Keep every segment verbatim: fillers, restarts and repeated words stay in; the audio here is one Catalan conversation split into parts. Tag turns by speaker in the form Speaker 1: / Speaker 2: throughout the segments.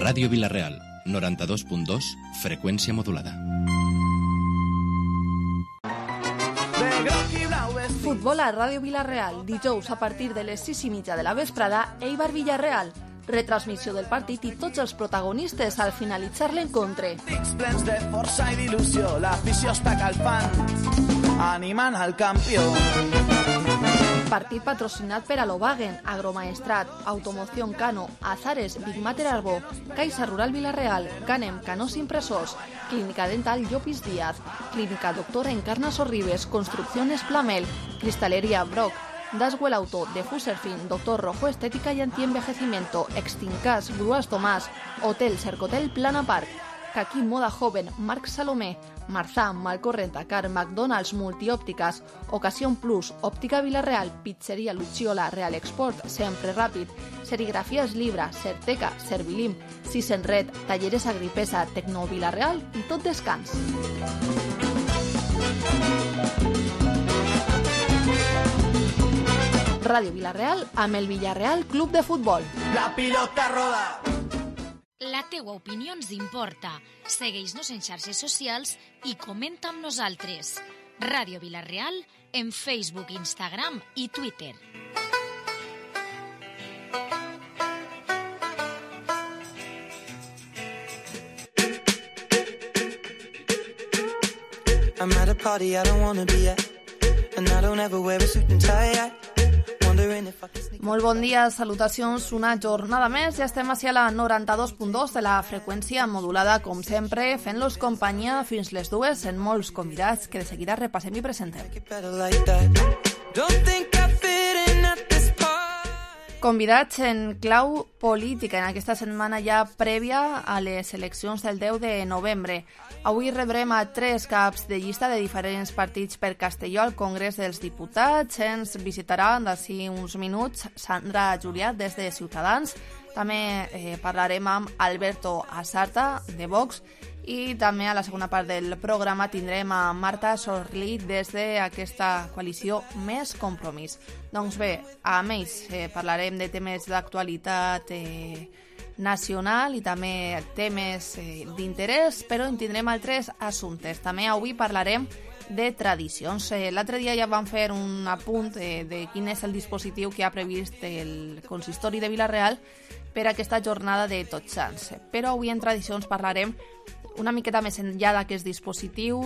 Speaker 1: Ràdio Vila-real, noranta-dos punt dos, freqüència modulada.
Speaker 2: Futbol a Ràdio Vila-real, dijous a partir de les sis i mitja de la vesprada, Eibar-Villarreal. Retransmissió del partit i tots els protagonistes al finalitzar l'encontre.
Speaker 3: Dics plens de força i d'il·lusió, l'afició està calfant, animant al campió.
Speaker 2: Partit patrocinat per Alovagen, Agromaestrat, Automoción Cano, Azares, Big Mater Arbó, Caixa Rural Vila-real, Canem, Canós Impressors, Clínica Dental Llopis Díaz, Clínica Doctora Encarna Sorribes, Construcciones Plamel, Cristalería Brock, Daswell Auto, de Fuserfin, Doctor Rojo Estética y Antienvejecimiento, Extincas, Gruas Tomás, Hotel Cercotel Plana Park, Kaki Moda Joven, Marc Salomé, Marzà, Malcorrenta, Car, McDonald's, Multiópticas, Ocasión Plus, Óptica Vila-real, Pizzería Luciola, Real Export, Sempre Ràpid, Serigrafías Libra, Certeca, Servilim, Sisen Red, Talleres Agripesa, Tecno Vila-real i tot descans. Ràdio Vila-real amb el Villarreal Club de Futbol.
Speaker 3: La pilota roda.
Speaker 4: La teua opinió ens importa. Segueix-nos en xarxes socials i comenta amb nosaltres. Ràdio Vila-real en Facebook, Instagram i Twitter.
Speaker 5: I'm at a party I don't wanna be at, and I don't ever wear a suit and tie yet.
Speaker 2: Molt bon dia, salutacions, una jornada més. Ja estem ací a la noranta-dos punt dos de la freqüència modulada, com sempre, fent-los companyia fins les dues en molts convidats que de seguida repassem i presentem. Convidats en clau política en aquesta setmana ja prèvia a les eleccions del deu de novembre. Avui rebrem a tres caps de llista de diferents partits per Castelló al Congrés dels Diputats. Ens visitarà d'ací uns minuts Sandra Julià des de Ciutadans. També eh, parlarem amb Alberto Asarta de Vox i també a la segona part del programa tindrem a Marta Sorlí des d'aquesta coalició Més Compromís. Doncs bé, amb ells eh, parlarem de temes d'actualitat eh, nacional i també temes eh, d'interès, però en tindrem altres assumptes. També avui parlarem de tradicions. Eh, L'altre dia ja vam fer un apunt eh, de quin és el dispositiu que ha previst el consistori de Vila-real per a aquesta jornada de Tots Sants. Però avui en tradicions parlarem una miqueta més enllà d'aquest dispositiu,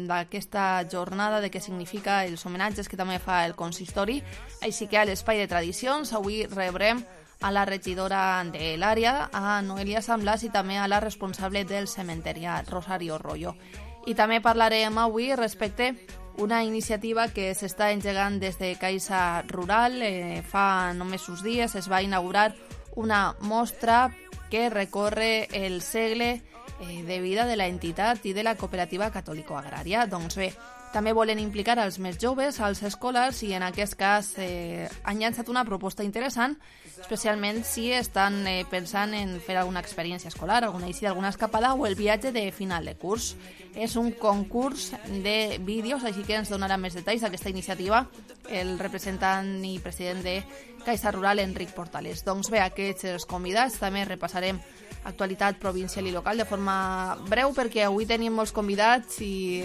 Speaker 2: d'aquesta jornada, de què significa els homenatges que també fa el consistori. Així que a l'Espai de Tradicions avui rebrem a la regidora de l'àrea, a Noelia Samblas, i també a la responsable del cementeri, a Rosario Rollo. I també parlarem avui respecte una iniciativa que s'està engegant des de Caixa Rural. Eh, fa només uns dies es va inaugurar una mostra que recorre el segle de vida de la entitat i de la cooperativa catòlico-agrària. Doncs bé, també volen implicar els més joves, als escolars, i en aquest cas eh, han llançat una proposta interessant, especialment si estan eh, pensant en fer alguna experiència escolar, alguna eixida, alguna escapada o el viatge de final de curs. És un concurs de vídeos, així que ens donarà més detalls d'aquesta iniciativa el representant i president de Caixa Rural, Enric Portales. Doncs bé, aquests els convidats, també repassarem actualitat provincial i local de forma breu, perquè avui tenim molts convidats i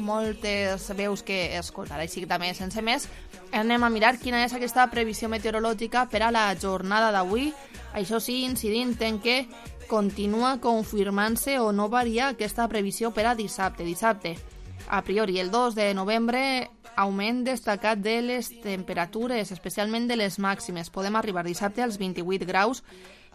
Speaker 2: moltes veus que escoltar. Així que també, sense més, anem a mirar quina és aquesta previsió meteorològica per a la jornada d'avui. Això sí, incidint en que continua confirmant-se o no varia aquesta previsió per a dissabte. Dissabte, a priori, el dos de novembre, augment destacat de les temperatures, especialment de les màximes. Podem arribar dissabte als vint-i-vuit graus,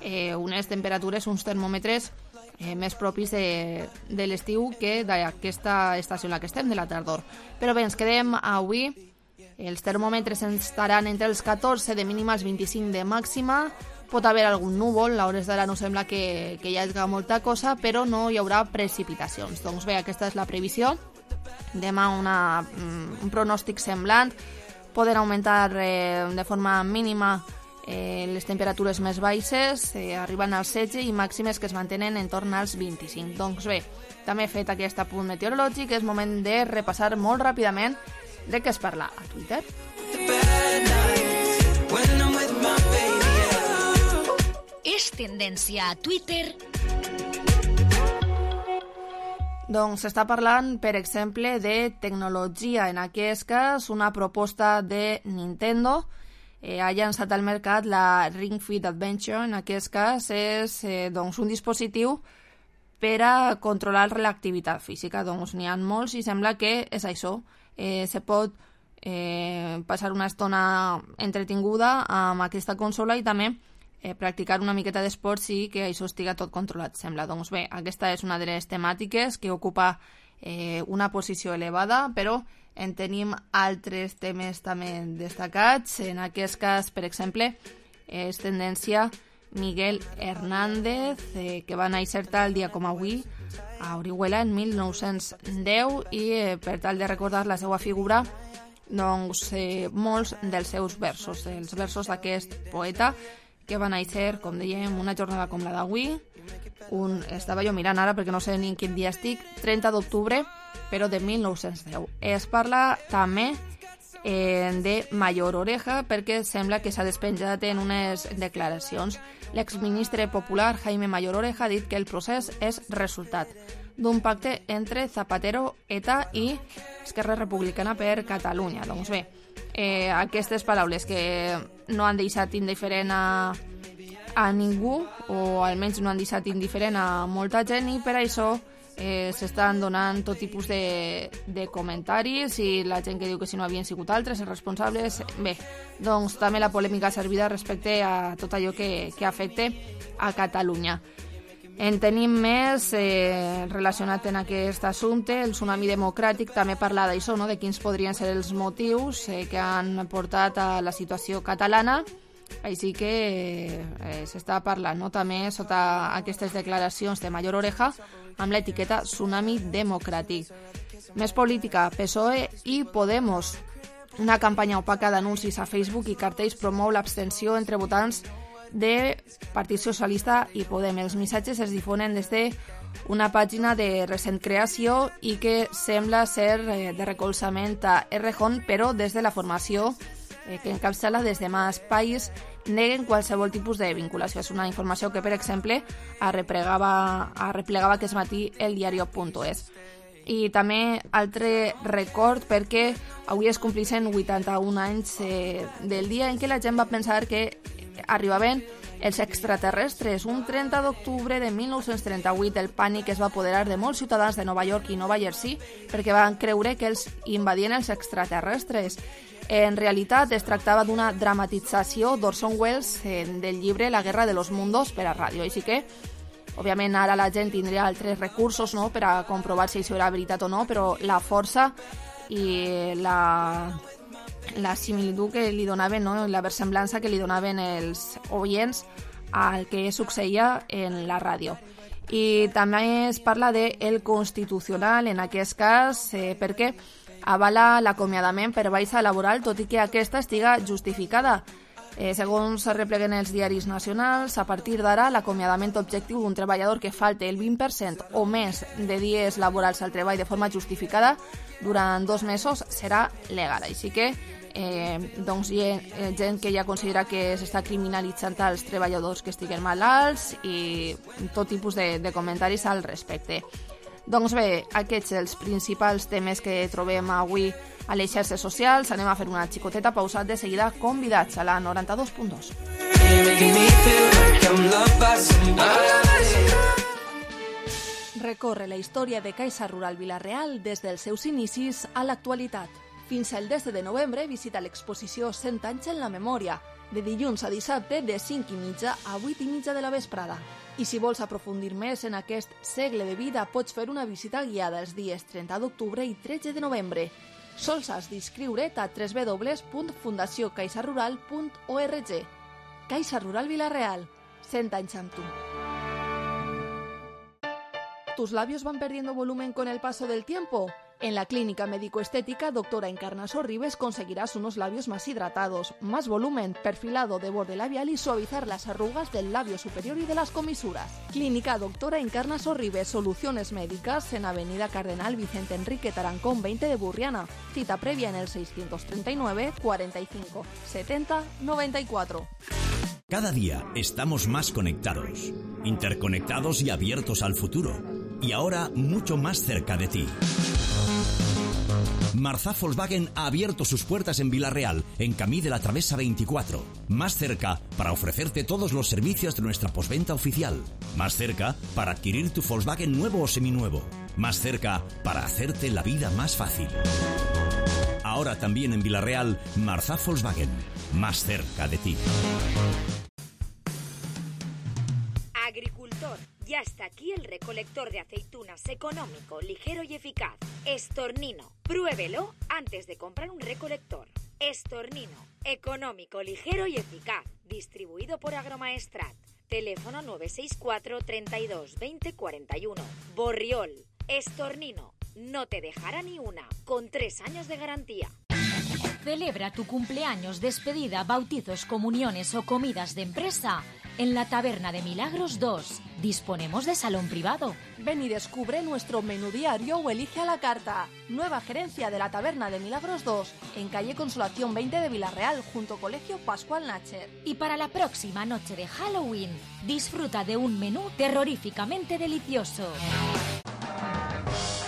Speaker 2: eh, unes temperatures, uns termòmetres eh, més propis de, de l'estiu que d'aquesta estació en la que estem, de la tardor. Però bé, ens quedem avui. Els termòmetres estaran entre els catorze de mínima als vint-i-cinc de màxima. Pot haver algun núvol, a hores d'ara no sembla que, que hi hagi molta cosa, però no hi haurà precipitacions. Doncs bé, aquesta és la previsió. Demà una, un pronòstic semblant. Poden augmentar eh, de forma mínima eh, les temperatures més baixes, eh, arribant als setze, i màximes que es mantenen en torn als vint-i-cinc. Doncs bé, també fet aquest apunt meteorològic, és moment de repassar molt ràpidament de què es parla a Twitter.
Speaker 4: És tendència a Twitter
Speaker 2: Doncs s'està parlant, per exemple, de tecnologia. En aquest cas, una proposta de Nintendo eh, ha llançat al mercat la Ring Fit Adventure. En aquest cas és eh, doncs, un dispositiu per a controlar l'activitat física. Doncs n'hi ha molts i sembla que és això. Eh, se pot eh, passar una estona entretinguda amb aquesta consola i també Eh, practicar una miqueta d'esport sí que això estiga tot controlat, sembla. Doncs bé, aquesta és una de les temàtiques que ocupa eh, una posició elevada, però en tenim altres temes també destacats. En aquest cas, per exemple, és tendència Miguel Hernández, eh, que va néixer tal dia com avui a Orihuela en mil nou-cents deu i eh, per tal de recordar la seva figura, doncs eh, molts dels seus versos, els versos d'aquest poeta, que va néixer, com dèiem, una jornada com la d'avui. Un, estava jo mirant ara perquè no sé ni en quin dia estic, trenta d'octubre, però de mil nou-cents deu. Es parla també eh, de Mayor Oreja perquè sembla que s'ha despenjat en unes declaracions. L'exministre popular Jaime Mayor Oreja ha dit que el procés és resultat d'un pacte entre Zapatero, E T A i Esquerra Republicana per Catalunya. Doncs bé, eh, aquestes paraules que no han deixat indiferent a, a ningú, o almenys no han deixat indiferent a molta gent, i per això eh, s'estan donant tot tipus de, de comentaris, i la gent que diu que si no havien sigut altres els responsables. Bé, doncs també la polèmica servida respecte a tot allò que, que afecte a Catalunya. En tenim més eh, relacionat en aquest assumpte. El Tsunami Democràtic també parla d'això, no? De quins podrien ser els motius eh, que han portat a la situació catalana. Així que eh, s'està parlant, no? També sota aquestes declaracions de Mayor Oreja amb l'etiqueta Tsunami Democràtic. Més política, P S O E i Podemos. Una campanya opaca d'anuncis a Facebook i cartells promou l'abstenció entre votants de Partit Socialista i Podem. Els missatges es difonen des de una pàgina de recent creació i que sembla ser eh, de recolzament a Errejón, però des de la formació eh, que encapçala des de Más País neguen qualsevol tipus de vinculació. És una informació que, per exemple, arreplegava, arreplegava aquest matí el diario punt es. I també altre record perquè avui es complixen vuitanta-un anys eh, del dia en què la gent va pensar que arribaven els extraterrestres. Un trenta d'octubre de mil nou-cents trenta-vuit el pànic es va apoderar de molts ciutadans de Nova York i Nova Jersey perquè van creure que els invadien els extraterrestres. En realitat es tractava d'una dramatització d'Orson Welles eh, del llibre La guerra de los mundos per a ràdio. Així que, òbviament, ara la gent tindria altres recursos, no?, per a comprovar si això era veritat o no, però la força i la... la similitud que li donaven, no? La versemblança que li donaven els oients al que succeïa en la ràdio. I també es parla de El Constitucional, en aquest cas, eh, perquè avala l'acomiadament per baixa laboral, tot i que aquesta estiga justificada. Eh, segons arrepleguen els diaris nacionals, a partir d'ara, l'acomiadament objectiu d'un treballador que falte el vint per cent o més de dies laborals al treball de forma justificada durant dos mesos serà legal. Així que eh, doncs hi ha gent que ja considera que s'està criminalitzant els treballadors que estiguen malalts i tot tipus de, de comentaris al respecte. Doncs bé, aquests els principals temes que trobem avui a les xarxes socials. Anem a fer una xicoteta pausa, de seguida convidats a la noranta-dos punt dos. Recorre la història de Caixa Rural Vila-real des dels seus inicis a l'actualitat. Fins al desè de novembre visita l'exposició cent anys en la memòria, de dilluns a dissabte de cinc i mitja a vuit i mitja de la vesprada. I si vols aprofundir més en aquest segle de vida, pots fer una visita guiada els dies trenta d'octubre i tretze de novembre. Sols has d'inscriure't a w w w punt fundació caixa rural punt org. Caixa Rural Vila-real, cent anys amb tu. ¿Tus labios van perdiendo volumen con el paso del tiempo? En la clínica médico-estética Doctora Encarnaso Ribes conseguirás unos labios más hidratados, más volumen, perfilado de borde labial y suavizar las arrugas del labio superior y de las comisuras. Clínica Doctora Encarnaso Ribes, soluciones médicas en Avenida Cardenal Vicente Enrique Tarancón veinte de Burriana. Cita previa en el seiscientos treinta y nueve, cuarenta y cinco, setenta, noventa y cuatro.
Speaker 6: Cada día estamos más conectados, interconectados y abiertos al futuro. y ahora mucho más cerca de ti. Marzá Volkswagen ha abierto sus puertas en Vila-real, en Camí de la Travesa veinticuatro. Más cerca para ofrecerte todos los servicios de nuestra postventa oficial. Más cerca para adquirir tu Volkswagen nuevo o seminuevo. Más cerca para hacerte la vida más fácil. Ahora también en Vila-real, Marzá Volkswagen. Más cerca de ti.
Speaker 7: Agricultor, ya está aquí el recolector de aceitunas económico, ligero y eficaz. Estornino, pruébelo antes de comprar un recolector. Estornino, económico, ligero y eficaz. Distribuido por Agromaestrat. Teléfono nueve seis cuatro, treinta y dos, veinte, cuarenta y uno. Borriol, Estornino, no te dejará ni una, con tres años de garantía.
Speaker 4: Celebra tu cumpleaños, despedida, bautizos, comuniones o comidas de empresa en la Taberna de Milagros dos. Disponemos de salón privado.
Speaker 2: Ven y descubre nuestro menú diario o elige a la carta. Nueva gerencia de la Taberna de Milagros dos, en calle Consolación veinte de Vila-real, junto Colegio Pascual Nacher.
Speaker 4: Y para la próxima noche de Halloween, disfruta de un menú terroríficamente delicioso.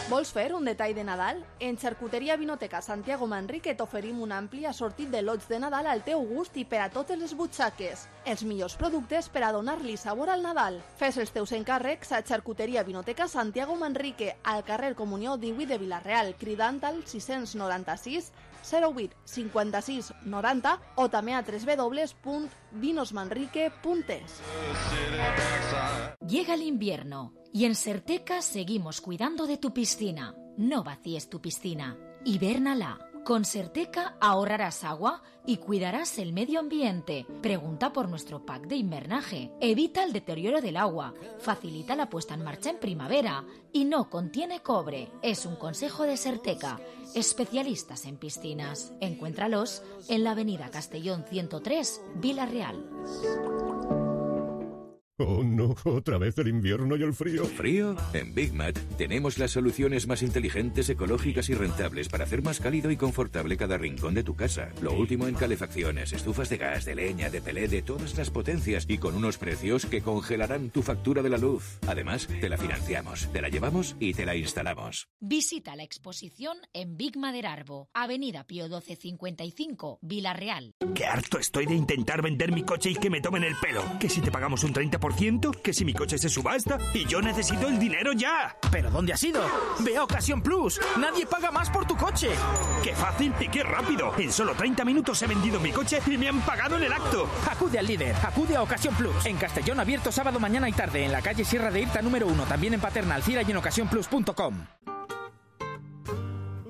Speaker 2: Vols fer un detall de Nadal? En Xarcuteria Vinoteca Santiago Manrique t'oferim un ampli assortit de lots de Nadal al teu gust i per a totes les butxaques. Els millors productes per a donar-li sabor al Nadal. Fes els teus encàrrecs a Xarcuteria Vinoteca Santiago Manrique, al carrer Comunió divuit de Vila-real, cridant al sis noranta-sis zero vuit cinquanta-sis noranta o també a doble u doble u doble u punt vinosmanrique punt es.
Speaker 4: Llega el invierno y en Serteca seguimos cuidando de tu piscina. No vacíes tu piscina, hibérnala. Con Serteca ahorrarás agua y cuidarás el medio ambiente. Pregunta por nuestro pack de invernaje. Evita el deterioro del agua, facilita la puesta en marcha en primavera y no contiene cobre. Es un consejo de Serteca, especialistas en piscinas. Encuéntralos en la avenida Castellón ciento tres, Vila-real.
Speaker 8: Oh no, otra vez el invierno y el frío.
Speaker 9: ¿Frío? En Big Mat tenemos las soluciones más inteligentes, ecológicas y rentables para hacer más cálido y confortable cada rincón de tu casa. Lo último en calefacciones, estufas de gas, de leña, de pelé, de todas las potencias y con unos precios que congelarán tu factura de la luz. Además, te la financiamos, te la llevamos y te la instalamos.
Speaker 4: Visita la exposición en Big Maderarbo, avenida Pío doce cincuenta y cinco, Vila-real.
Speaker 10: Qué harto estoy de intentar vender mi coche y que me tomen el pelo. Que si te pagamos un treinta por ciento, que si mi coche se subasta y yo necesito el dinero ya.
Speaker 11: ¿Pero dónde has ido? Ve a Ocasión Plus. Nadie paga más por tu coche.
Speaker 10: ¡Qué fácil y qué rápido! En solo treinta minutos he vendido mi coche y me han pagado en el acto.
Speaker 11: Acude al líder. Acude a Ocasión Plus. En Castellón, abierto sábado, mañana y tarde. En la calle Sierra de Irta número uno. También en Paterna, Alcira y en ocasión plus punto com.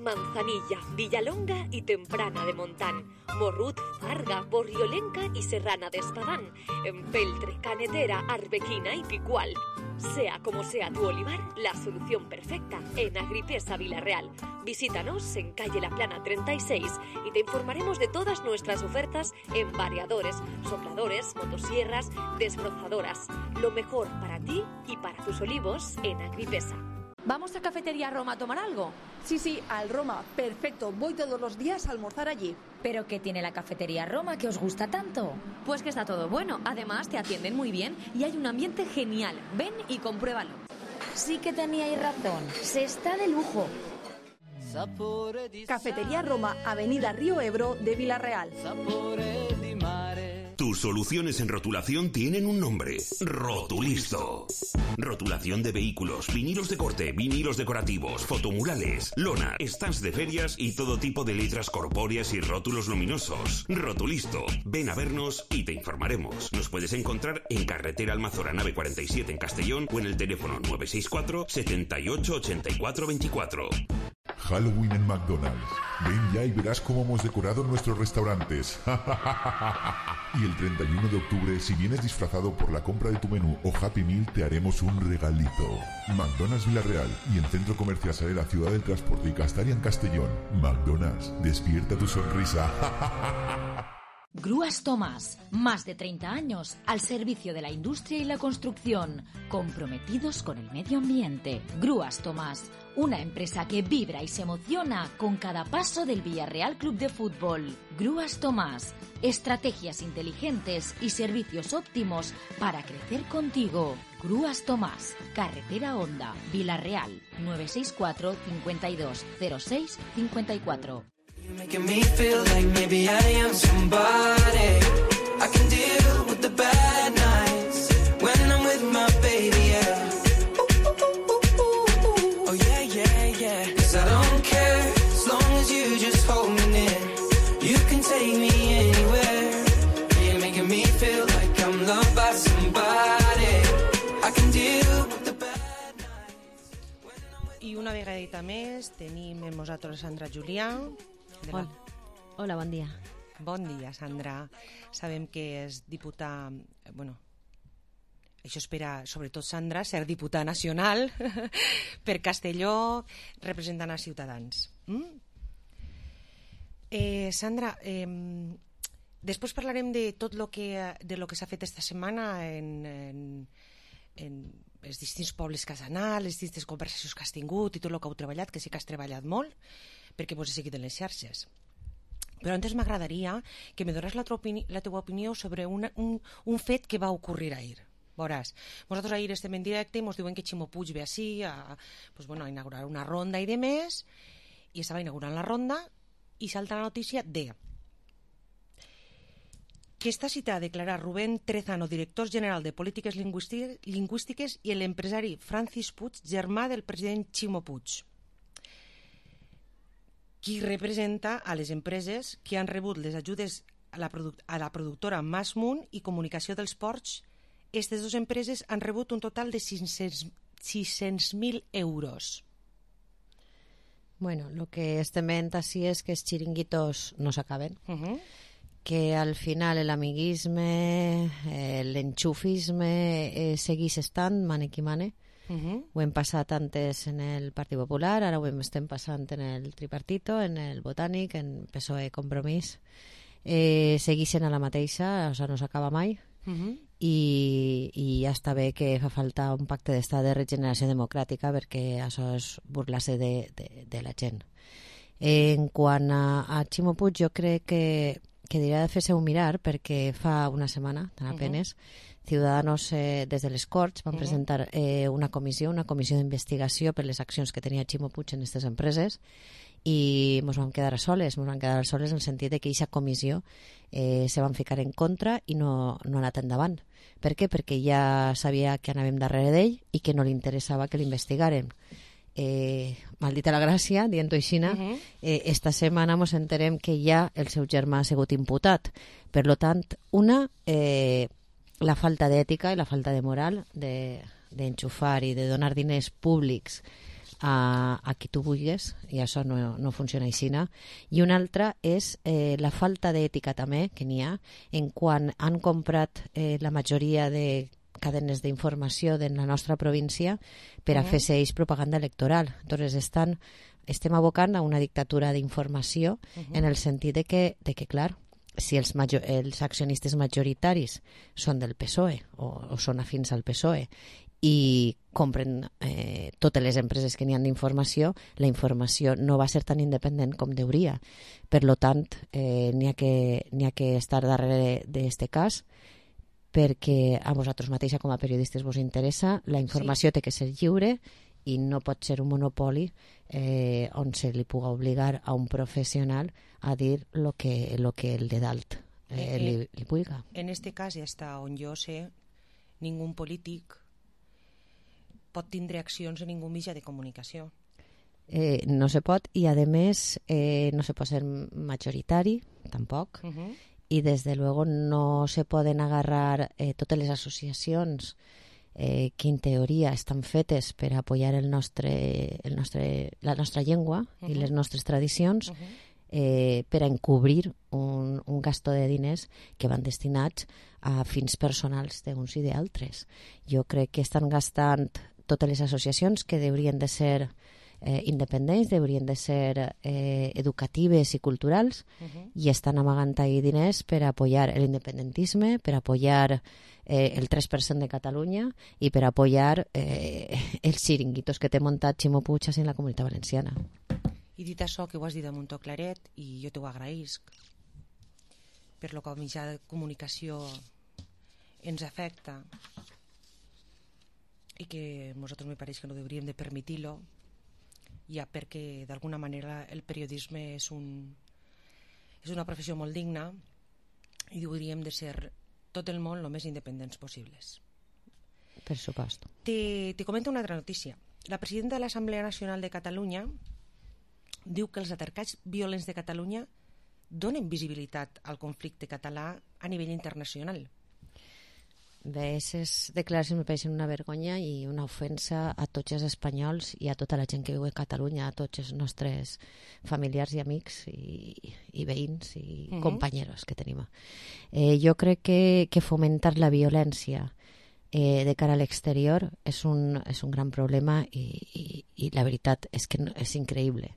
Speaker 7: Manzanilla, Villalonga y Temprana de Montán, Morrut, Farga, Borriolenca y Serrana de Espadán, Empeltre, Canetera, Arbequina y Picual. Sea como sea tu olivar, la solución perfecta en Agripesa Vila-real. Visítanos en calle La Plana treinta y seis y te informaremos de todas nuestras ofertas en variadores, sopladores, motosierras, desbrozadoras. Lo mejor para ti y para tus olivos en Agripesa.
Speaker 12: ¿Vamos a Cafetería Roma a tomar algo?
Speaker 2: Sí, sí, al Roma. Perfecto. Voy todos los días a almorzar allí.
Speaker 12: ¿Pero qué tiene la Cafetería Roma que os gusta tanto? Pues que está todo bueno. Además, te atienden muy bien y hay un ambiente genial. Ven y compruébalo.
Speaker 4: Sí que teníais razón. Se está de lujo.
Speaker 2: Cafetería Roma, avenida Río Ebro de Vila-real.
Speaker 13: Tus soluciones en rotulación tienen un nombre: Rotulisto. Rotulación de vehículos, vinilos de corte, vinilos decorativos, fotomurales, lona, stands de ferias y todo tipo de letras corpóreas y rótulos luminosos. Rotulisto. Ven a vernos y te informaremos. Nos puedes encontrar en carretera Almazora nave cuarenta y siete en Castellón o en el teléfono nueve seis cuatro, setenta y ocho, ochenta y cuatro veinticuatro.
Speaker 14: Halloween en McDonald's. Ven ya y verás cómo hemos decorado nuestros restaurantes. Y el treinta y uno de octubre, si vienes disfrazado por la compra de tu menú o Happy Meal, te haremos un regalito. McDonald's Vila-real y en Centro Comercial Salera, Ciudad del Transporte y Castalia en Castellón. McDonald's, despierta tu sonrisa.
Speaker 4: Grúas Tomás, más de treinta años al servicio de la industria y la construcción, comprometidos con el medio ambiente. Grúas Tomás, una empresa que vibra y se emociona con cada paso del Villarreal Club de Fútbol. Grúas Tomás, estrategias inteligentes y servicios óptimos para crecer contigo. Grúas Tomás, Carretera Honda, Vila-real, nueve seis cuatro, cinco dos, cero seis, cinco cuatro.
Speaker 5: You're making me feel like maybe I am somebody. I can deal with the bad nights when I'm with my baby, yeah. Oh yeah, yeah, yeah. 'Cause I don't care as long as you just hold me near. You can take me anywhere. You're making me feel like I'm loved by somebody. I can deal with the bad nights.
Speaker 15: I una vegada més tenim amb nosaltres Sandra Julià. La...
Speaker 16: Hola. Hola, bon dia.
Speaker 15: Bon dia, Sandra. Sabem que és diputada, bueno, això espera, sobretot Sandra, ser diputada nacional per Castelló, representant a Ciutadans. Mm? Eh, Sandra, eh, després parlarem de tot lo que, de lo que s'ha fet esta setmana en, en, en els distints pobles que has anat, les distintes conversacions que has tingut i tot el que heu treballat, que sí que has treballat molt, perquè vos he seguit en les xarxes. Però antes m'agradaria que me dones la, opini la teva opinió sobre una, un, un fet que va ocorrir ahir. Veuràs, nosaltres ahir estem en directe i ens diuen que Ximo Puig ve així a, pues, bueno, a inaugurar una ronda i de més, i estava inaugurant la ronda i salta la notícia de que està citat a declarar Rubén Trezano, director general de Polítiques Lingüístiques, i l'empresari Francis Puig, germà del president Ximo Puig, qui representa a les empreses que han rebut les ajudes a la, a la productora Masmunt i Comunicació dels Ports. Aquestes dues empreses han rebut un total de sis-cents mil euros.
Speaker 16: Bueno, lo que estem veient així és que els xiringuitos no s'acaben, uh-huh. que al final l'amiguisme, eh, l'enxufisme eh, segueix estant, mane qui mane. Uh-huh. Ho hem passat antes en el Partit Popular, ara ho estem passant en el Tripartito, en el Botànic, en P S O E Compromís. Eh, segueixen a la mateixa, o sigui, no s'acaba mai. Uh-huh. I, i ja està bé que fa falta un pacte d'estat de regeneració democràtica, perquè això és burlar-se de, de, de la gent. Eh, en quant a, a Ximo Puig, jo crec que, que diria de fer-se un mirar, perquè fa una setmana, tan apenes, uh-huh. Ciudadanos eh, des de les Corts van uh-huh. presentar eh, una comissió, una comissió d'investigació per les accions que tenia Ximo Puig en aquestes empreses, i ens vam quedar a soles, ens vam quedar a soles en el sentit de que aquesta comissió eh, se van ficar en contra i no, no ha anat endavant. Per què? Perquè ja sabia que anàvem darrere d'ell i que no li interessava que l'investigàrem. Eh, maldita la gràcia, dient-ho així, uh-huh. eh, esta setmana ens enterem que ja el seu germà ha sigut imputat. Per lo tant, una... Eh, la falta d'ètica i la falta de moral d'enxufar de, i de donar diners públics a, a qui tu vulguis, i això no, no funciona així. I una altra és eh, la falta d'ètica també que n'hi ha en quan han comprat eh, la majoria de cadenes d'informació de la nostra província per a uh-huh. fer-se ells propaganda electoral. Entonces estan, estem abocant a una dictadura d'informació uh-huh. en el sentit de que, de que clar, si els, major, els accionistes majoritaris són del P S O E o, o són afins al P S O E i compren eh, totes les empreses que n'hi ha d'informació, la informació no va ser tan independent com deuria. Per lo tant, eh, n'hi ha, que, n'hi ha que estar darrere d'aquest cas, perquè a vosaltres mateixa com a periodistes vos interessa, la informació sí. té que ser lliure i no pot ser un monopoli eh, on se li puga obligar a un professional a dir lo que, lo que el de dalt eh, eh, li, li vulga.
Speaker 15: En este cas, i hasta on jo sé, ningú polític pot tindre accions en ningú mitjà de comunicació.
Speaker 16: Eh, no se pot, i a més eh, no se pot ser majoritari, tampoc, uh-huh. i des de luego no se poden agarrar eh, totes les associacions Eh, que en teoria estan fetes per apoyar el nostre, el nostre, la nostra llengua uh-huh. i les nostres tradicions uh-huh. eh, per a encobrir un, un gasto de diners que van destinats a fins personals d'uns i d'altres. Jo crec que estan gastant totes les associacions que haurien de ser eh, independents, haurien de ser eh, educatives i culturals uh-huh. i estan amagant ahí diners per a apoyar l'independentisme, per a apoyar Eh, el tres per cent de Catalunya i per apoyar eh, els xiringuitos que té muntat Ximo Puig en la Comunitat Valenciana.
Speaker 15: I dit això, que ho has dit amb un to claret, i jo t'ho agraïsc per lo que el mitjà de comunicació ens afecta. i que nosaltres me pareix que no hauríem de permitir-lo, ja perquè d'alguna manera el periodisme és, un, és una professió molt digna i hauríem de ser tot el món el més independents possibles.
Speaker 16: Per supost.
Speaker 15: Te, te comento una altra notícia. La presidenta de l'Assemblea Nacional de Catalunya diu que els atacs violents de Catalunya donen visibilitat al conflicte català a nivell internacional.
Speaker 16: Bé, aquestes declaracions me pareixen una vergonya i una ofensa a tots els espanyols i a tota la gent que viu a Catalunya, a tots els nostres familiars i amics i, i veïns i uh-huh. companyeros que tenim. Eh, jo crec que, que fomentar la violència eh, de cara a l'exterior és un, és un gran problema i, i, i la veritat és que no, és increïble.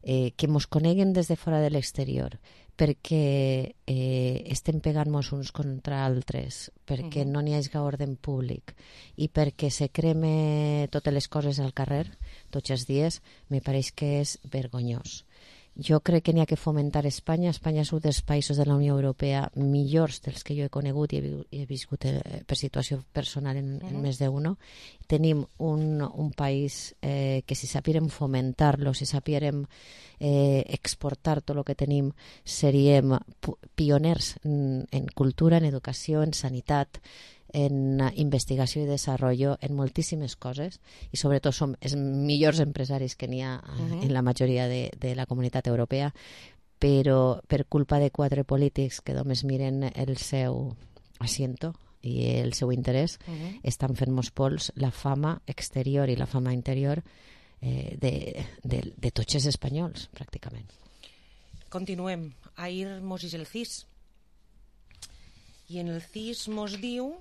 Speaker 16: Eh, que mos coneguen des de fora de l'exterior perquè eh, estem pegant-nos uns contra altres, perquè uh-huh. no n'hi hagi ordre públic i perquè se creme totes les coses al carrer tots els dies, me pareix que és vergonyós. Jo crec que n'hi ha que fomentar Espanya. Espanya és un dels països de la Unió Europea millors dels que jo he conegut i he, he viscut eh, per situació personal en, uh-huh. en més d'uno. Tenim un, un país eh, que si sapirem fomentar-lo, si sapirem eh, exportar tot el que tenim, seríem pioners en, en cultura, en educació, en sanitat, en investigació i desenvolupament, en moltíssimes coses, i sobretot som els millors empresaris que n'hi ha uh-huh. en la majoria de, de la comunitat europea, però per culpa de quatre polítics que només miren el seu asiento i el seu interès, uh-huh. estan fent-nos pols la fama exterior i la fama interior eh, de, de, de tots els espanyols, pràcticament.
Speaker 15: Continuem. Ahir mos és el C I S. I en el C I S mos diu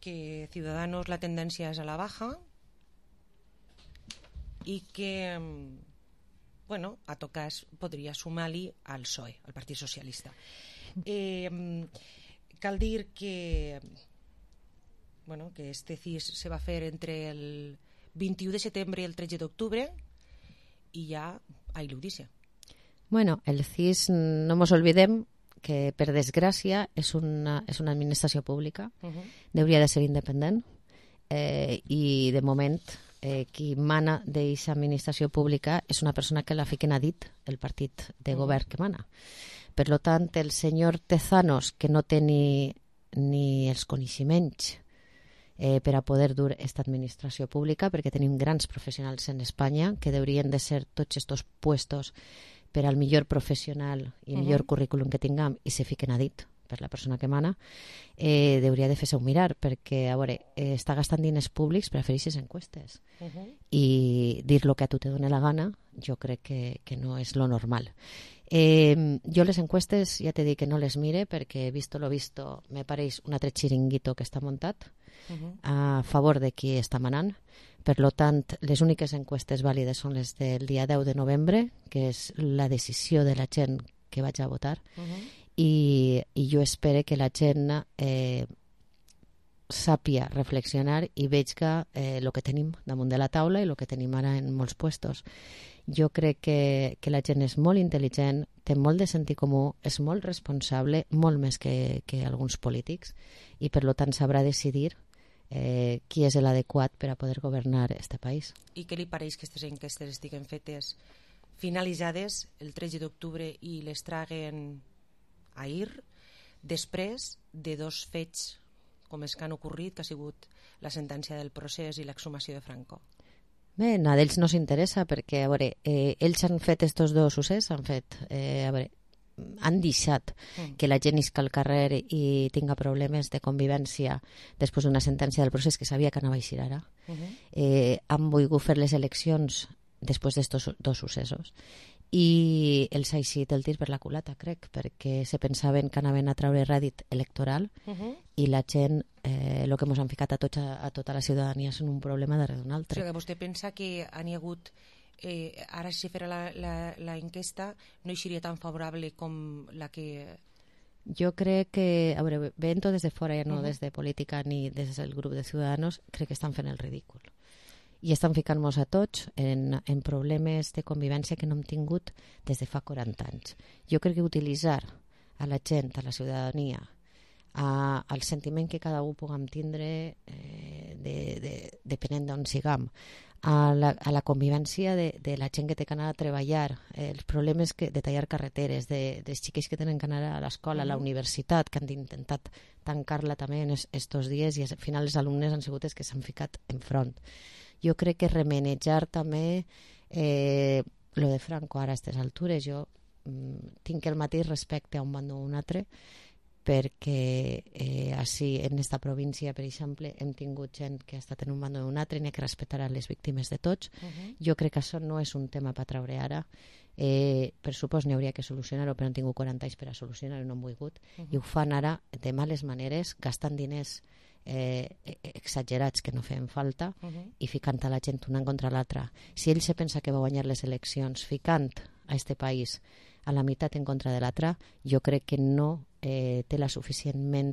Speaker 15: que Ciudadanos la tendència és a la baja i que, bueno, a tot cas podria sumar-li al P S O E, al Partit Socialista. Eh, cal dir que, bueno, que este C I S se va fer entre el vint-i-u de setembre i el tretze d'octubre i ja hay l'Odissea.
Speaker 16: Bueno, el C I S, no mos olvidem que per desgràcia és una, és una administració pública, uh-huh. hauria de ser independent eh, i de moment eh, qui mana d'aquesta administració pública és una persona que la fiquen a dit el partit de govern uh-huh. que mana. Per lo tant, el senyor Tezanos, que no té ni, ni els coneixements eh, per a poder dur aquesta administració pública, perquè tenim grans professionals en Espanya que haurien de ser tots aquests puestos per al millor professional i millor uh-huh. currículum que tinguem i se fiquen a dit per la persona que mana, eh, hauria de fer-se-ho mirar, perquè a veure, eh, està gastant diners públics per a fer aquestes enquestes uh-huh. i dir lo que a tu te dona la gana jo crec que, que no és lo normal. Eh, jo les enquestes ja t'he dit que no les mire perquè visto lo visto me pareix un altre xiringuito que està muntat uh-huh. a favor de qui està manant. Per lo tant, les úniques enquestes vàlides són les del dia deu de novembre, que és la decisió de la gent que vaig a votar, uh-huh. i, i jo espero que la gent eh, sàpia reflexionar i vegi el eh, que tenim damunt de la taula i el que tenim ara en molts puestos. Jo crec que, que la gent és molt intel·ligent, té molt de sentit comú, és molt responsable, molt més que, que alguns polítics, i per lo tant sabrà decidir Eh, qui és l'adequat per a poder governar este país.
Speaker 15: I què li pareix que aquestes enquestes estiguen fetes finalitzades el tretze d'octubre i les traguen ahir després de dos fets com els que han ocorrit, que ha sigut la sentència del procés i l'exhumació de Franco?
Speaker 16: Bé, a d'ells no s'interessa perquè, a veure, eh, ells han fet estos dos succés, han fet, eh, a veure, han deixat mm. que la gent isca al carrer i tinga problemes de convivència després d'una sentència del procés que sabia que anava a eixir ara. Uh-huh. Eh, han volgut fer les eleccions després d'estos dos successos i els ha eixit el tir per la culata, crec, perquè se pensaven que anaven a treure rèdit electoral uh-huh. i la gent, eh, el que ens han ficat a, tots, a, a tota la ciutadania és un problema darrere d'un altre.
Speaker 15: O sigui, vostè pensa que han hi hagut Eh, ara si farà la, la, la enquesta no eixiria tan favorable com la que...
Speaker 16: Jo crec que, a veure, veient des de fora, ja no uh-huh. des de política ni des del grup de Ciudadanos, crec que estan fent el ridícul. I estan ficant-nos a tots en, en problemes de convivència que no hem tingut des de fa quaranta anys. Jo crec que utilitzar a la gent, a la ciutadania, a, al sentiment que cada un puguem tindre eh, de, de, depenent d'on siguem, a la, a la convivència de, de la gent que té que anar a treballar, eh, els problemes que, de tallar carreteres, de, dels xiquets que tenen que anar a l'escola, a la universitat, que han intentat tancar-la també en estos dies i al final els alumnes han sigut els que s'han ficat enfront. Jo crec que remenejar també eh, lo de Franco ara a aquestes altures, jo mm, tinc el mateix respecte a un bando o un altre, perquè eh, així en esta província, per exemple, hem tingut gent que ha estat en un bando o un altre i n'hi ha que respectar les víctimes de tots. Uh-huh. Jo crec que això no és un tema per treure ara. Eh, per supòs n'hi hauria que solucionar-ho, però han tingut quaranta anys per a solucionar-ho i no han volgut. Uh-huh. I ho fan ara de males maneres, gastant diners eh, exagerats que no feien falta uh-huh. i ficant a la gent una en contra l'altra. Si ell se pensa que va guanyar les eleccions ficant a este país a la meitat en contra de l'altra, jo crec que no eh, té la suficientment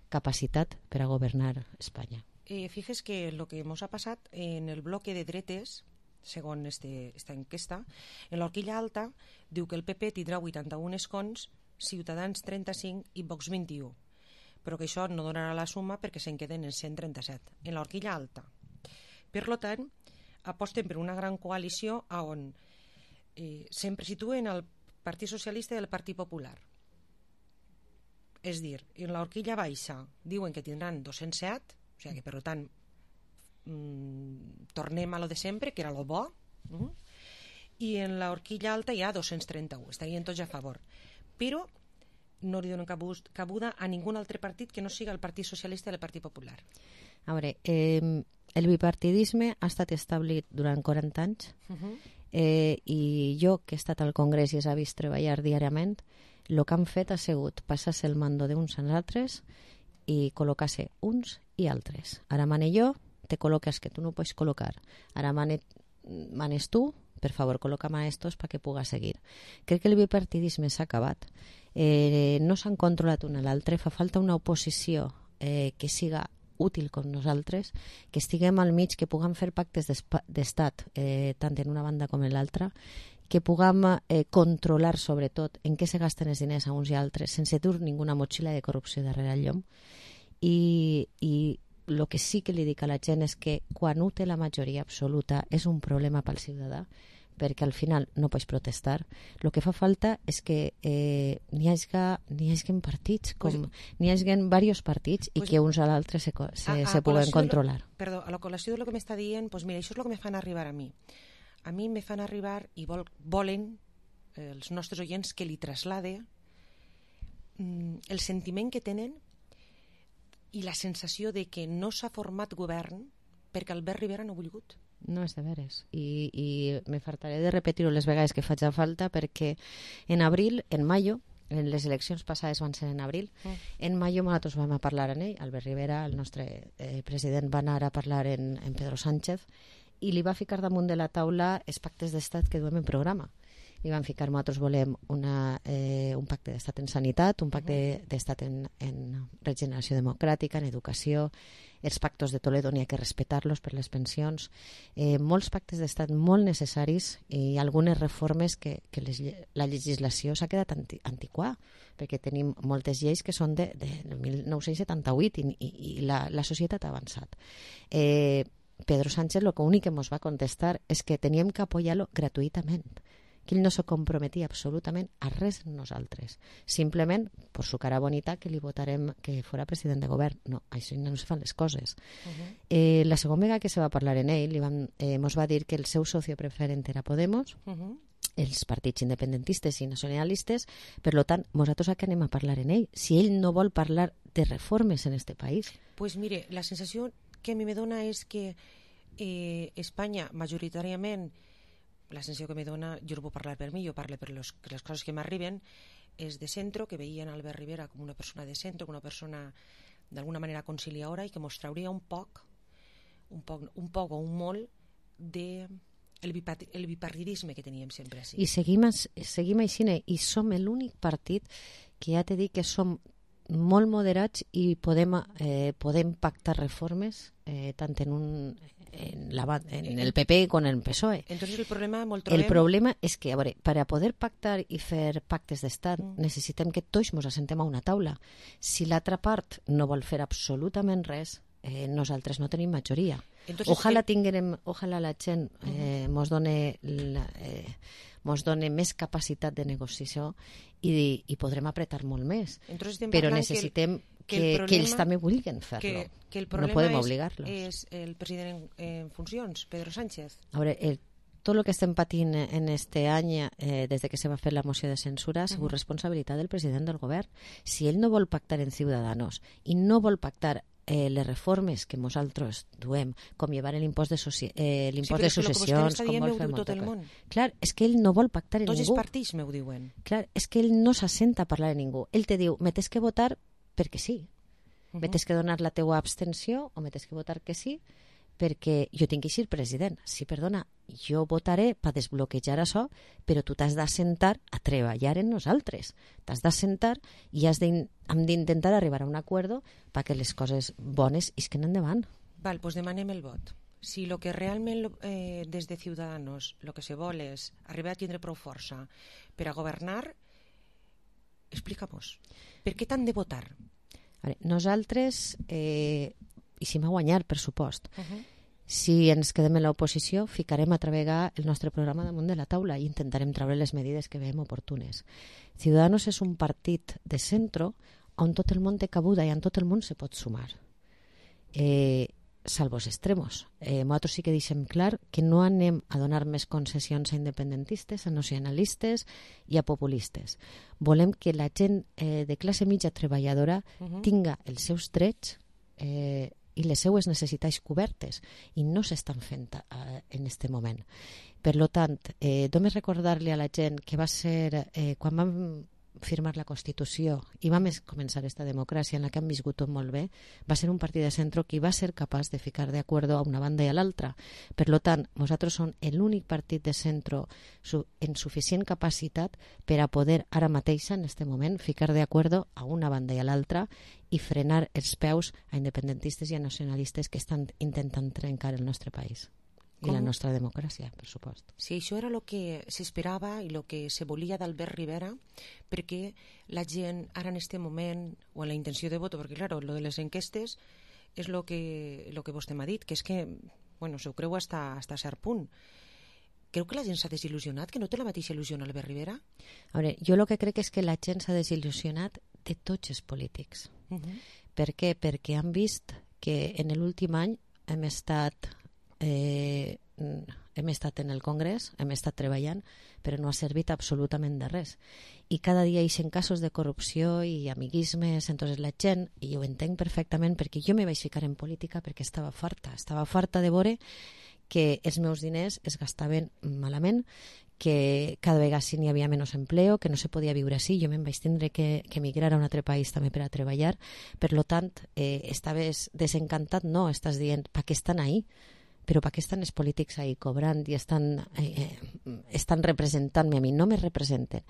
Speaker 16: capacitat per a governar Espanya.
Speaker 15: Eh, fijes que el que ens ha passat en el bloque de dretes, segons este, esta enquesta, en l'horquilla alta diu que el P P tindrà vuitanta-un escons, Ciutadans trenta-cinc i Vox vint-i-u, però que això no donarà la suma perquè se'n queden en cent trenta-set, en l'horquilla alta. Per tant, aposten per una gran coalició on eh, sempre situen el Partit Socialista i el Partit Popular. És dir, en l'horquilla baixa diuen que tindran dos-cents set, o sigui que per tant mmm, tornem a lo de sempre, que era lo bo, uh-huh. i en l'horquilla alta hi ha dos-cents trenta-u, estarien tots a favor. Però no li donen cabuda a ningun altre partit que no siga el Partit Socialista i el Partit Popular.
Speaker 16: A veure, eh, el bipartidisme ha estat establit durant quaranta anys, uh-huh. Eh, i jo, que he estat al Congrés i els ha vist treballar diàriament, el que han fet ha sigut passar-se el mando d'uns als altres i col·locar-se uns i altres. Ara mane jo, te col·loques que tu no pots col·locar. Ara mane, manes tu, per favor, col·loca'm a estos perquè puga seguir. Crec que el bipartidisme s'ha acabat. Eh, no s'han controlat un a l'altre, fa falta una oposició eh, que siga útil com nosaltres, que estiguem al mig, que puguem fer pactes d'estat, eh, tant en una banda com en l'altra, que puguem eh, controlar sobretot en què se gasten els diners a uns i altres, sense dur ninguna motxilla de corrupció darrere el llom. I, i el que sí que li dic a la gent és que quan ho té la majoria absoluta és un problema pel ciutadà, perquè al final no pots protestar. El que fa falta és que eh, n'hi hagi partits, com pues, n'hi hagi diversos partits pues, i que uns a l'altre se, se, a, a se puguen controlar.
Speaker 15: Lo, perdó, a la col·lació de lo que m'està dient, pues mira, això és el que me fan arribar a mi. A mi me fan arribar i vol, volen eh, els nostres oients que li traslade mm, el sentiment que tenen i la sensació de que no s'ha format govern perquè Albert Rivera no ha volgut.
Speaker 16: No és de veres. I, i me fartaré de repetir-ho les vegades que faig falta, perquè en abril, en mayo, en les eleccions passades van ser en abril, mm. en mayo nosaltres vam a parlar en ell, Albert Rivera, el nostre eh, president, va anar a parlar en, en Pedro Sánchez i li va ficar damunt de la taula els pactes d'estat que duem en programa. Li van ficar, nosaltres volem una, eh, un pacte d'estat en sanitat, un pacte uh-huh. d'estat en, en regeneració democràtica, en educació, els pactos de Toledo n'hi ha que respectar-los per les pensions, eh, molts pactes d'estat molt necessaris i algunes reformes que, que les, la legislació s'ha quedat anti, antiquà, perquè tenim moltes lleis que són de, de mil nou-cents setanta-vuit i, i, i la, la societat ha avançat. Eh, Pedro Sánchez lo únic que ens va contestar és que teníem que apoyar-lo gratuïtament, que ell no se comprometia absolutament a res nosaltres. Simplement, per su cara bonita, que li votarem que fora president de govern. No, això no se fan les coses. Uh-huh. Eh, la segona vegada que se va parlar en ell, li van, eh, mos va dir que el seu socio preferent era Podemos, uh-huh. els partits independentistes i nacionalistes, per lo tant, nosaltres a què anem a parlar en ell? Si ell no vol parlar de reformes en este país.
Speaker 15: Pues mire, la sensació que a mi me dona és que eh, Espanya, majoritàriament, la sensació que me dona, jo no puc parlar per mi, jo parlo per los, les coses que m'arriben, és de centro, que veien Albert Rivera com una persona de centro, com una persona d'alguna manera conciliadora i que mos trauria un poc, un poc, un poc o un molt de el, bipart, el bipartidisme que teníem sempre així.
Speaker 16: I seguim, seguim així i som l'únic partit que ja t'he dit que som molt moderats i podem, eh, podem pactar reformes eh, tant en un en, la, en el P P com en el P S O E.
Speaker 15: Entonces el problema molt
Speaker 16: trobem... El problema és que, a veure, per a poder pactar i fer pactes d'estat mm. necessitem que tots ens assentem a una taula. Si l'altra part no vol fer absolutament res, eh, nosaltres no tenim majoria. Entonces, ojalà, que... tinguem, ojalà la gent eh, mos done la, eh, mos done més capacitat de negociació i, i podrem apretar molt més. Però necessitem que, que, problema, que ells també vulguin fer-lo.
Speaker 15: Que, que el
Speaker 16: no podem obligar-los.
Speaker 15: És el president en, en funcions, Pedro Sánchez.
Speaker 16: A veure, el, tot el que estem patint en este any, eh, des de que se va fer la moció de censura, ha sigut uh-huh. responsabilitat del president del govern. Si ell no vol pactar en Ciudadanos i no vol pactar eh, les reformes que nosaltres duem, com llevar l'impost de, soci... eh, l'impost sí, de successions, com vol fer
Speaker 15: tot el món.
Speaker 16: Clar, és que ell no vol pactar amb
Speaker 15: Tots
Speaker 16: ningú.
Speaker 15: Tots els partits m'ho diuen.
Speaker 16: Clar, és que ell no s'assenta a parlar amb ningú. Ell te diu, me tens que votar perquè sí. Uh-huh. Me tens que donar la teua abstenció o me tens que votar que sí perquè jo tinc que ser president. Sí, perdona, jo votaré per desbloquejar això, però tu t'has d'assentar a treballar en nosaltres. T'has d'assentar i has hem d'intentar arribar a un acord perquè les coses bones isquen endavant.
Speaker 15: Val, doncs demanem el vot. Si lo que realment eh, des de Ciudadanos lo que se vol és arribar a tindre prou força per a governar, explica-mos. Per què t'han de votar?
Speaker 16: A veure, nosaltres, eh, i si m'ha guanyat, per supost, uh-huh. si ens quedem en l'oposició, ficarem a treballar el nostre programa damunt de la taula i intentarem treure les medides que veiem oportunes. Ciudadanos és un partit de centre on tot el món té cabuda i on tot el món se pot sumar. Eh, salvos extremos. Eh, nosaltres sí que deixem clar que no anem a donar més concessions a independentistes, a nacionalistes i a populistes. Volem que la gent eh, de classe mitja treballadora uh-huh. tinga els seus drets eh, i les seues necessitats cobertes i no s'estan fent uh, en aquest moment. Per lo tant, eh, només recordar-li a la gent que va ser, eh, quan vam firmar la Constitució i vam començar aquesta democràcia en la que hem viscut tot molt bé, va ser un partit de centre que va ser capaç de ficar de acuerdo a una banda i a l'altra. Per lo tant, nosaltres som l'únic partit de centre en suficient capacitat per a poder ara mateixa, en aquest moment, ficar de acuerdo a una banda i a l'altra i frenar els peus a independentistes i a nacionalistes que estan intentant trencar el nostre país. I la nostra democràcia, per supost.
Speaker 15: Sí, això era el que s'esperava i el que se volia d'Albert Rivera, perquè la gent ara en aquest moment, o en la intenció de voto, perquè, claro, lo de les enquestes és el que, lo que vostè m'ha dit, que és que, bueno, se ho creu hasta, hasta cert punt. Creu que la gent s'ha desil·lusionat, que no té la mateixa il·lusió Albert Rivera?
Speaker 16: A veure, jo el que crec és que la gent s'ha desil·lusionat de tots els polítics. Uh-huh. Per què? Perquè han vist que en l'últim any hem estat... Eh, hem estat en el Congrés, hem estat treballant, però no ha servit absolutament de res. I cada dia hi ha casos de corrupció i amiguismes, entonces la gent, i ho entenc perfectament perquè jo me vaig ficar en política perquè estava farta, estava farta de veure que els meus diners es gastaven malament, que cada vegada sí n'hi havia menys empleo, que no se podia viure així, jo me'n vaig tindre que, que emigrar a un altre país també per a treballar, per lo tant, eh, estaves desencantat, no, estàs dient, per què estan ahí? Però per què estan els polítics ahí cobrant i estan, eh, estan representant-me a mi? No me representen.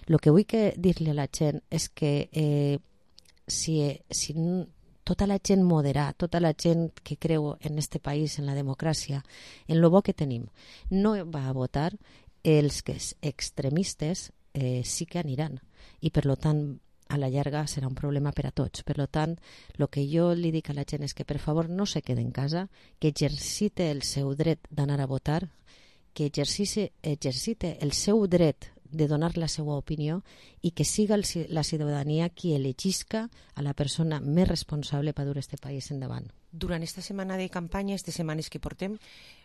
Speaker 16: El que vull que dir-li a la gent és que eh, si, si tota la gent moderada, tota la gent que creu en este país, en la democràcia, en lo bo que tenim, no va a votar, els que és extremistes eh, sí que aniran. I per lo tant, a la llarga serà un problema per a tots. Per tant, el que jo li dic a la gent és que per favor no se quede en casa, que exercite el seu dret d'anar a votar, que exercite, exercite el seu dret de donar la seva opinió i que siga el, la ciutadania qui elegisca a la persona més responsable per dur este país endavant.
Speaker 15: Durant aquesta setmana de campanya, aquestes setmanes que portem,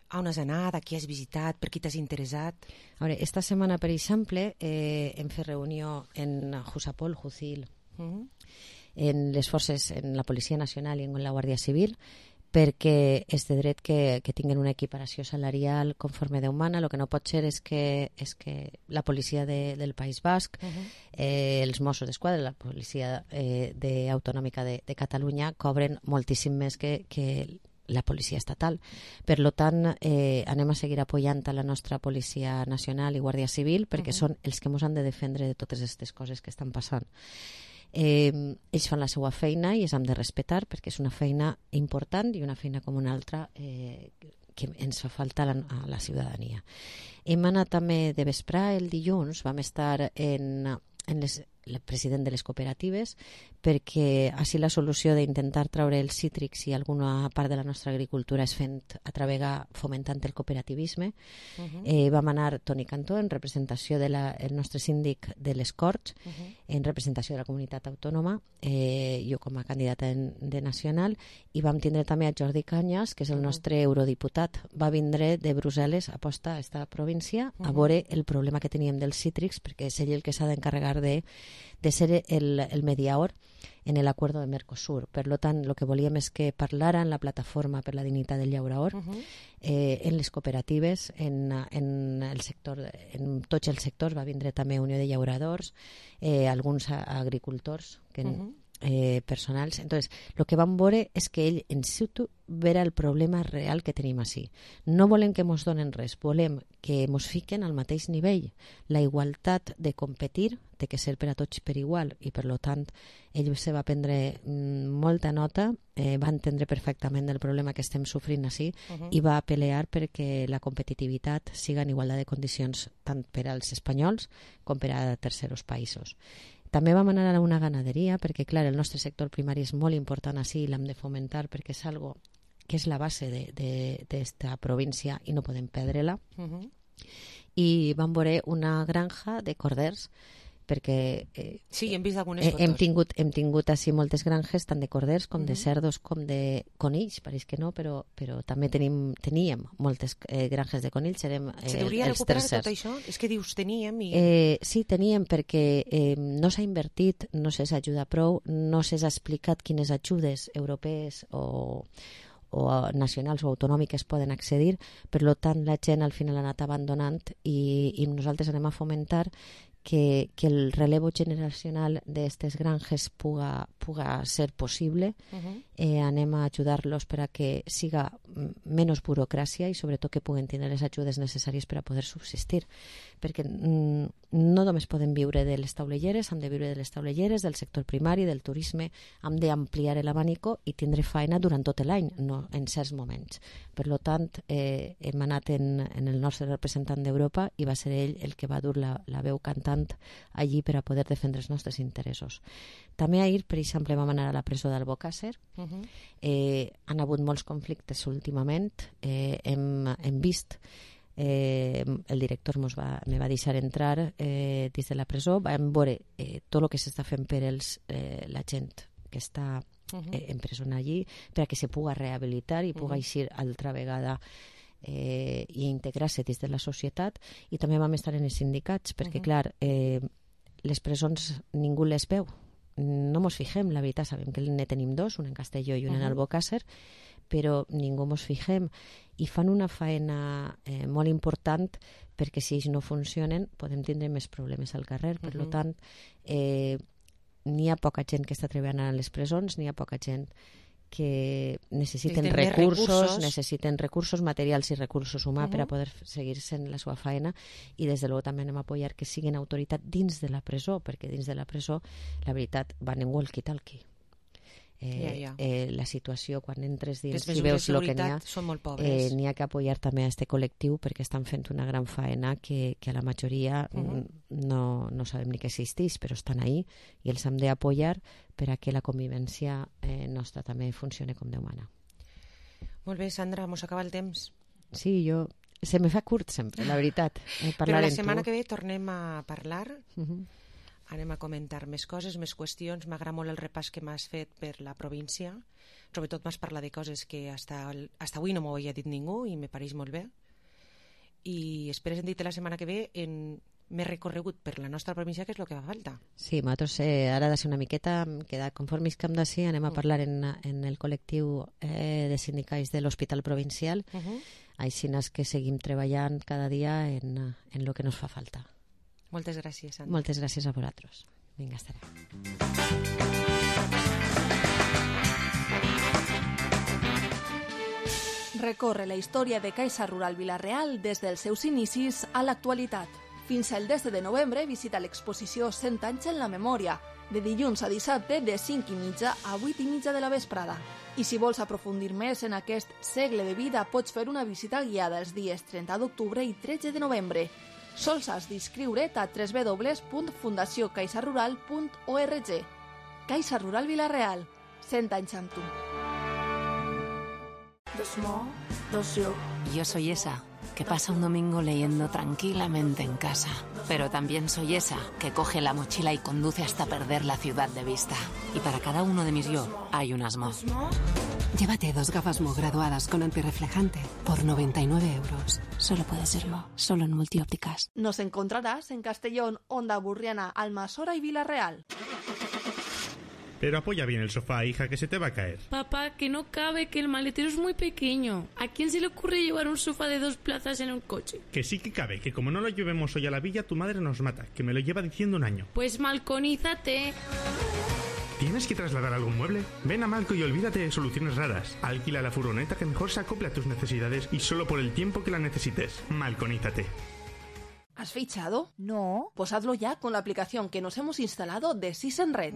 Speaker 15: a on has anat, a qui has visitat, per qui t'has interessat?
Speaker 16: A veure, esta setmana, per exemple, eh, hem fet reunió en Jusapol, Jucil, uh-huh. en les forces, en la Policia Nacional i en la Guàrdia Civil, perquè és de dret que, que tinguin una equiparació salarial conforme de humana. El que no pot ser és que, és que la policia de, del País Basc, uh-huh. eh, els Mossos d'Esquadra, la policia eh, de, autonòmica de, de Catalunya cobren moltíssim més que, que la policia estatal. Per lo tant, eh, anem a seguir apoyant a la nostra Policia Nacional i Guàrdia Civil perquè uh-huh. són els que ens han de defendre de totes aquestes coses que estan passant. Eh, ells fan la seva feina i els hem de respectar perquè és una feina important i una feina com una altra eh, que ens fa falta a la, a la ciutadania. Hem anat també de vesprà el dilluns, vam estar en, en les, el president de les cooperatives perquè així la solució d'intentar treure els cítrics i alguna part de la nostra agricultura és fent a través fomentant el cooperativisme. Uh-huh. eh, vam anar Toni Cantó en representació del de nostre síndic de les Corts, uh-huh. en representació de la comunitat autònoma, eh, jo com a candidata en, de nacional, i vam tindre també a Jordi Cañas, que és el uh-huh. nostre eurodiputat. Va vindre de Brussel·les a posta a esta província uh-huh. a veure el problema que teníem dels cítrics, perquè és ell el que s'ha d'encarregar de de ser el, el mediador en el acuerdo de Mercosur. Per lo tant, el que volíem és que parlara en la plataforma per la dignitat del llaurador, uh-huh. eh, en les cooperatives, en, en el sector, en tots els sectors, va vindre també Unió de Llauradors, eh, alguns agricultors que uh-huh. eh, personals. Entonces, el que vam veure és que ell en situ vera el problema real que tenim així. No volem que mos donen res, volem que mos fiquen al mateix nivell. La igualtat de competir té que ser per a tots per igual i per lo tant ell se va prendre mm, molta nota, eh, va entendre perfectament el problema que estem sofrint així uh-huh. i va pelear perquè la competitivitat siga en igualtat de condicions tant per als espanyols com per a terceros països. També vam anar a una ganaderia perquè, clar, el nostre sector primari és molt important així i l'hem de fomentar perquè és algo que és la base d'esta província i no podem perdre-la. Uh-huh. I vam veure una granja de corders perquè eh,
Speaker 15: sí, hem vist algunes
Speaker 16: eh,
Speaker 15: fotos.
Speaker 16: Hem tingut, hem tingut així moltes granges, tant de corders com uh-huh. de cerdos com de conills, pareix que no, però, però també tenim, teníem moltes eh, granges de conills, serem eh,
Speaker 15: Se hauria
Speaker 16: els
Speaker 15: recuperat
Speaker 16: tercers.
Speaker 15: tot això? És que dius teníem i...
Speaker 16: Eh, sí, teníem perquè eh, no s'ha invertit, no se'ls ajuda prou, no se'ls ha explicat quines ajudes europees o o nacionals o autonòmiques poden accedir, per tant la gent al final ha anat abandonant i, i nosaltres anem a fomentar que, que el relevo generacional d'aquestes granges puga, puga ser possible. Uh-huh. eh, anem a ajudar-los per a que siga menys burocràcia i sobretot que puguen tenir les ajudes necessàries per a poder subsistir, perquè mm, no només podem viure de les taulelleres, hem de viure de les taulelleres, del sector primari, del turisme, hem d'ampliar l'abanico i tindre feina durant tot l'any, no en certs moments. Per tant, eh, hem anat en, en el nostre representant d'Europa i va ser ell el que va dur la, la veu cantant allí per a poder defendre els nostres interessos. També ahir, per exemple, vam anar a la presó d'Albocàsser. Uh-huh. eh, han hagut molts conflictes últimament, eh, hem, hem vist Eh, el director mos va, me va deixar entrar eh, dins de la presó, vam veure eh, tot el que s'està fent per els, eh, la gent que està uh-huh. eh, en presó allí, per a que se puga rehabilitar i puga uh-huh. eixir altra vegada eh, i integrar-se dins de la societat. I també vam estar en els sindicats perquè, uh-huh. clar, eh, les presons ningú les veu, no mos fixem, la veritat, sabem que ne tenim dos, un en Castelló i un uh-huh. en Albocàsser, però ningú mos fixem i fan una feina eh, molt important perquè si ells no funcionen podem tindre més problemes al carrer. Per uh-huh. tant, eh, n'hi ha poca gent que està treballant a les presons, n'hi ha poca gent que necessiten recursos, recursos, necessiten recursos materials i recursos humans uh-huh. per a poder seguir sent la seva feina i des de luego també anem a apoyar que siguin autoritat dins de la presó, perquè dins de la presó la veritat van en walkie-talkie. Eh, ja, ja. Eh, la situació quan entres dins i veus el que n'hi ha, eh, n'hi ha que apoyar també a este col·lectiu perquè estan fent una gran faena que, que a la majoria uh-huh. no, no sabem ni que existeix, però estan ahí i els hem d'apoyar per a que la convivència eh, nostra també funcioni com Déu mana.
Speaker 15: Molt bé, Sandra, mos acaba el temps.
Speaker 16: Sí, jo... Se me fa curt sempre, la veritat. Eh,
Speaker 15: però la setmana tu. que ve tornem a parlar...
Speaker 16: Uh-huh.
Speaker 15: Anem a comentar més coses, més qüestions. M'agrada molt el repàs que m'has fet per la província. Sobretot m'has parlat de coses que hasta, hasta avui no m'ho havia dit ningú i me pareix molt bé. I espero sentir-te la setmana que ve en més recorregut per la nostra província, que és el que fa falta.
Speaker 16: Sí, nosaltres eh, ara ha de ser una miqueta, quedar conformis que hem de ser, anem a parlar en, en el col·lectiu eh, de sindicats de l'Hospital Provincial, uh-huh. així que seguim treballant cada dia en, en el que ens fa falta.
Speaker 15: Moltes gràcies, Sandra.
Speaker 16: Moltes gràcies a vosaltres. Vinga, estarà.
Speaker 2: Recorre la història de Caixa Rural Vila-real des dels seus inicis a l'actualitat. Fins al desè de novembre visita l'exposició cent anys en la memòria, de dilluns a dissabte de cinc i mitja a vuit i mitja de la vesprada. I si vols aprofundir més en aquest segle de vida, pots fer una visita guiada els dies trenta d'octubre i tretze de novembre. Sols has d'inscriure't a w w w punt fundació caixa rural punt org. Caixa Rural Vila-real, cent anys amb tu.
Speaker 17: Yo soy esa que pasa un domingo leyendo tranquilamente en casa. Pero también soy esa que coge la mochila y conduce hasta perder la ciudad de vista. Y para cada uno de mis yo hay un Asmo. Llévate dos gafas Mo graduadas con antirreflejante por noventa y nueve euros. Solo puede ser Mo, solo en Multiópticas.
Speaker 2: Nos encontrarás en Castellón, Onda Burriana, Almasora y Vila-real.
Speaker 18: Pero apoya bien el sofá, hija, que se te va a caer.
Speaker 19: Papá, que no cabe, que el maletero es muy pequeño. ¿A quién se le ocurre llevar un sofá de dos plazas en un coche?
Speaker 18: Que sí que cabe, que como no lo llevemos hoy a la villa, tu madre nos mata, que me lo lleva diciendo un año.
Speaker 19: Pues malconízate.
Speaker 18: ¿Tienes que trasladar algún mueble? Ven a Malco y olvídate de soluciones raras. Alquila la furgoneta que mejor se acople a tus necesidades y solo por el tiempo que la necesites. Malconízate.
Speaker 2: ¿Has fichado?
Speaker 20: No.
Speaker 2: Pues hazlo ya con la aplicación que nos hemos instalado de SysEnRed.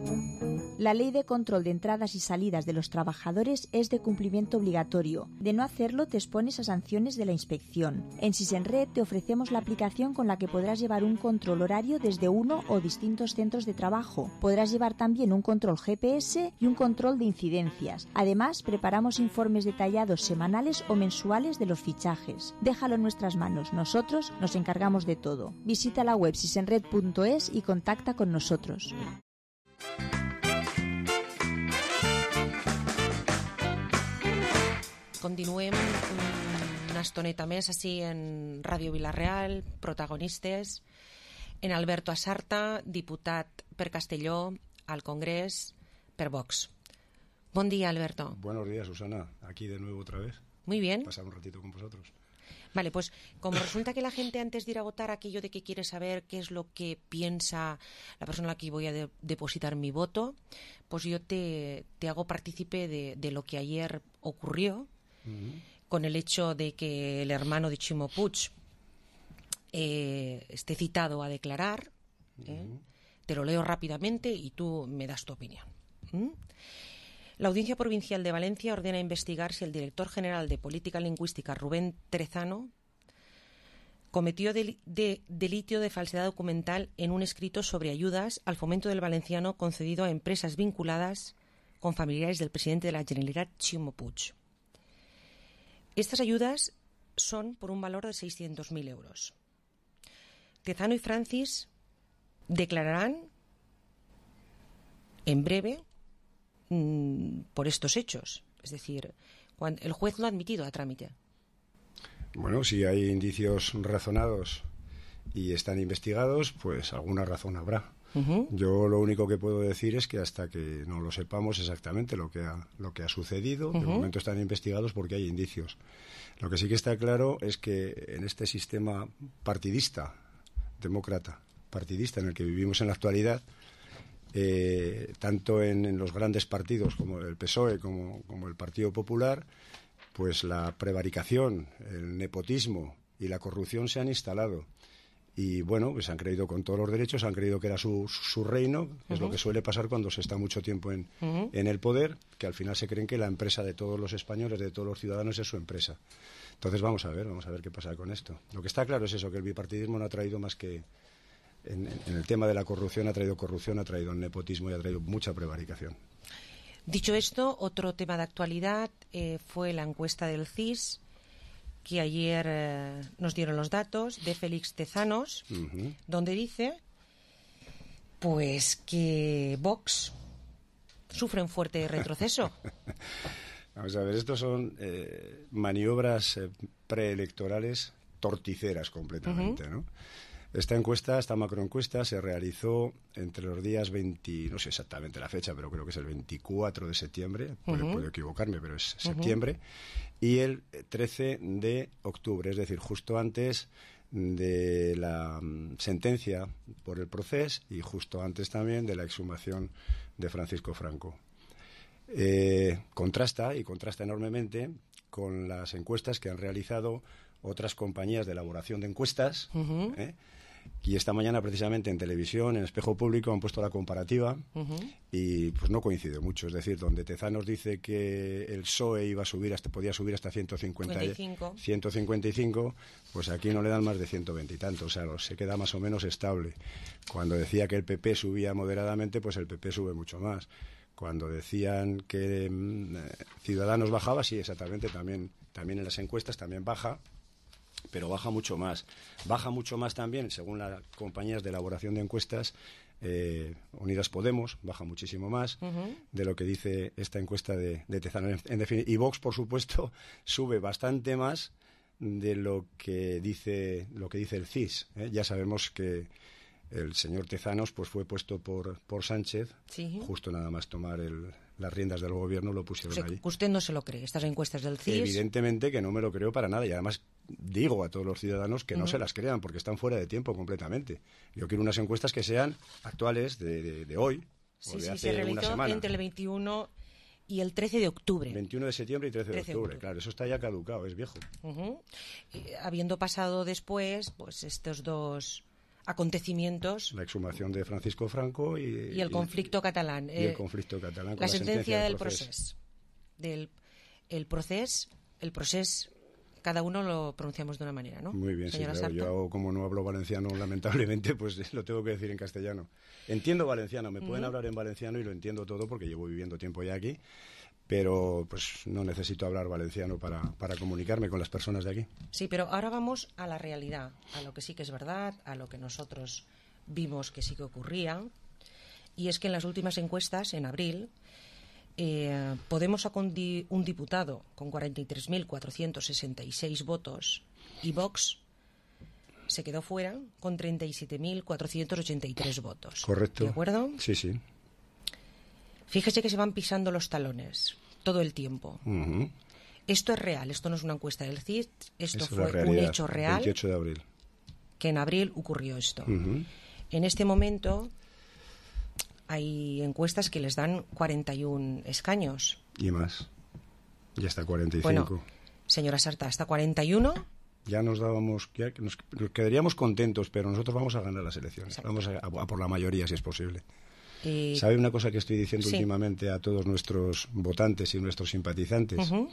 Speaker 20: La ley de control de entradas y salidas de los trabajadores es de cumplimiento obligatorio. De no hacerlo te expones a sanciones de la inspección. En SysEnRed te ofrecemos la aplicación con la que podrás llevar un control horario desde uno o distintos centros de trabajo. Podrás llevar también un control G P S y un control de incidencias. Además, preparamos informes detallados semanales o mensuales de los fichajes. Déjalo en nuestras manos. Nosotros nos encargamos de todo. Visita la web sysenred punto es y contacta con nosotros.
Speaker 15: Continuem una estoneta més així en Ràdio Vila-real, protagonistes, en Alberto Asarta, diputat per Castelló al Congrés per Vox. Bon día, Alberto.
Speaker 21: Buenos días, Susana. Aquí de nuevo otra vez.
Speaker 15: Muy bien.
Speaker 21: Pasar un ratito con vosotros.
Speaker 15: Vale, pues como resulta que la gente antes de ir a votar aquello de que quiere saber qué es lo que piensa la persona a la que voy a de- depositar mi voto, pues yo te, te hago partícipe de, de lo que ayer ocurrió uh-huh. con el hecho de que el hermano de Ximo Puig eh, esté citado a declarar. ¿eh? Uh-huh. Te lo leo rápidamente y tú me das tu opinión. ¿Mm? La Audiencia Provincial de Valencia ordena investigar si el director general de Política Lingüística, Rubén Trezano, cometió del- de delito de falsedad documental en un escrito sobre ayudas al fomento del valenciano concedido a empresas vinculadas con familiares del presidente de la Generalitat, Ximo Puig. Estas ayudas son por un valor de seiscientos mil euros. Trezano y Francis declararán en breve por estos hechos. Es decir, cuando el juez lo ha admitido a trámite.
Speaker 21: Bueno, si hay indicios razonados y están investigados, pues alguna razón habrá. Uh-huh. Yo lo único que puedo decir es que hasta que no lo sepamos exactamente lo que ha, lo que ha sucedido, uh-huh. de momento están investigados porque hay indicios. Lo que sí que está claro es que en este sistema partidista, demócrata, partidista en el que vivimos en la actualidad, Eh, tanto en, en los grandes partidos como el P S O E como, como el Partido Popular, pues la prevaricación, el nepotismo y la corrupción se han instalado. Y bueno, pues han creído con todos los derechos, han creído que era su, su reino, que uh-huh. es lo que suele pasar cuando se está mucho tiempo en, uh-huh. en el poder, que al final se creen que la empresa de todos los españoles, de todos los ciudadanos, es su empresa. Entonces vamos a ver, vamos a ver qué pasa con esto. Lo que está claro es eso, que el bipartidismo no ha traído más que... En, en el tema de la corrupción ha traído corrupción, ha traído nepotismo y ha traído mucha prevaricación.
Speaker 15: Dicho esto, otro tema de actualidad eh, fue la encuesta del C I S, que ayer eh, nos dieron los datos, de Félix Tezanos, uh-huh. donde dice pues que Vox sufre un fuerte retroceso.
Speaker 21: Vamos a ver, estos son eh, maniobras eh, preelectorales torticeras completamente, uh-huh. ¿no? Esta encuesta, esta macroencuesta, se realizó entre los días veinte, no sé exactamente la fecha, pero creo que es el veinticuatro de septiembre, uh-huh. puedo, puedo equivocarme, pero es septiembre, uh-huh. y el trece de octubre, es decir, justo antes de la um, sentencia por el Procés y justo antes también de la exhumación de Francisco Franco. Eh, contrasta, y contrasta enormemente, con las encuestas que han realizado otras compañías de elaboración de encuestas, uh-huh. ¿eh? Y esta mañana, precisamente, en televisión, en Espejo Público, han puesto la comparativa uh-huh. y pues no coincide mucho. Es decir, donde Tezanos dice que el P S O E iba a subir hasta, podía subir hasta ciento cincuenta y cinco, ciento cincuenta y cinco, pues aquí no le dan más de ciento veinte y tanto. O sea, se queda más o menos estable. Cuando decía que el P P subía moderadamente, pues el P P sube mucho más. Cuando decían que eh, Ciudadanos bajaba, sí, exactamente, también, también en las encuestas también baja, pero baja mucho más. Baja mucho más también, según las compañías de elaboración de encuestas, eh, Unidas Podemos, baja muchísimo más uh-huh. de lo que dice esta encuesta de, de Tezano. En, en definitiva, y Vox, por supuesto, sube bastante más de lo que dice, lo que dice el C I S. ¿eh? Ya sabemos que el señor Tezanos pues fue puesto por, por Sánchez, sí. justo nada más tomar el, las riendas del gobierno lo pusieron
Speaker 15: o sea,
Speaker 21: allí.
Speaker 15: ¿Usted no se lo cree, estas encuestas del C I S?
Speaker 21: Evidentemente que no me lo creo para nada, y además digo a todos los ciudadanos que uh-huh. no se las crean, porque están fuera de tiempo completamente. Yo quiero unas encuestas que sean actuales de, de, de hoy,
Speaker 15: sí,
Speaker 21: o de
Speaker 15: sí,
Speaker 21: hace
Speaker 15: se realizó
Speaker 21: una semana.
Speaker 15: Entre el veintiuno y el trece de octubre.
Speaker 21: veintiuno de septiembre y trece de octubre, octubre. Claro, eso está ya caducado, es viejo.
Speaker 15: Uh-huh. Y, habiendo pasado después, pues estos dos acontecimientos,
Speaker 21: la exhumación de Francisco Franco y,
Speaker 15: y el conflicto
Speaker 21: y,
Speaker 15: catalán
Speaker 21: y el conflicto catalán con
Speaker 15: la,
Speaker 21: la
Speaker 15: sentencia,
Speaker 21: sentencia
Speaker 15: del
Speaker 21: del
Speaker 15: procés.
Speaker 21: procés
Speaker 15: del el procés el procés cada uno lo pronunciamos de una manera, ¿no?
Speaker 21: Muy bien, sí, claro.
Speaker 15: Sarta.
Speaker 21: Yo hago, como no hablo valenciano, lamentablemente, pues lo tengo que decir en castellano. Entiendo valenciano, me pueden uh-huh. hablar en valenciano y lo entiendo todo porque llevo viviendo tiempo ya aquí, pero pues no necesito hablar valenciano para, para comunicarme con las personas de aquí.
Speaker 15: Sí, pero ahora vamos a la realidad, a lo que sí que es verdad, a lo que nosotros vimos que sí que ocurría, y es que en las últimas encuestas, en abril, eh, Podemos sacó un, di, un diputado con cuarenta y tres mil cuatrocientos sesenta y seis votos y Vox se quedó fuera con treinta y siete mil cuatrocientos ochenta y tres votos.
Speaker 21: Correcto.
Speaker 15: ¿De acuerdo?
Speaker 21: Sí, sí.
Speaker 15: Fíjese que se van pisando los talones todo el tiempo.
Speaker 21: Uh-huh.
Speaker 15: Esto es real, esto no es una encuesta del C I S, esto
Speaker 21: Eso
Speaker 15: fue un hecho real.
Speaker 21: veintiocho de abril.
Speaker 15: Que en abril ocurrió esto.
Speaker 21: Uh-huh.
Speaker 15: En este momento hay encuestas que les dan cuarenta y uno escaños.
Speaker 21: Y más. Y hasta cuarenta y cinco.
Speaker 15: Bueno, señora Sarta, ¿hasta cuarenta y uno?
Speaker 21: Ya nos dábamos, ya nos, nos quedaríamos contentos, pero nosotros vamos a ganar las elecciones. Exacto. Vamos a, a por la mayoría, si es posible.
Speaker 15: Y...
Speaker 21: ¿Sabe una cosa que estoy diciendo
Speaker 15: sí.
Speaker 21: últimamente a todos nuestros votantes y nuestros simpatizantes?
Speaker 15: Uh-huh.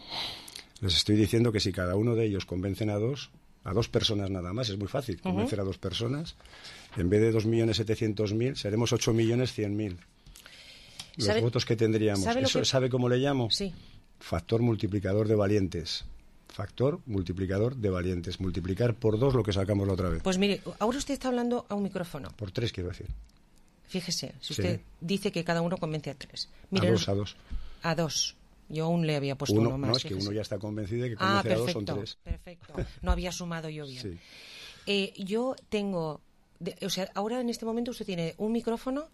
Speaker 21: Les estoy diciendo que si cada uno de ellos convencen a dos, a dos personas nada más, es muy fácil
Speaker 15: uh-huh.
Speaker 21: convencer a dos personas, en vez de dos millones setecientos mil, seremos ocho millones cien mil. Los
Speaker 15: ¿Sabe,
Speaker 21: votos que tendríamos.
Speaker 15: ¿Sabe,
Speaker 21: ¿Eso,
Speaker 15: que...
Speaker 21: ¿Sabe cómo le llamo?
Speaker 15: Sí.
Speaker 21: Factor multiplicador de valientes. Factor multiplicador de valientes. Multiplicar por dos lo que sacamos la otra vez.
Speaker 15: Pues mire, ahora usted está hablando a un micrófono.
Speaker 21: Por tres, quiero decir.
Speaker 15: Fíjese, si usted sí. dice que cada uno convence a tres.
Speaker 21: Mire, a dos, a dos.
Speaker 15: A dos. Yo aún le había puesto
Speaker 21: uno,
Speaker 15: uno más.
Speaker 21: No, es
Speaker 15: fíjese.
Speaker 21: que uno ya está convencido de que convencer
Speaker 15: ah,
Speaker 21: a dos son tres.
Speaker 15: Perfecto, no había sumado yo bien.
Speaker 21: Sí.
Speaker 15: Eh, yo tengo, de, o sea, ahora en este momento usted tiene un micrófono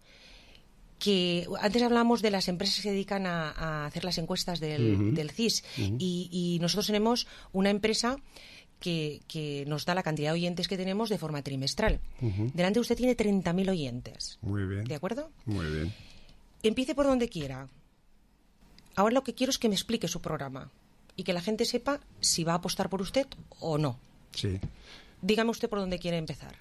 Speaker 15: que antes hablamos de las empresas que se dedican a, a hacer las encuestas del, uh-huh. del C I S uh-huh. y, y nosotros tenemos una empresa que, que nos da la cantidad de oyentes que tenemos de forma trimestral. Uh-huh. Delante usted tiene treinta mil oyentes.
Speaker 21: Muy bien.
Speaker 15: ¿De acuerdo?
Speaker 21: Muy bien.
Speaker 15: Empiece por donde quiera. Ahora lo que quiero es que me explique su programa y que la gente sepa si va a apostar por usted o no.
Speaker 21: Sí.
Speaker 15: Dígame usted por dónde quiere empezar.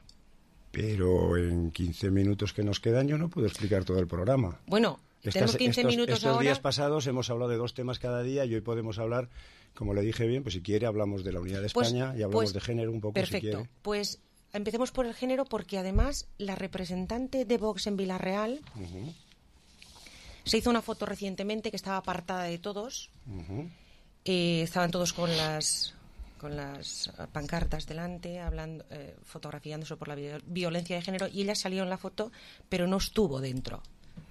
Speaker 21: Pero en quince minutos que nos quedan yo no puedo explicar todo el programa.
Speaker 15: Bueno,
Speaker 21: Estas,
Speaker 15: tenemos quince
Speaker 21: estos,
Speaker 15: minutos
Speaker 21: estos
Speaker 15: ahora.
Speaker 21: días pasados hemos hablado de dos temas cada día y hoy podemos hablar, como le dije bien, pues si quiere hablamos de la unidad de España
Speaker 15: pues,
Speaker 21: y hablamos
Speaker 15: pues,
Speaker 21: de género un poco
Speaker 15: perfecto.
Speaker 21: si quiere.
Speaker 15: Pues empecemos por el género porque además la representante de Vox en Villarreal uh-huh. se hizo una foto recientemente que estaba apartada de todos.
Speaker 21: Uh-huh.
Speaker 15: eh, estaban todos con las... con las pancartas delante, hablando, eh, fotografiándose por la violencia de género, y ella salió en la foto, pero no estuvo dentro.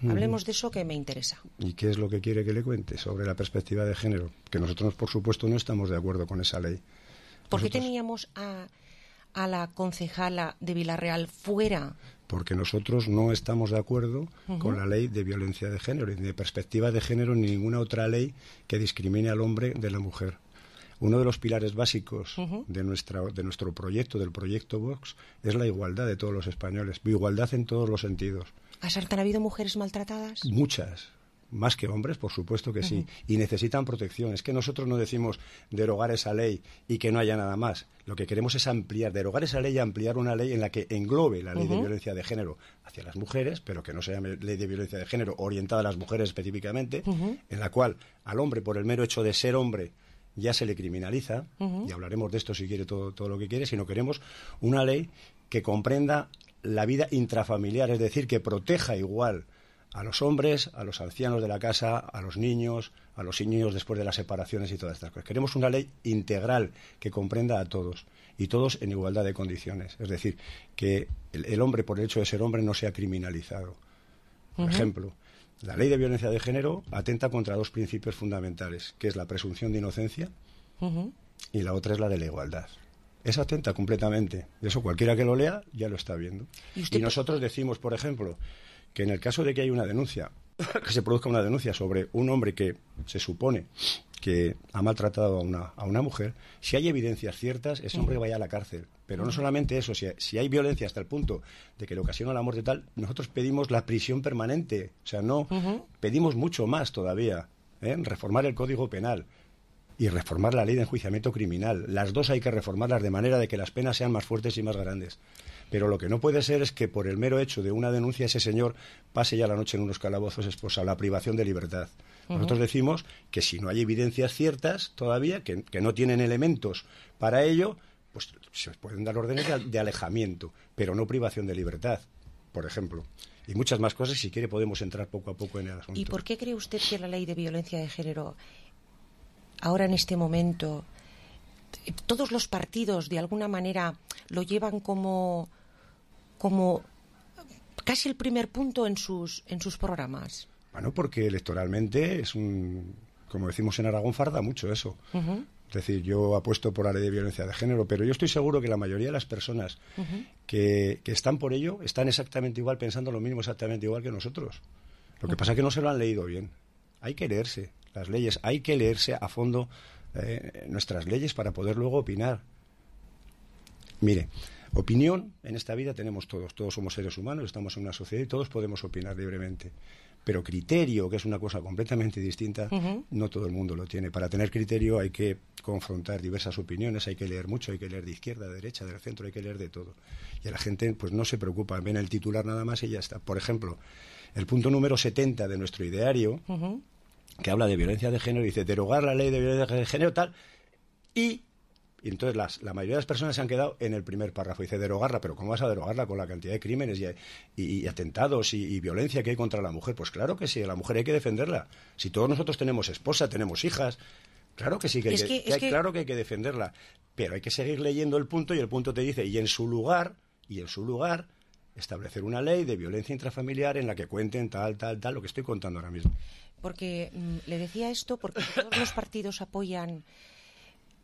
Speaker 15: Uh-huh. Hablemos de eso que me interesa.
Speaker 21: ¿Y qué es lo que quiere que le cuente sobre la perspectiva de género? Que nosotros, por supuesto, no estamos de acuerdo con esa ley.
Speaker 15: ¿Por qué
Speaker 21: nosotros...
Speaker 15: teníamos a, a la concejala de Villarreal fuera?
Speaker 21: Porque nosotros no estamos de acuerdo uh-huh. con la ley de violencia de género, ni de perspectiva de género, ni ninguna otra ley que discrimine al hombre de la mujer. Uno de los pilares básicos uh-huh. de, nuestra, de nuestro proyecto, del proyecto Vox, es la igualdad de todos los españoles. Igualdad en todos los sentidos.
Speaker 15: ¿A Sarta ha habido mujeres maltratadas?
Speaker 21: Muchas, Más que hombres, por supuesto que sí.
Speaker 15: Ujú.
Speaker 21: Y necesitan protección. Es que nosotros no decimos derogar esa ley y que no haya nada más. Lo que queremos es ampliar, derogar esa ley y ampliar una ley en la que englobe la ley de
Speaker 15: Ujú.
Speaker 21: violencia de género hacia las mujeres, pero que no se llame ley de violencia de género orientada a las mujeres específicamente,
Speaker 15: Ujú.
Speaker 21: en la cual al hombre, por el mero hecho de ser hombre, ya se le criminaliza,
Speaker 15: Ujú.
Speaker 21: y hablaremos de esto si quiere todo, todo lo que quiere, sino queremos una ley que comprenda la vida intrafamiliar, es decir, que proteja igual a los hombres, a los ancianos de la casa, a los niños, a los niños después de las separaciones y todas estas cosas. Queremos una ley integral que comprenda a todos y todos en igualdad de condiciones. Es decir, que el, el hombre, por el hecho de ser hombre, no sea criminalizado. Por
Speaker 15: Ujú.
Speaker 21: ejemplo, la ley de violencia de género atenta contra dos principios fundamentales, que es la presunción de inocencia
Speaker 15: Ujú.
Speaker 21: y la otra es la de la igualdad. Es atenta completamente. Y eso cualquiera que lo lea ya lo está viendo.
Speaker 15: ¿Y
Speaker 21: Y,
Speaker 15: usted po-
Speaker 21: nosotros decimos, por ejemplo, que en el caso de que haya una denuncia, que se produzca una denuncia sobre un hombre que se supone que ha maltratado a una, a una mujer, si hay evidencias ciertas, ese hombre vaya a la cárcel. Pero no solamente eso, si, si hay violencia hasta el punto de que le ocasiona la muerte y tal, nosotros pedimos la prisión permanente. O sea, no,
Speaker 15: Ujú.
Speaker 21: pedimos mucho más todavía. ¿eh? Reformar el Código Penal y reformar la ley de enjuiciamiento criminal. Las dos hay que reformarlas de manera de que las penas sean más fuertes y más grandes. Pero lo que no puede ser es que por el mero hecho de una denuncia ese señor pase ya la noche en unos calabozos expuesto a la privación de libertad.
Speaker 15: Ujú.
Speaker 21: Nosotros decimos que si no hay evidencias ciertas todavía, que, que no tienen elementos para ello, pues se pueden dar órdenes de, de alejamiento, pero no privación de libertad, por ejemplo. Y muchas más cosas, si quiere podemos entrar poco a poco en el asunto.
Speaker 15: ¿Y por qué cree usted que la ley de violencia de género, ahora en este momento, t- todos los partidos de alguna manera lo llevan como, como casi el primer punto en sus, en sus programas?
Speaker 21: Bueno, porque electoralmente es un, como decimos en Aragón, farda mucho eso.
Speaker 15: Ujú.
Speaker 21: Es decir, yo apuesto por la ley de violencia de género, pero yo estoy seguro que la mayoría de las personas
Speaker 15: Ujú.
Speaker 21: que, que están por ello están exactamente igual, pensando lo mismo exactamente igual que nosotros. Lo que pasa es que no se lo han leído bien. Hay que leerse las leyes, hay que leerse a fondo eh, nuestras leyes para poder luego opinar. Mire, opinión en esta vida tenemos todos, todos somos seres humanos, estamos en una sociedad y todos podemos opinar libremente. Pero criterio, que es una cosa completamente distinta,
Speaker 15: Ujú.
Speaker 21: no todo el mundo lo tiene. Para tener criterio hay que confrontar diversas opiniones, hay que leer mucho, hay que leer de izquierda, de derecha, del centro, hay que leer de todo. Y a la gente pues no se preocupa, ven el titular nada más y ya está. Por ejemplo, el punto número setenta de nuestro ideario,
Speaker 15: Ujú.
Speaker 21: que habla de violencia de género, dice derogar la ley de violencia de género tal, y, y entonces las, la mayoría de las personas se han quedado en el primer párrafo, dice derogarla, pero ¿cómo vas a derogarla con la cantidad de crímenes y, y, y atentados y, y violencia que hay contra la mujer? Pues claro que sí, a la mujer hay que defenderla. Si todos nosotros tenemos esposa, tenemos hijas, claro que sí, que hay
Speaker 15: Es
Speaker 21: que,
Speaker 15: que-
Speaker 21: que
Speaker 15: es
Speaker 21: hay-
Speaker 15: que-
Speaker 21: claro que hay que defenderla, pero hay que seguir leyendo el punto y el punto te dice, y en su lugar, y en su lugar, establecer una ley de violencia intrafamiliar en la que cuenten tal, tal, tal, lo que estoy contando ahora mismo.
Speaker 15: Porque mm, le decía esto porque todos los partidos apoyan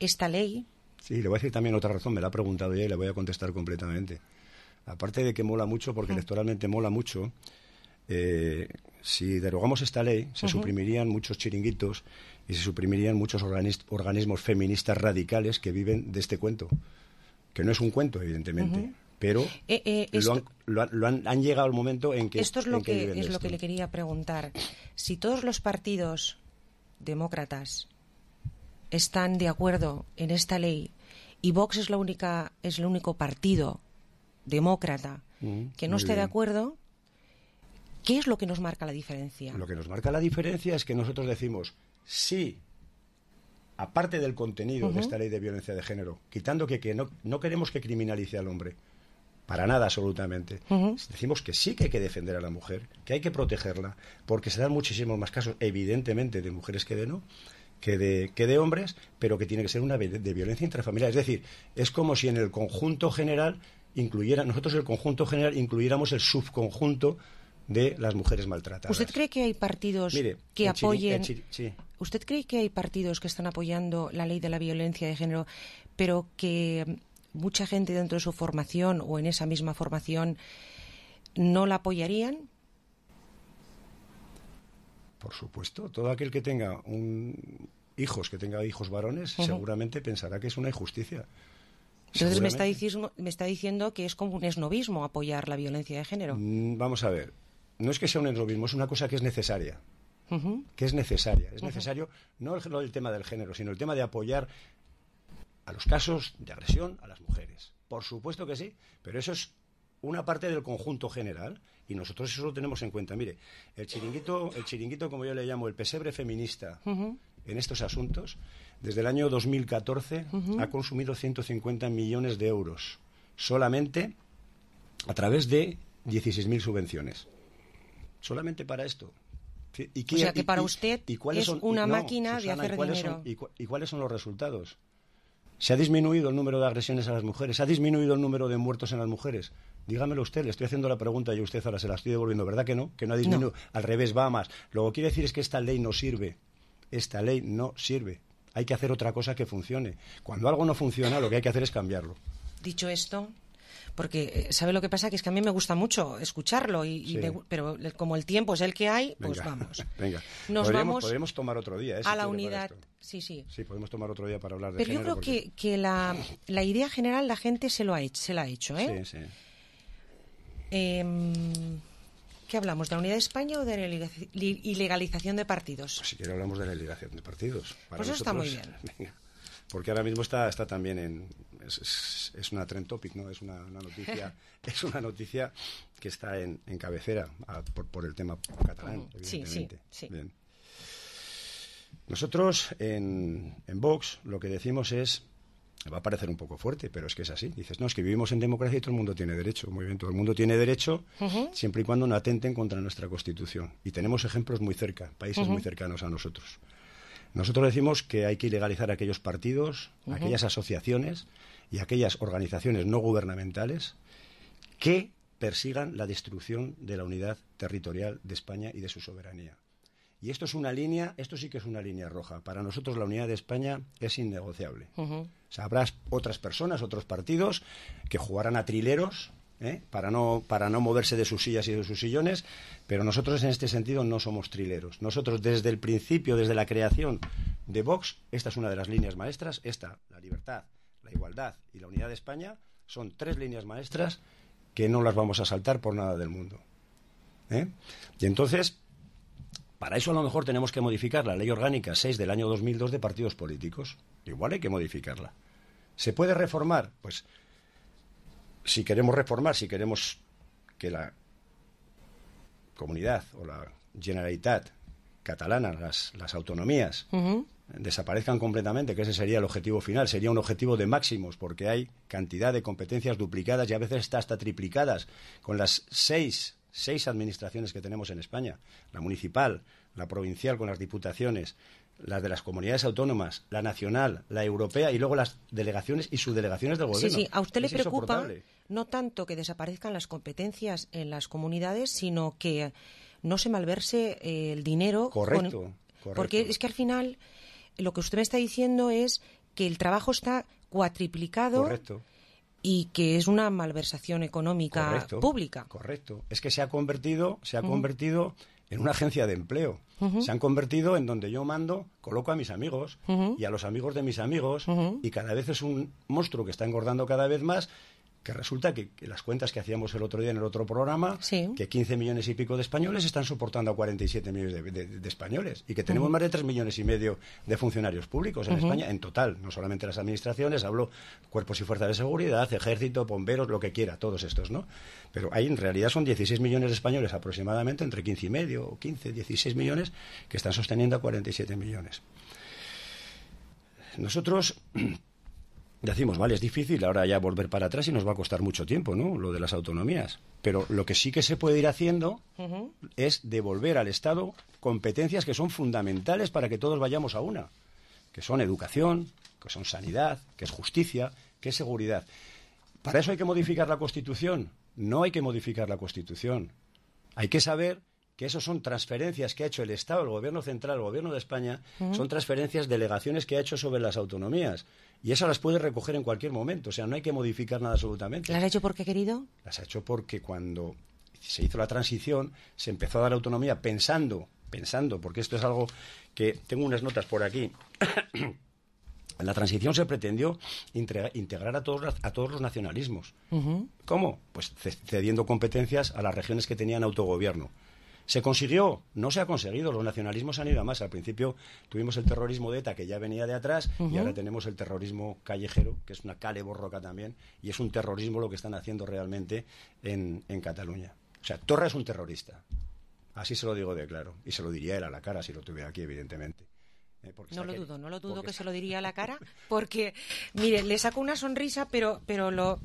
Speaker 15: esta ley.
Speaker 21: Sí, le voy a decir también otra razón, me la ha preguntado ya y le voy a contestar completamente. Aparte de que mola mucho, porque electoralmente mola mucho, eh, si derogamos esta ley, se
Speaker 15: Ujú.
Speaker 21: suprimirían muchos chiringuitos y se suprimirían muchos organis- organismos feministas radicales que viven de este cuento. Que no es un cuento, evidentemente,
Speaker 15: Ujú.
Speaker 21: pero
Speaker 15: Eh, eh,
Speaker 21: lo,
Speaker 15: esto-
Speaker 21: han, lo han- lo han- han llegado al momento en que,
Speaker 15: Esto es lo
Speaker 21: en que
Speaker 15: que,
Speaker 21: viven de
Speaker 15: es lo
Speaker 21: esto.
Speaker 15: que le quería preguntar. Si todos los partidos demócratas están de acuerdo en esta ley y Vox es la única es el único partido demócrata
Speaker 21: Mm,
Speaker 15: que no
Speaker 21: muy
Speaker 15: esté de
Speaker 21: bien.
Speaker 15: acuerdo, ¿qué es lo que nos marca la diferencia?
Speaker 21: Lo que nos marca la diferencia es que nosotros decimos sí, aparte del contenido
Speaker 15: Ujú.
Speaker 21: de esta ley de violencia de género, quitando que, que no, no queremos que criminalice al hombre, para nada absolutamente.
Speaker 15: Ujú.
Speaker 21: Decimos que sí que hay que defender a la mujer, que hay que protegerla, porque se dan muchísimos más casos, evidentemente, de mujeres que de no, que de, que de hombres, pero que tiene que ser una de, de violencia intrafamiliar. Es decir, es como si en el conjunto general incluyera, nosotros el conjunto general incluyéramos el subconjunto de las mujeres maltratadas.
Speaker 15: ¿Usted cree que hay partidos
Speaker 21: Mire,
Speaker 15: que
Speaker 21: el chiri-
Speaker 15: apoyen
Speaker 21: el chiri- sí.
Speaker 15: ¿Usted cree que hay partidos que están apoyando la ley de la violencia de género, pero que mm, mucha gente dentro de su formación o en esa misma formación no la apoyarían?
Speaker 21: Por supuesto, todo aquel que tenga un, hijos, que tenga hijos varones,
Speaker 15: Ujú.
Speaker 21: seguramente pensará que es una injusticia.
Speaker 15: Entonces me está,
Speaker 21: Seguramente.
Speaker 15: diciendo, me está diciendo que es como un esnovismo apoyar la violencia de género.
Speaker 21: Mm, Vamos a ver, no es que sea un esnovismo, es una cosa que es necesaria. uh-huh. que es necesaria. Es necesario uh-huh. no el, el tema del género, sino el tema de apoyar a los casos de agresión a las mujeres. Por supuesto que sí, pero eso es una parte del conjunto general y nosotros eso lo tenemos en cuenta. Mire, el chiringuito, el chiringuito, como yo le llamo, el pesebre feminista uh-huh. en estos asuntos, desde el año dos mil catorce uh-huh. ha consumido ciento cincuenta millones de euros solamente a través de dieciséis mil subvenciones. Solamente para esto. ¿Y qué,
Speaker 15: o sea que para
Speaker 21: y,
Speaker 15: usted
Speaker 21: y, y es
Speaker 15: son, una no,
Speaker 21: Susana,
Speaker 15: máquina de hacer
Speaker 21: ¿y
Speaker 15: dinero.
Speaker 21: Son, y, cu ¿Y cuáles son los resultados? ¿Se ha disminuido el número de agresiones a las mujeres? ¿Se ha disminuido el número de muertos en las mujeres? Dígamelo usted, le estoy haciendo la pregunta y usted ahora se la estoy devolviendo. ¿Verdad que no? Que no ha disminuido. No. Al revés, va a más. Lo que quiere decir es que esta ley no sirve. Esta ley no sirve. Hay que hacer otra cosa que funcione. Cuando algo no funciona, lo que hay que hacer es cambiarlo.
Speaker 15: Dicho esto, porque ¿sabe lo que pasa? Que es que a mí me gusta mucho escucharlo, y, y
Speaker 21: sí.
Speaker 15: me, pero como el tiempo es el que hay, pues
Speaker 21: venga,
Speaker 15: vamos.
Speaker 21: Venga,
Speaker 15: Nos
Speaker 21: podríamos,
Speaker 15: vamos
Speaker 21: podríamos tomar otro día. ¿eh? Si
Speaker 15: a la unidad. Sí, sí.
Speaker 21: Sí, podemos tomar otro día para hablar de
Speaker 15: pero
Speaker 21: género.
Speaker 15: Pero yo creo porque... que, que la, la idea general la gente se, lo ha hecho, se la ha hecho, ¿eh?
Speaker 21: Sí, sí.
Speaker 15: Eh, ¿Qué hablamos? ¿De la unidad de España o de la ilegalización de partidos?
Speaker 21: Pues si quiere hablamos de la ilegalización de partidos.
Speaker 15: Para pues eso está muy bien.
Speaker 21: Venga. Porque ahora mismo está, está también en... Es, es, es una trend topic, ¿no? Es una, una noticia es una noticia que está en, en cabecera a, por, por el tema catalán, uh-huh. evidentemente.
Speaker 15: Sí, sí, sí.
Speaker 21: Bien. Nosotros en, en Vox lo que decimos es... Va a parecer un poco fuerte, pero es que es así. Dices, no, es que vivimos en democracia y todo el mundo tiene derecho. Muy bien, todo el mundo tiene derecho, uh-huh. siempre y cuando no atenten contra nuestra Constitución. Y tenemos ejemplos muy cerca, países uh-huh. muy cercanos a nosotros. Nosotros decimos que hay que ilegalizar aquellos partidos, uh-huh. aquellas asociaciones y aquellas organizaciones no gubernamentales que persigan la destrucción de la unidad territorial de España y de su soberanía. Y esto es una línea, esto sí que es una línea roja. Para nosotros la unidad de España es innegociable. Uh-huh. O sea, habrá otras personas, otros partidos que jugarán a trileros, ¿eh? para no para no moverse de sus sillas y de sus sillones, pero nosotros en este sentido no somos trileros. Nosotros desde el principio, desde la creación de Vox, esta es una de las líneas maestras, esta, la libertad, la igualdad y la unidad de España, son tres líneas maestras que no las vamos a saltar por nada del mundo. ¿Eh? Y entonces... Para eso a lo mejor tenemos que modificar la Ley Orgánica seis del año dos mil dos de partidos políticos. Igual hay que modificarla. ¿Se puede reformar? Pues si queremos reformar, si queremos que la comunidad o la Generalitat catalana, las, las autonomías, uh-huh. desaparezcan completamente, que ese sería el objetivo final, sería un objetivo de máximos, porque hay cantidad de competencias duplicadas y a veces está hasta triplicadas con las seis... seis administraciones que tenemos en España, la municipal, la provincial con las diputaciones, las de las comunidades autónomas, la nacional, la europea y luego las delegaciones y subdelegaciones del gobierno.
Speaker 15: Sí, sí, a usted le preocupa no tanto que desaparezcan las competencias en las comunidades, sino que no se malverse eh, el dinero.
Speaker 21: Correcto,
Speaker 15: con...
Speaker 21: correcto.
Speaker 15: Porque es que al final lo que usted me está diciendo es que el trabajo está cuatriplicado.
Speaker 21: Correcto.
Speaker 15: Y que es una malversación económica
Speaker 21: correcto,
Speaker 15: pública.
Speaker 21: Correcto. Es que se ha convertido, se ha uh-huh. convertido en una agencia de empleo.
Speaker 15: Uh-huh.
Speaker 21: Se han convertido en donde yo mando, coloco a mis amigos uh-huh. y a los amigos de mis amigos uh-huh. y cada vez es un monstruo que está engordando cada vez más, que resulta que, que las cuentas que hacíamos el otro día en el otro programa,
Speaker 15: sí.
Speaker 21: que quince millones y pico de españoles están soportando a cuarenta y siete millones de, de, de españoles y que tenemos uh-huh. más de tres millones y medio de funcionarios públicos en uh-huh. España, en total, no solamente las administraciones, hablo cuerpos y fuerzas de seguridad, ejército, bomberos, lo que quiera, todos estos, ¿no? Pero hay en realidad son dieciséis millones de españoles aproximadamente, entre quince y medio, o quince, dieciséis millones, que están sosteniendo a cuarenta y siete millones. Nosotros... Decimos, vale, es difícil ahora ya volver para atrás y nos va a costar mucho tiempo, ¿no? Lo de las autonomías. Pero lo que sí que se puede ir haciendo uh-huh. es devolver al Estado competencias que son fundamentales para que todos vayamos a una. Que son educación, que son sanidad, que es justicia, que es seguridad. ¿Para eso hay que modificar la Constitución? No hay que modificar la Constitución. Hay que saber que eso son transferencias que ha hecho el Estado, el Gobierno Central, el Gobierno de España, uh-huh. son transferencias, delegaciones que ha hecho sobre las autonomías. Y eso las puede recoger en cualquier momento, o sea, no hay que modificar nada absolutamente.
Speaker 15: ¿Las ha hecho porque ha querido?
Speaker 21: Las ha hecho porque cuando se hizo la transición se empezó a dar autonomía pensando, pensando, porque esto es algo que tengo unas notas por aquí. En la transición se pretendió integrar a todos, a todos los nacionalismos. Uh-huh. ¿Cómo? Pues cediendo competencias a las regiones que tenían autogobierno. ¿Se consiguió? No se ha conseguido. Los nacionalismos han ido a más. Al principio tuvimos el terrorismo de ETA, que ya venía de atrás, uh-huh. y ahora tenemos el terrorismo callejero, que es una cale borroca también, y es un terrorismo lo que están haciendo realmente en, en Cataluña. O sea, Torra es un terrorista. Así se lo digo de claro. Y se lo diría él a la cara si lo tuviera aquí, evidentemente. Eh,
Speaker 15: no lo
Speaker 21: que,
Speaker 15: dudo, no lo dudo que se lo diría a la cara, porque, mire, le saco una sonrisa, pero, pero lo...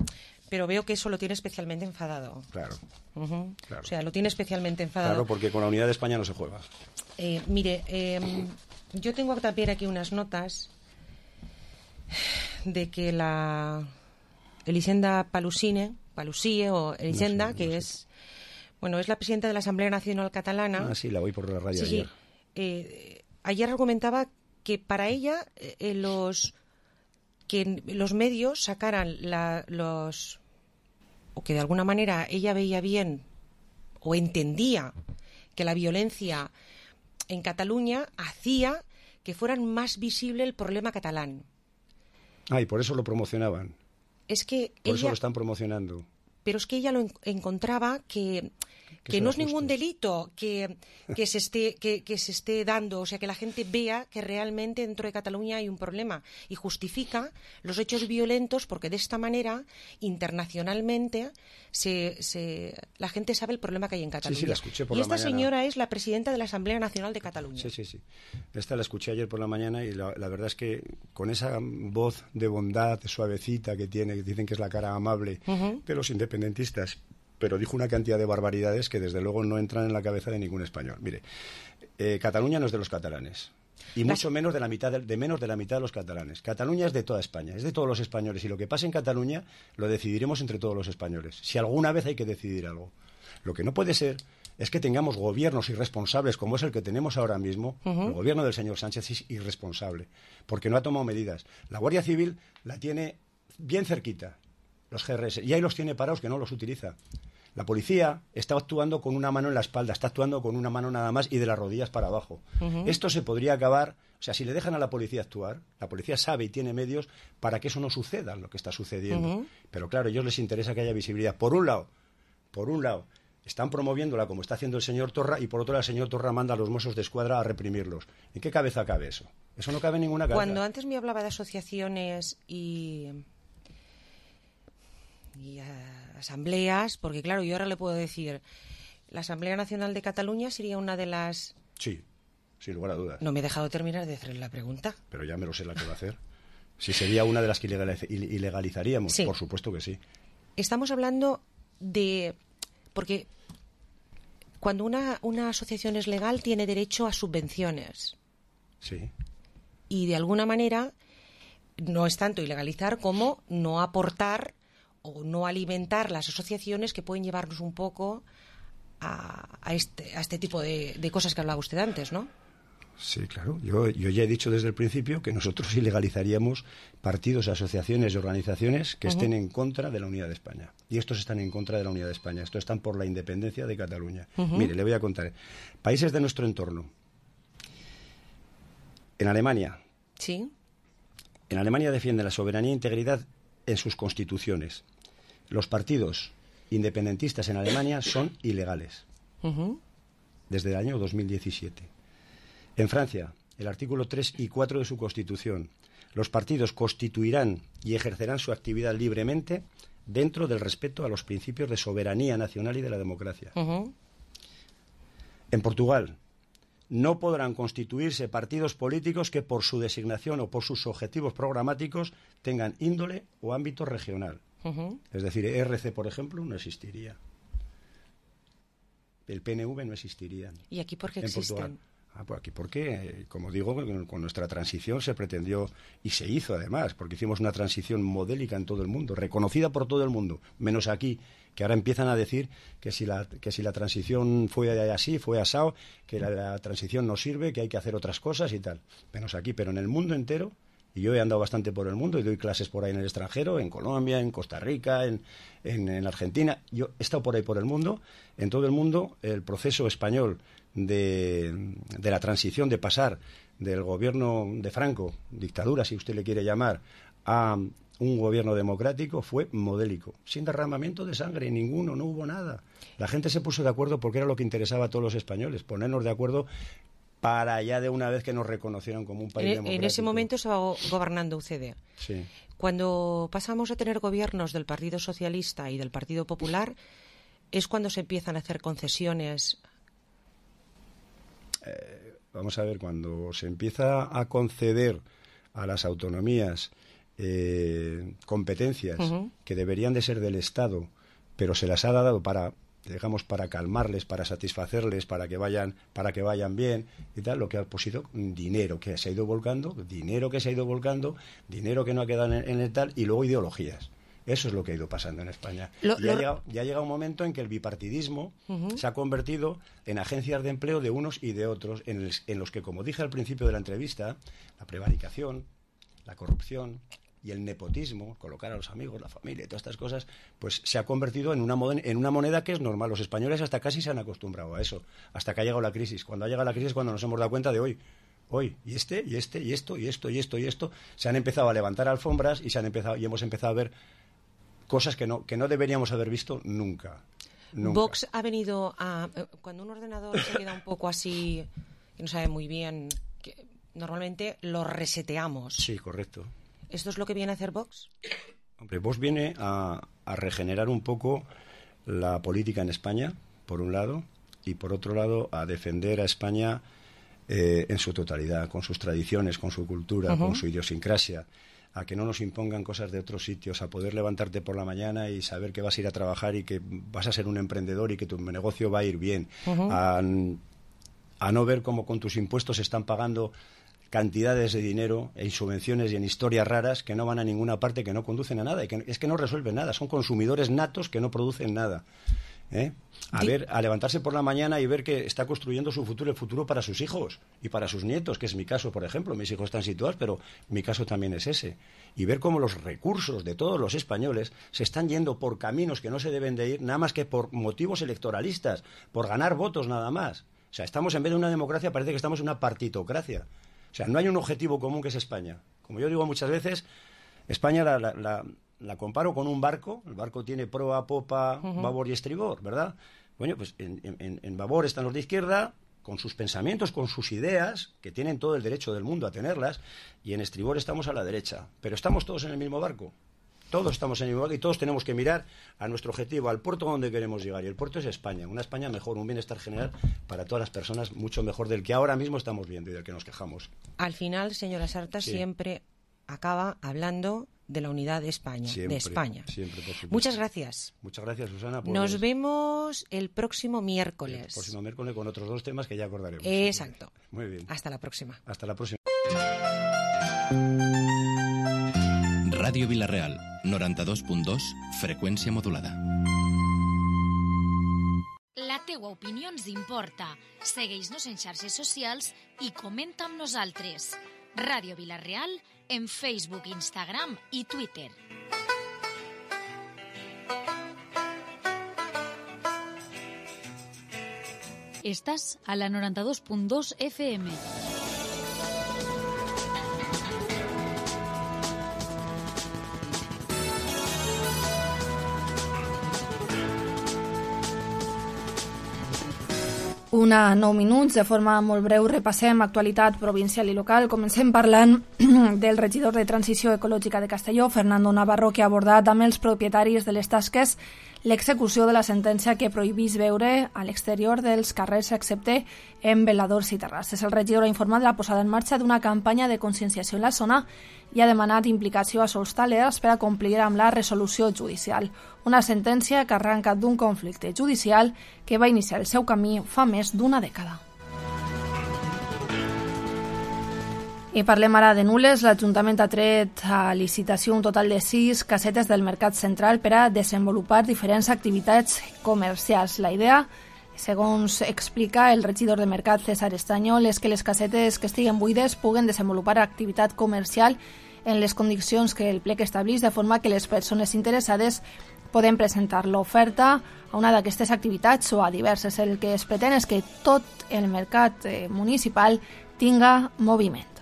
Speaker 15: pero veo que eso lo tiene especialmente enfadado.
Speaker 21: Claro,
Speaker 15: uh-huh.
Speaker 21: claro.
Speaker 15: O sea, lo tiene especialmente enfadado.
Speaker 21: Claro, porque con la unidad de España no se juega.
Speaker 15: Eh, mire, eh, yo tengo también aquí unas notas de que la Elisenda Palusine, Palusie o Elisenda, no sé, no que sé. es bueno, es la presidenta de la Asamblea Nacional Catalana.
Speaker 21: Ah, sí, la oí por la radio
Speaker 15: sí,
Speaker 21: ayer.
Speaker 15: Sí. Eh, ayer argumentaba que para ella eh, los que los medios sacaran la, los o que de alguna manera ella veía bien o entendía que la violencia en Cataluña hacía que fueran más visible el problema catalán.
Speaker 21: Ah, y por eso lo promocionaban.
Speaker 15: Es que
Speaker 21: por
Speaker 15: ella,
Speaker 21: eso lo están promocionando.
Speaker 15: Pero es que ella lo en, encontraba que que no es justo. Ningún delito que, que, se esté, que, que se esté dando, o sea, que la gente vea que realmente dentro de Cataluña hay un problema y justifica los hechos violentos porque de esta manera, internacionalmente, se, se, la gente sabe el problema que hay en Cataluña.
Speaker 21: Sí, sí, la escuché por
Speaker 15: y
Speaker 21: la
Speaker 15: esta
Speaker 21: mañana.
Speaker 15: señora es la presidenta de la Asamblea Nacional de Cataluña.
Speaker 21: Sí, sí, sí. Esta la escuché ayer por la mañana y la, la verdad es que con esa voz de bondad, suavecita que tiene, que dicen que es la cara amable uh-huh. de los independentistas, pero dijo una cantidad de barbaridades que desde luego no entran en la cabeza de ningún español. Mire, eh, Cataluña no es de los catalanes y mucho menos de la mitad de, de menos de la mitad de los catalanes. Cataluña es de toda España, es de todos los españoles y lo que pase en Cataluña lo decidiremos entre todos los españoles. Si alguna vez hay que decidir algo, lo que no puede ser es que tengamos gobiernos irresponsables como es el que tenemos ahora mismo. Uh-huh. El gobierno del señor Sánchez es irresponsable porque no ha tomado medidas. La Guardia Civil la tiene bien cerquita, los G R S, y ahí los tiene parados que no los utiliza. La policía está actuando con una mano en la espalda, está actuando con una mano nada más y de las rodillas para abajo. Uh-huh. Esto se podría acabar, o sea, si le dejan a la policía actuar, la policía sabe y tiene medios para que eso no suceda, lo que está sucediendo. Uh-huh. Pero claro, a ellos les interesa que haya visibilidad. Por un lado, por un lado, están promoviéndola como está haciendo el señor Torra y por otro lado el señor Torra manda a los Mossos de Escuadra a reprimirlos. ¿En qué cabeza cabe eso? Eso no cabe en ninguna cabeza.
Speaker 15: Cuando antes me hablaba de asociaciones y... y uh, asambleas, porque claro, yo ahora le puedo decir, la Asamblea Nacional de Cataluña sería una de las...
Speaker 21: Sí, sin lugar a dudas.
Speaker 15: No me he dejado terminar de hacer la pregunta.
Speaker 21: Pero ya me lo sé la que va a hacer. Si sería una de las que ilegaliz- ilegalizaríamos, sí. Por supuesto que sí.
Speaker 15: Estamos hablando de... porque cuando una, una asociación es legal tiene derecho a subvenciones.
Speaker 21: Sí.
Speaker 15: Y de alguna manera no es tanto ilegalizar como no aportar o no alimentar las asociaciones que pueden llevarnos un poco a, a, este, a este tipo de, de cosas que hablaba usted antes, ¿no?
Speaker 21: Sí, claro. Yo, yo ya he dicho desde el principio que nosotros ilegalizaríamos partidos, asociaciones y organizaciones que uh-huh. estén en contra de la unidad de España. Y estos están en contra de la unidad de España. Estos están por la independencia de Cataluña. Uh-huh. Mire, le voy a contar. Países de nuestro entorno. En Alemania.
Speaker 15: Sí.
Speaker 21: En Alemania defienden la soberanía e integridad en sus constituciones. Los partidos independentistas en Alemania son ilegales. Uh-huh. Desde el año dos mil diecisiete. En Francia, el artículo tres y cuatro de su Constitución. Los partidos constituirán y ejercerán su actividad libremente dentro del respeto a los principios de soberanía nacional y de la democracia. Uh-huh. En Portugal, no podrán constituirse partidos políticos que por su designación o por sus objetivos programáticos tengan índole o ámbito regional. Uh-huh. Es decir, E R C, por ejemplo, no existiría. El P N V no existiría.
Speaker 15: ¿Y aquí por qué existen?
Speaker 21: Portugal. Ah, pues aquí porque, como digo, con nuestra transición se pretendió, y se hizo además, porque hicimos una transición modélica en todo el mundo, reconocida por todo el mundo, menos aquí, que ahora empiezan a decir que si la, que si la transición fue así, fue asao, que la, la transición no sirve, que hay que hacer otras cosas y tal. Menos aquí, pero en el mundo entero, y yo he andado bastante por el mundo y doy clases por ahí en el extranjero, en Colombia, en Costa Rica, en, en, en Argentina, yo he estado por ahí por el mundo, en todo el mundo el proceso español de, de la transición, de pasar del gobierno de Franco, dictadura si usted le quiere llamar, a, un gobierno democrático, fue modélico, sin derramamiento de sangre, ninguno, no hubo nada. La gente se puso de acuerdo porque era lo que interesaba a todos los españoles, ponernos de acuerdo para ya de una vez que nos reconocieron como un país
Speaker 15: en,
Speaker 21: democrático.
Speaker 15: En ese momento estaba gobernando U C D.
Speaker 21: Sí.
Speaker 15: Cuando pasamos a tener gobiernos del Partido Socialista y del Partido Popular, es cuando se empiezan a hacer concesiones.
Speaker 21: Eh, vamos a ver, cuando se empieza a conceder a las autonomías eh, competencias uh-huh. que deberían de ser del Estado, pero se las ha dado para, digamos, para calmarles, para satisfacerles, para que vayan, para que vayan bien y tal, lo que ha puesto dinero que se ha ido volcando, dinero que se ha ido volcando, dinero que no ha quedado en, en el tal, y luego ideologías. Eso es lo que ha ido pasando en España. Lo, y ha, lo... llegado, ya ha llegado un momento en que el bipartidismo uh-huh. se ha convertido en agencias de empleo de unos y de otros, en, el, en los que, como dije al principio de la entrevista, la prevaricación, la corrupción y el nepotismo, colocar a los amigos, la familia y todas estas cosas, pues se ha convertido en una, moneda, en una moneda que es normal. Los españoles hasta casi se han acostumbrado a eso, hasta que ha llegado la crisis. Cuando ha llegado la crisis es cuando nos hemos dado cuenta de hoy, hoy, y este, y este, y esto, y esto, y esto, y esto, se han empezado a levantar alfombras y se han empezado, y hemos empezado a ver cosas que no, que no deberíamos haber visto nunca. Nunca.
Speaker 15: Vox ha venido a... Cuando un ordenador se queda un poco así, que no sabe muy bien, que normalmente lo reseteamos.
Speaker 21: Sí, correcto.
Speaker 15: ¿Esto es lo que viene a hacer Vox?
Speaker 21: Hombre, Vox viene a, a regenerar un poco la política en España, por un lado, y por otro lado a defender a España eh, en su totalidad, con sus tradiciones, con su cultura, uh-huh. con su idiosincrasia, a que no nos impongan cosas de otros sitios, a poder levantarte por la mañana y saber que vas a ir a trabajar y que vas a ser un emprendedor y que tu negocio va a ir bien, uh-huh. a, a no ver cómo con tus impuestos se están pagando cantidades de dinero en subvenciones y en historias raras que no van a ninguna parte, que no conducen a nada, y que es que no resuelven nada, son consumidores natos que no producen nada. ¿Eh? A ver, a levantarse por la mañana y ver que está construyendo su futuro, el futuro para sus hijos y para sus nietos, que es mi caso, por ejemplo. Mis hijos están situados, pero mi caso también es ese. Y ver cómo los recursos de todos los españoles se están yendo por caminos que no se deben de ir, nada más que por motivos electoralistas, por ganar votos nada más. O sea, estamos, en vez de una democracia, parece que estamos en una partitocracia. O sea, no hay un objetivo común que es España. Como yo digo muchas veces, España la, la, la, la comparo con un barco. El barco tiene proa, popa, uh-huh. babor y estribor, ¿verdad? Bueno, pues en, en, en babor están los de izquierda, con sus pensamientos, con sus ideas, que tienen todo el derecho del mundo a tenerlas, y en estribor estamos a la derecha. Pero estamos todos en el mismo barco. Todos estamos en el mismo barco y todos tenemos que mirar a nuestro objetivo, al puerto donde queremos llegar. Y el puerto es España, una España mejor, un bienestar general para todas las personas, mucho mejor del que ahora mismo estamos viendo y del que nos quejamos.
Speaker 15: Al final, señora Sarta, sí. siempre acaba hablando de la unidad de España,
Speaker 21: siempre,
Speaker 15: de España.
Speaker 21: Siempre, por supuesto.
Speaker 15: Muchas gracias.
Speaker 21: Muchas gracias, Susana. Por
Speaker 15: Nos vemos el próximo miércoles.
Speaker 21: El próximo miércoles con otros dos temas que ya acordaremos.
Speaker 15: Exacto.
Speaker 21: Muy bien.
Speaker 15: Hasta la próxima.
Speaker 21: Hasta la próxima.
Speaker 1: Ràdio Vila-real, noranta-dos punt dos, freqüència modulada.
Speaker 4: La teua opinió ens importa. Segueix-nos en xarxes socials i comenta amb nosaltres. Ràdio Vila-real en Facebook, Instagram i Twitter. Estàs a la noranta-dos punt dos F M.
Speaker 2: Una nou minuts, de forma molt breu repassem actualitat provincial i local. Comencem parlant del regidor de Transició Ecològica de Castelló, Fernando Navarro, que ha abordat amb els propietaris de les tasques l'execució de la sentència que prohibís veure a l'exterior dels carrers excepte en veladors i terrasses. El regidor ha informat de la posada en marxa d'una campanya de conscienciació en la zona i ha demanat implicació a solstalers per a complir amb la resolució judicial. Una sentència que arranca d'un conflicte judicial que va iniciar el seu camí fa més d'una dècada. I parlem ara de Nules. L'Ajuntament ha tret a licitació un total de sis casetes del Mercat Central per a desenvolupar diferents activitats comercials. La idea, segons explica el regidor de Mercat, César Estanyol, és que les casetes que estiguen buides puguen desenvolupar activitat comercial en les condicions que el plec establís, de forma que les persones interessades poden presentar l'oferta a una d'aquestes activitats o a diverses. El que es pretén és que tot el mercat municipal tinga moviment.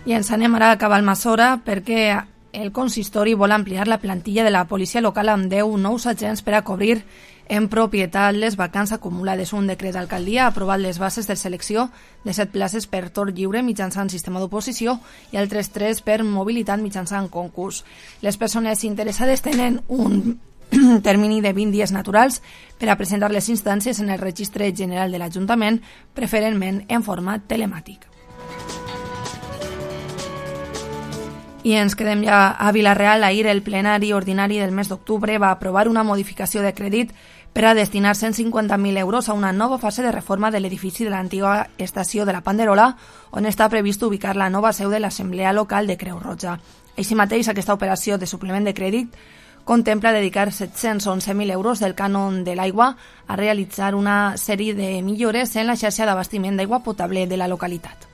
Speaker 2: I ens anem ara a Cabalmasora perquè el consistori vol ampliar la plantilla de la policia local amb deu nous agents per a cobrir en propietat les vacants acumulades. Un decret d'alcaldia ha aprovat les bases de selecció de set places per torn lliure mitjançant sistema d'oposició i altres tres per mobilitat mitjançant concurs. Les persones interessades tenen un termini de vint dies naturals per a presentar les instàncies en el registre general de l'Ajuntament, preferentment en format telemàtic. I ens quedem ja a Vila-real. Ahir el plenari ordinari del mes d'octubre va aprovar una modificació de crèdit per a destinar cent cinquanta mil euros a una nova fase de reforma de l'edifici de l'antiga estació de la Panderola, on està previst ubicar la nova seu de l'Assemblea Local de Creu Roja. Així mateix, aquesta operació de suplement de crèdit contempla dedicar set-cents onze mil euros del cànon de l'aigua a realitzar una sèrie de millores en la xarxa d'abastiment d'aigua potable de la localitat.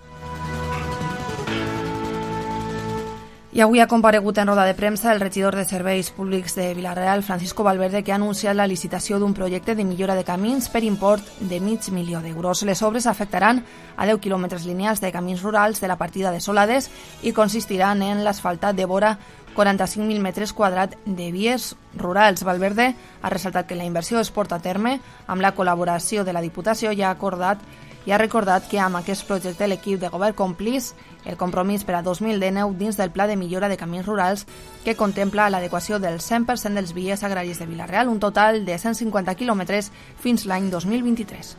Speaker 2: I avui ha comparegut en roda de premsa el regidor de Serveis Públics de Vila-real, Francisco Valverde, que ha anunciat la licitació d'un projecte de millora de camins per import de mig milió d'euros. Les obres afectaran a deu quilòmetres lineals de camins rurals de la partida de Solades i consistiran en l'asfaltat de vora quaranta-cinc mil metres quadrats de vies rurals. Valverde ha ressaltat que la inversió es porta a terme amb la col·laboració de la Diputació i ha acordat i ha recordat que amb aquest projecte l'equip de govern complís el compromís per a dos mil dinou dins del Pla de Millora de Camins Rurals que contempla l'adequació del cent per cent dels vies agraris de Vila-real, un total de cent cinquanta quilòmetres fins l'any dos mil vint-i-tres.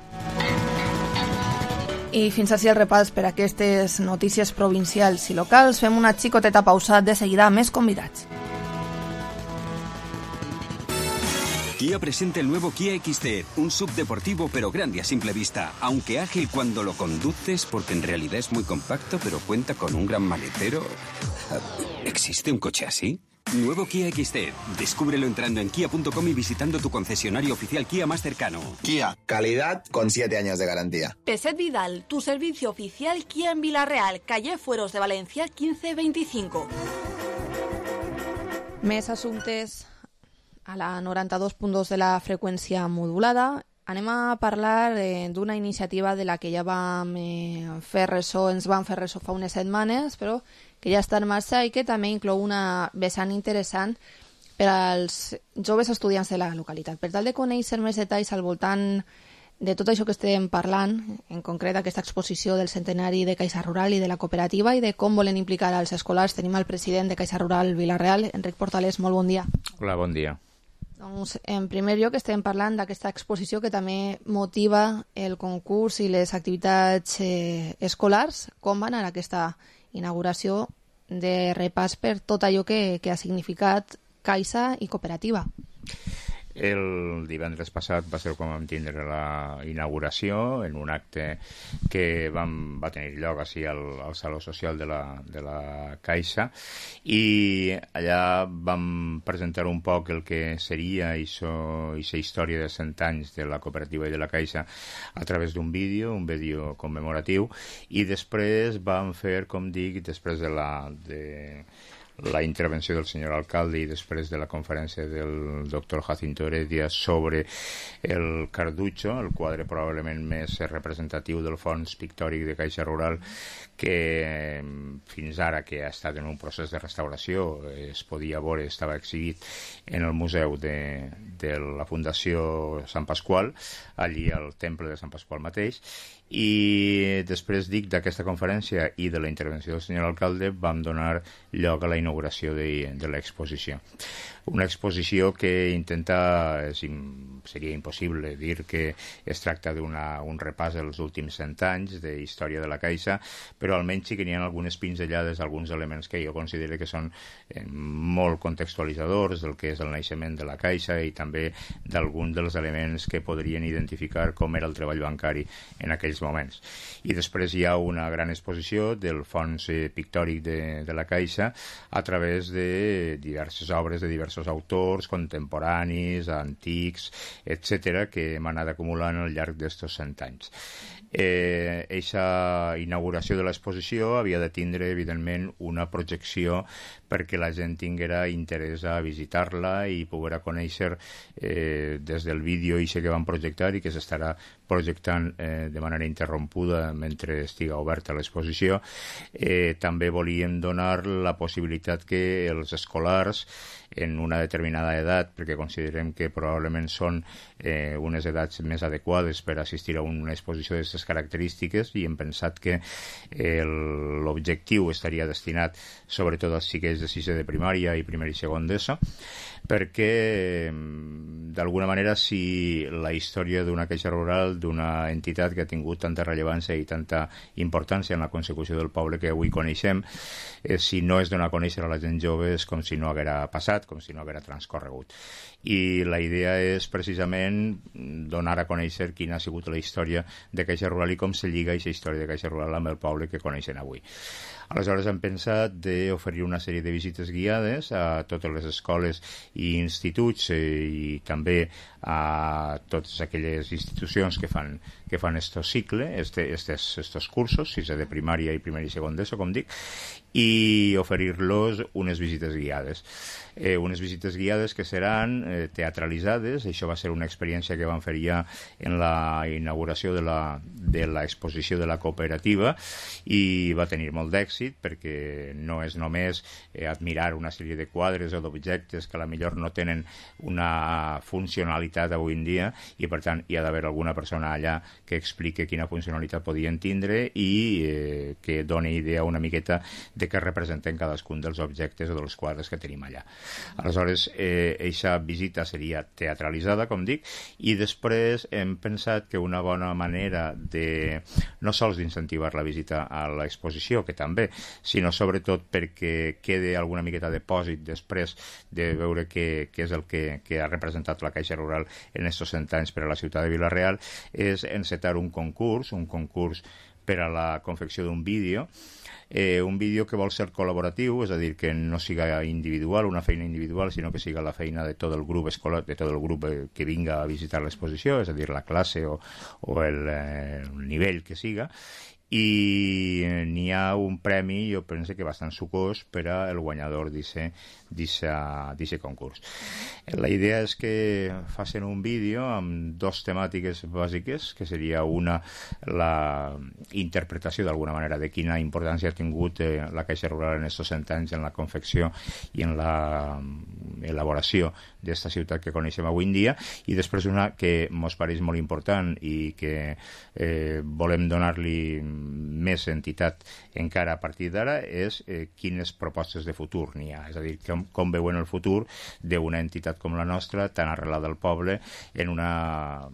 Speaker 2: I fins així el repàs per aquestes notícies provincials i locals. Fem una xicoteta pausa, de seguida més convidats.
Speaker 3: Kia presenta el nuevo Kia X T, un sub deportivo pero grande a simple vista, aunque ágil cuando lo conduces porque en realidad es muy compacto pero cuenta con un gran maletero. ¿Existe un coche así? Nuevo Kia X T. Descúbrelo entrando en kia punto com y visitando tu concesionario oficial Kia más cercano.
Speaker 22: Kia, calidad con siete años de garantía.
Speaker 23: Peset Vidal, tu servicio oficial Kia en Vila-real, calle Fueros de Valencia quinze veinticinco.
Speaker 2: Més assumptes a la noranta-dos punt dos de la freqüència modulada. Anem a parlar eh, d'una iniciativa de la que ja vam eh, fer ressò, ens vam fer ressò fa unes setmanes, però que ja està en marxa i que també inclou una vessant interessant per als joves estudiants de la localitat. Per tal de conèixer més detalls al voltant de tot això que estem parlant, en concret aquesta exposició del centenari de Caixa Rural i de la cooperativa i de com volen implicar als escolars, tenim el president de Caixa Rural Vila-real, Enric Portales. Molt bon dia.
Speaker 24: Hola, bon dia.
Speaker 2: Doncs, en primer lloc, estem parlant d'aquesta exposició que també motiva el concurs i les activitats eh, escolars. Com va anar aquesta inauguració de repàs per tot allò que, que ha significat Caixa i cooperativa?
Speaker 24: El divendres passat va ser quan vam tindre la inauguració en un acte que vam, va tenir lloc així al, al Saló Social de la, de la Caixa, i allà vam presentar un poc el que seria aquesta història de cent anys de la cooperativa i de la Caixa a través d'un vídeo, un vídeo commemoratiu, i després vam fer, com dic, després de la... De, la intervenció del senyor alcalde i després de la conferència del doctor Jacinto Heredia sobre el Carducho, el quadre probablement més representatiu del fons pictòric de Caixa Rural, que fins ara, que ha estat en un procés de restauració, es podia veure, estava exhibit en el museu de, de la Fundació Sant Pasqual, allí al temple de Sant Pasqual mateix. I després, dic, d'aquesta conferència i de la intervenció del senyor alcalde vam donar lloc a la inauguració de, de l'exposició. Una exposició que intenta, és, seria impossible dir que es tracta d'un repàs dels últims cent anys de història de la Caixa, però almenys sí que n'hi ha algunes pinzellades, alguns elements que jo considero que són eh, molt contextualitzadors del que és el naixement de la Caixa i també d'alguns dels elements que podrien identificar com era el treball bancari en aquells moments. I després hi ha una gran exposició del fons eh, pictòric de, de la Caixa a través de diverses obres de diversos autors contemporanis, antics, etcètera, que hem anat acumulant al llarg d'estos cent anys. Eixa inauguració de l'exposició havia de tindre, evidentment, una projecció perquè la gent tinguera interès a visitar-la i poguera conèixer eh, des del vídeo ixe que van projectar i que s'estarà projectant eh, de manera interrompuda mentre estiga oberta l'exposició. Eh, també volíem donar la possibilitat que els escolars en una determinada edat, perquè considerem que probablement són eh, unes edats més adequades per assistir a una exposició d'aquestes característiques, i hem pensat que eh, l'objectiu estaria destinat sobretot als xiquets de sisè de primària i primer i segon d'ESO, perquè d'alguna manera si la història d'una caixa rural, d'una entitat que ha tingut tanta rellevància i tanta importància en la consecució del poble que avui coneixem, eh, si no es dona a conèixer a la gent jove és com si no haguera passat, com si no haguera transcorregut. I la idea és precisament donar a conèixer quina ha sigut la història de Caixa Rural i com se lliga aquesta història de Caixa Rural amb el poble que coneixen avui. Aleshores hem pensat d'oferir una sèrie de visites guiades a totes les escoles i instituts eh, i també a totes aquelles institucions que fan que fan estos cicles, este, estes, estos cursos, sisè de primària i primer i segon d'ESO, com dic, i oferir-los unes visites guiades. Eh, unes visites guiades que seran eh, teatralitzades. Això va ser una experiència que vam fer ja en la inauguració de la, de l'exposició de la cooperativa i va tenir molt d'èxit perquè no és només eh, admirar una sèrie de quadres o d'objectes que a la millor no tenen una funcionalitat avui en dia i per tant hi ha d'haver alguna persona allà que explique quina funcionalitat podien tindre i eh, que doni idea una miqueta de què representen cadascun dels objectes o dels quadres que tenim allà. Aleshores, eh, eixa visita seria teatralitzada, com dic, i després hem pensat que una bona manera de, no sols d'incentivar la visita a l'exposició, que també, sinó sobretot perquè quede alguna miqueta de pòsit després de veure què, què és el que, que ha representat la Caixa Rural en estos cent anys per a la ciutat de Vila-real, és encetar un concurs, un concurs per a la confecció d'un vídeo, Eh, un vídeo que vol ser col·laboratiu, és a dir, que no siga individual, una feina individual, sinó que siga la feina de tot el grup escolar, de tot el grup que vinga a visitar l'exposició, és a dir, la classe o, o el, eh, el nivell que siga, i n'hi ha un premi, jo penso que bastant sucós, per al guanyador d'aquest concurs. La idea és que facin un vídeo amb dos temàtiques bàsiques, que seria una, la interpretació d'alguna manera de quina importància ha tingut eh, la Caixa Rural en aquests cent anys en la confecció i en la elaboració d'esta ciutat que coneixem avui en dia, i després una que ens pareix molt important i que eh, volem donar-li més entitat encara a partir d'ara és eh, quines propostes de futur n'hi ha, és a dir, com, com veuen el futur d'una entitat com la nostra, tan arrelada al poble, en una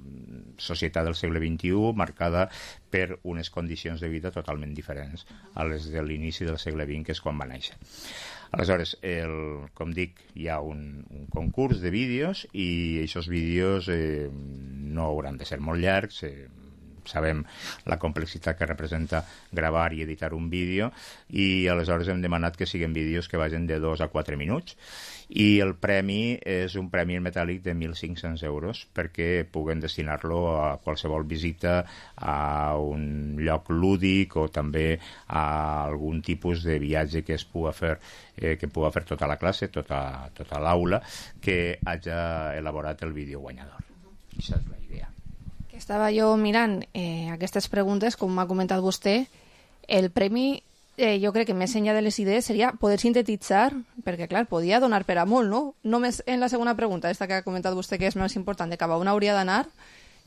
Speaker 24: societat del segle vint-i-u marcada per unes condicions de vida totalment diferents a les de l'inici del segle vint, que és quan va néixer. Aleshores, el, com dic, hi ha un, un concurs de vídeos i aquests vídeos eh, no hauran de ser molt llargs, eh, sabem la complexitat que representa gravar i editar un vídeo, i aleshores hem demanat que siguin vídeos que vagin de dos a quatre minuts, i el premi és un premi en metàl·lic de mil cinc-cents euros perquè puguen destinar-lo a qualsevol visita a un lloc lúdic o també a algun tipus de viatge que es pugui fer, eh, que pugui fer tota la classe, tota, tota l'aula, que hagi elaborat el vídeo guanyador. Aquesta és la idea.
Speaker 2: Estava jo mirant eh, aquestes preguntes, com m'ha comentat vostè. El premi, eh, jo crec que més enllà de les idees seria poder sintetitzar, perquè clar, podia donar per a molt, no? Només en la segona pregunta, esta que ha comentat vostè que és més important, de cap a on hauria d'anar,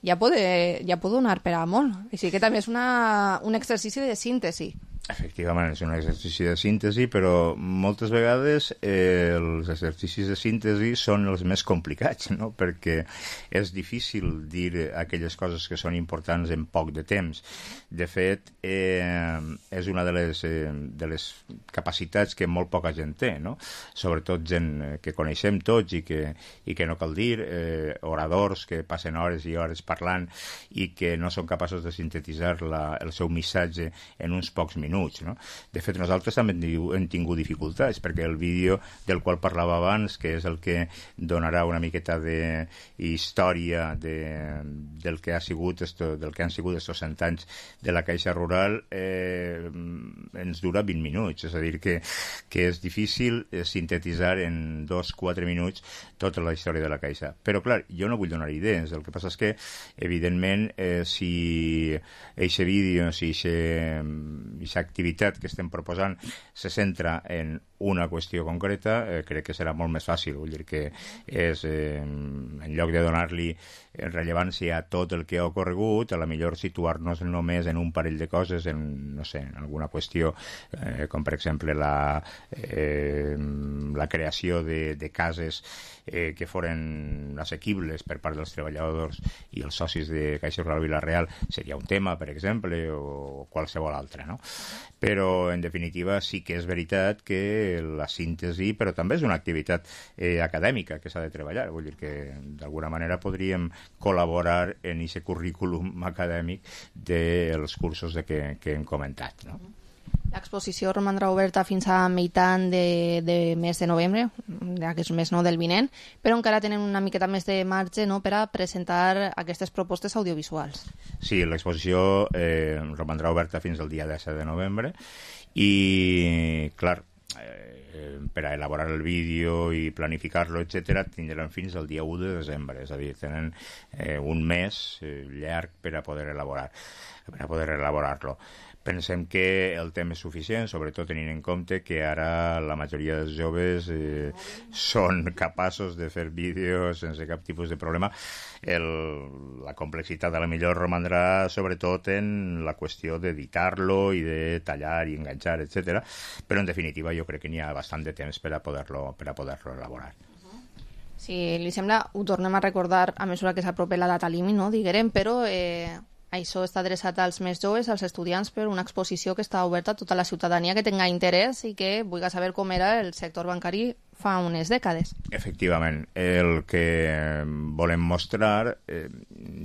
Speaker 2: ja pot, ja pot donar per a molt. Així que també és una, un exercici de síntesi.
Speaker 24: Efectivament, és un exercici de síntesi, però moltes vegades eh, els exercicis de síntesi són els més complicats, no? Perquè és difícil dir aquelles coses que són importants en poc de temps. De fet, eh, és una de les, eh, de les capacitats que molt poca gent té, no? Sobretot gent que coneixem tots i que, i que no cal dir, eh, oradors que passen hores i hores parlant i que no són capaços de sintetitzar la, el seu missatge en uns pocs minuts. minuts, no? De fet, nosaltres també hem tingut dificultats, perquè el vídeo del qual parlava abans, que és el que donarà una miqueta de història de, del que ha sigut esto, del que han sigut estos cent anys de la Caixa Rural, eh, ens dura vint minuts, és a dir, que, que és difícil sintetitzar en dos, quatre minuts tota la història de la Caixa. Però, clar, jo no vull donar idees, el que passa és que, evidentment, eh, si eixe vídeo, si eixa activitat que estem proposant se centra en una qüestió concreta, eh, crec que serà molt més fàcil. Vull dir que és, eh, en lloc de donar-li rellevància a tot el que ha ocorregut, a la millor situar-nos només en un parell de coses, en, no sé, en alguna qüestió, eh, com per exemple la, eh, la creació de, de cases eh, que foren assequibles per part dels treballadors i els socis de Caixa Rural Vila-real, seria un tema, per exemple, o qualsevol altre, no? Però, en definitiva, sí que és veritat que la síntesi, però també és una activitat eh, acadèmica que s'ha de treballar. Vull dir que, d'alguna manera, podríem col·laborar en aquest currículum acadèmic dels cursos de que, que hem comentat, no?
Speaker 2: L'exposició romandrà oberta fins a meitat de, de mes de novembre, d'aquest mes no del vinent, però encara tenen una miqueta més de marge, no?, per a presentar aquestes propostes audiovisuals.
Speaker 24: Sí, l'exposició eh, romandrà oberta fins al dia disset de novembre i, clar, eh, per a elaborar el vídeo i planificar-lo, etcètera, tindran fins al dia u de desembre, és a dir, tenen eh, un mes eh, llarg per a poder elaborar, per a poder elaborar-lo. Pensem que el temps és suficient, sobretot tenint en compte que ara la majoria dels joves eh, són capaços de fer vídeos sense cap tipus de problema. El, la complexitat a la millor romandrà sobretot en la qüestió d'editar-lo i de tallar i enganxar, etcètera. Però en definitiva jo crec que n'hi ha bastant de temps per a poder-lo per a poder-lo elaborar.
Speaker 2: Si li sembla, ho tornem a recordar a mesura que s'apropa la data límit, no, diguem, però eh, això està adreçat als més joves, als estudiants, per una exposició que està oberta a tota la ciutadania que tenga interès i que vulgui saber com era el sector bancari fa unes dècades. Efectivament, el que volem mostrar, eh,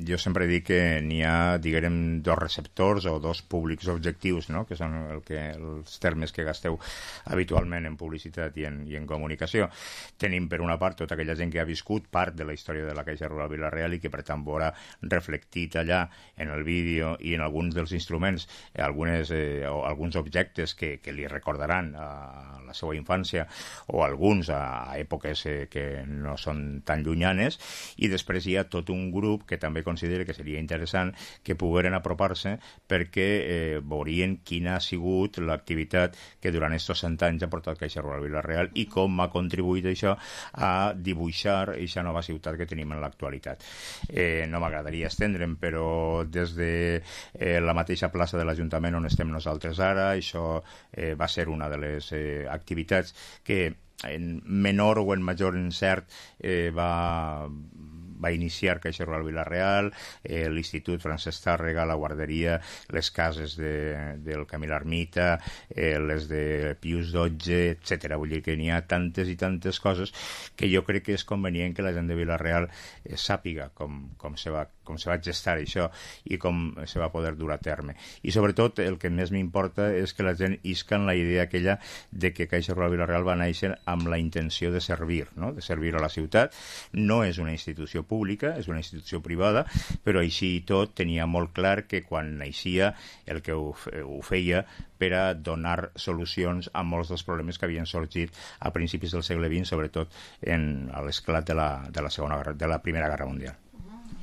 Speaker 2: jo sempre dic que n'hi ha, diguem, dos receptors o dos públics objectius, no?, que són el que, els termes que gasteu habitualment en publicitat i en, i en comunicació. Tenim, per una part, tota aquella gent que ha viscut part de la història de la Caixa Rural Vila-real i que, per tant, veurà reflectit allà en el vídeo i en alguns dels instruments, algunes, eh, o alguns objectes que, que li recordaran a la seva infància o alguns a èpoques eh, que no són tan llunyanes, i després hi ha tot un grup que també considera que seria interessant que pogueren apropar-se perquè eh, veurien quina ha sigut l'activitat que durant aquests cent anys ha portat Caixa Rural Vila-real i com ha contribuït això a dibuixar aquesta nova ciutat que tenim en l'actualitat. Eh, no m'agradaria estendre'm, però des de eh, la mateixa plaça de l'Ajuntament on estem nosaltres ara, això eh, va ser una de les eh, activitats que en menor o en major encert eh, va, va iniciar Caixa Rural Vila-real, eh, l'Institut Francesc Tàrrega, la guarderia, les cases de, del Camí l'Ermita, eh, les de Pius dotze, etcètera. Vull dir que n'hi ha tantes i tantes coses que jo crec que és convenient que la gent de Vila-real eh, sàpiga com, com se va com se va gestar això i com se va poder dur a terme. I sobretot el que més m'importa és que la gent isca en la idea aquella de que Caixa Rural Vila-real va néixer amb la intenció de servir, no?, de servir a la ciutat. No és una institució pública, és una institució privada, però així i tot tenia molt clar que quan naixia el que ho, ho feia per a donar solucions a molts dels problemes que havien sorgit a principis del segle vint, sobretot en l'esclat de la, de la segona guerra, de la Primera Guerra Mundial.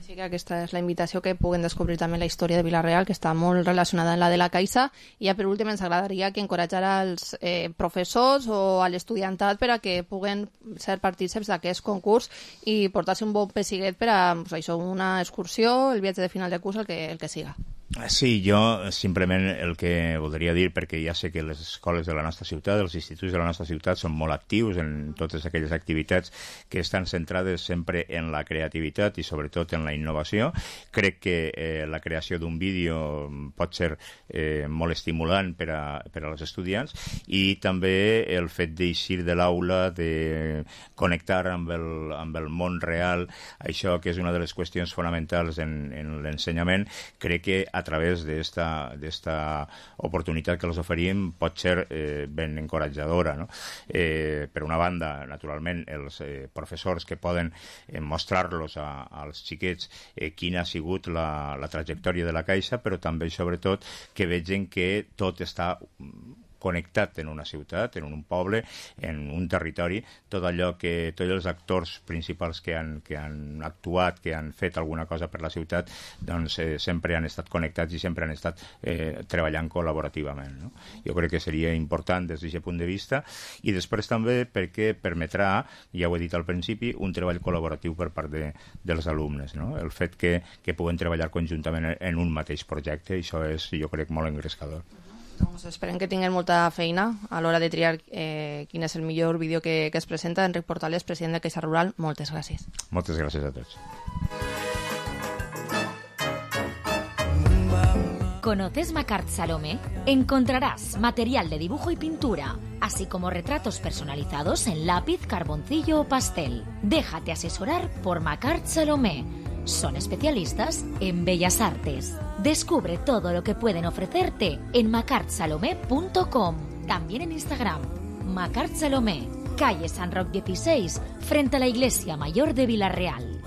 Speaker 2: Així que aquesta és la invitació, que puguen descobrir també la història de Vila-real, que està molt relacionada amb la de la Caixa. I ja per últim ens agradaria que encoratjara als eh, professors o a l'estudiantat per a que puguen ser partícips d'aquest concurs i portar-se un bon pessiguet per a pues, això, una excursió, el viatge de final de curs, el que, el que siga.
Speaker 24: Sí, jo simplement el que voldria dir, perquè ja sé que les escoles de la nostra ciutat, els instituts de la nostra ciutat són molt actius en totes aquelles activitats que estan centrades sempre en la creativitat i sobretot en la innovació. Crec que eh, la creació d'un vídeo pot ser eh, molt estimulant per a, per a els estudiants, i també el fet d'eixir de l'aula, de connectar amb el, amb el món real, això que és una de les qüestions fonamentals en, en l'ensenyament, crec que ha a través d'esta oportunitat que els oferim pot ser eh, ben encoratjadora, no? Eh, per una banda, naturalment, els eh, professors que poden eh, mostrar-los als xiquets eh, quina ha sigut la, la trajectòria de la Caixa, però també, sobretot, que vegin que tot està connectat en una ciutat, en un poble, en un territori, tot allò que tots els actors principals que han, que han actuat, que han fet alguna cosa per la ciutat, doncs eh, sempre han estat connectats i sempre han estat eh, treballant col·laborativament, no? Jo crec que seria important des d'aquest punt de vista, i després també perquè permetrà, ja ho he dit al principi, un treball col·laboratiu per part de, dels alumnes, no? El fet que, que puguen treballar conjuntament en un mateix projecte, i això és, jo crec, molt engrescador.
Speaker 2: Doncs esperem que tinguin molta feina a l'hora de triar eh, quin és el millor vídeo que, que es presenta. Enric Portales, president de Caixa Rural, moltes gràcies.
Speaker 24: Moltes gràcies a tots.
Speaker 4: ¿Conoces Macart Salomé? Encontrarás material de dibujo y pintura, así como retratos personalizados en lápiz, carboncillo o pastel. Déjate asesorar por Macart Salomé. Son especialistas en bellas artes. Descubre todo lo que pueden ofrecerte en macart salomé punto com. También en Instagram. Macart Salomé, calle San Roc dieciséis, frente a la Iglesia Mayor de Villarreal.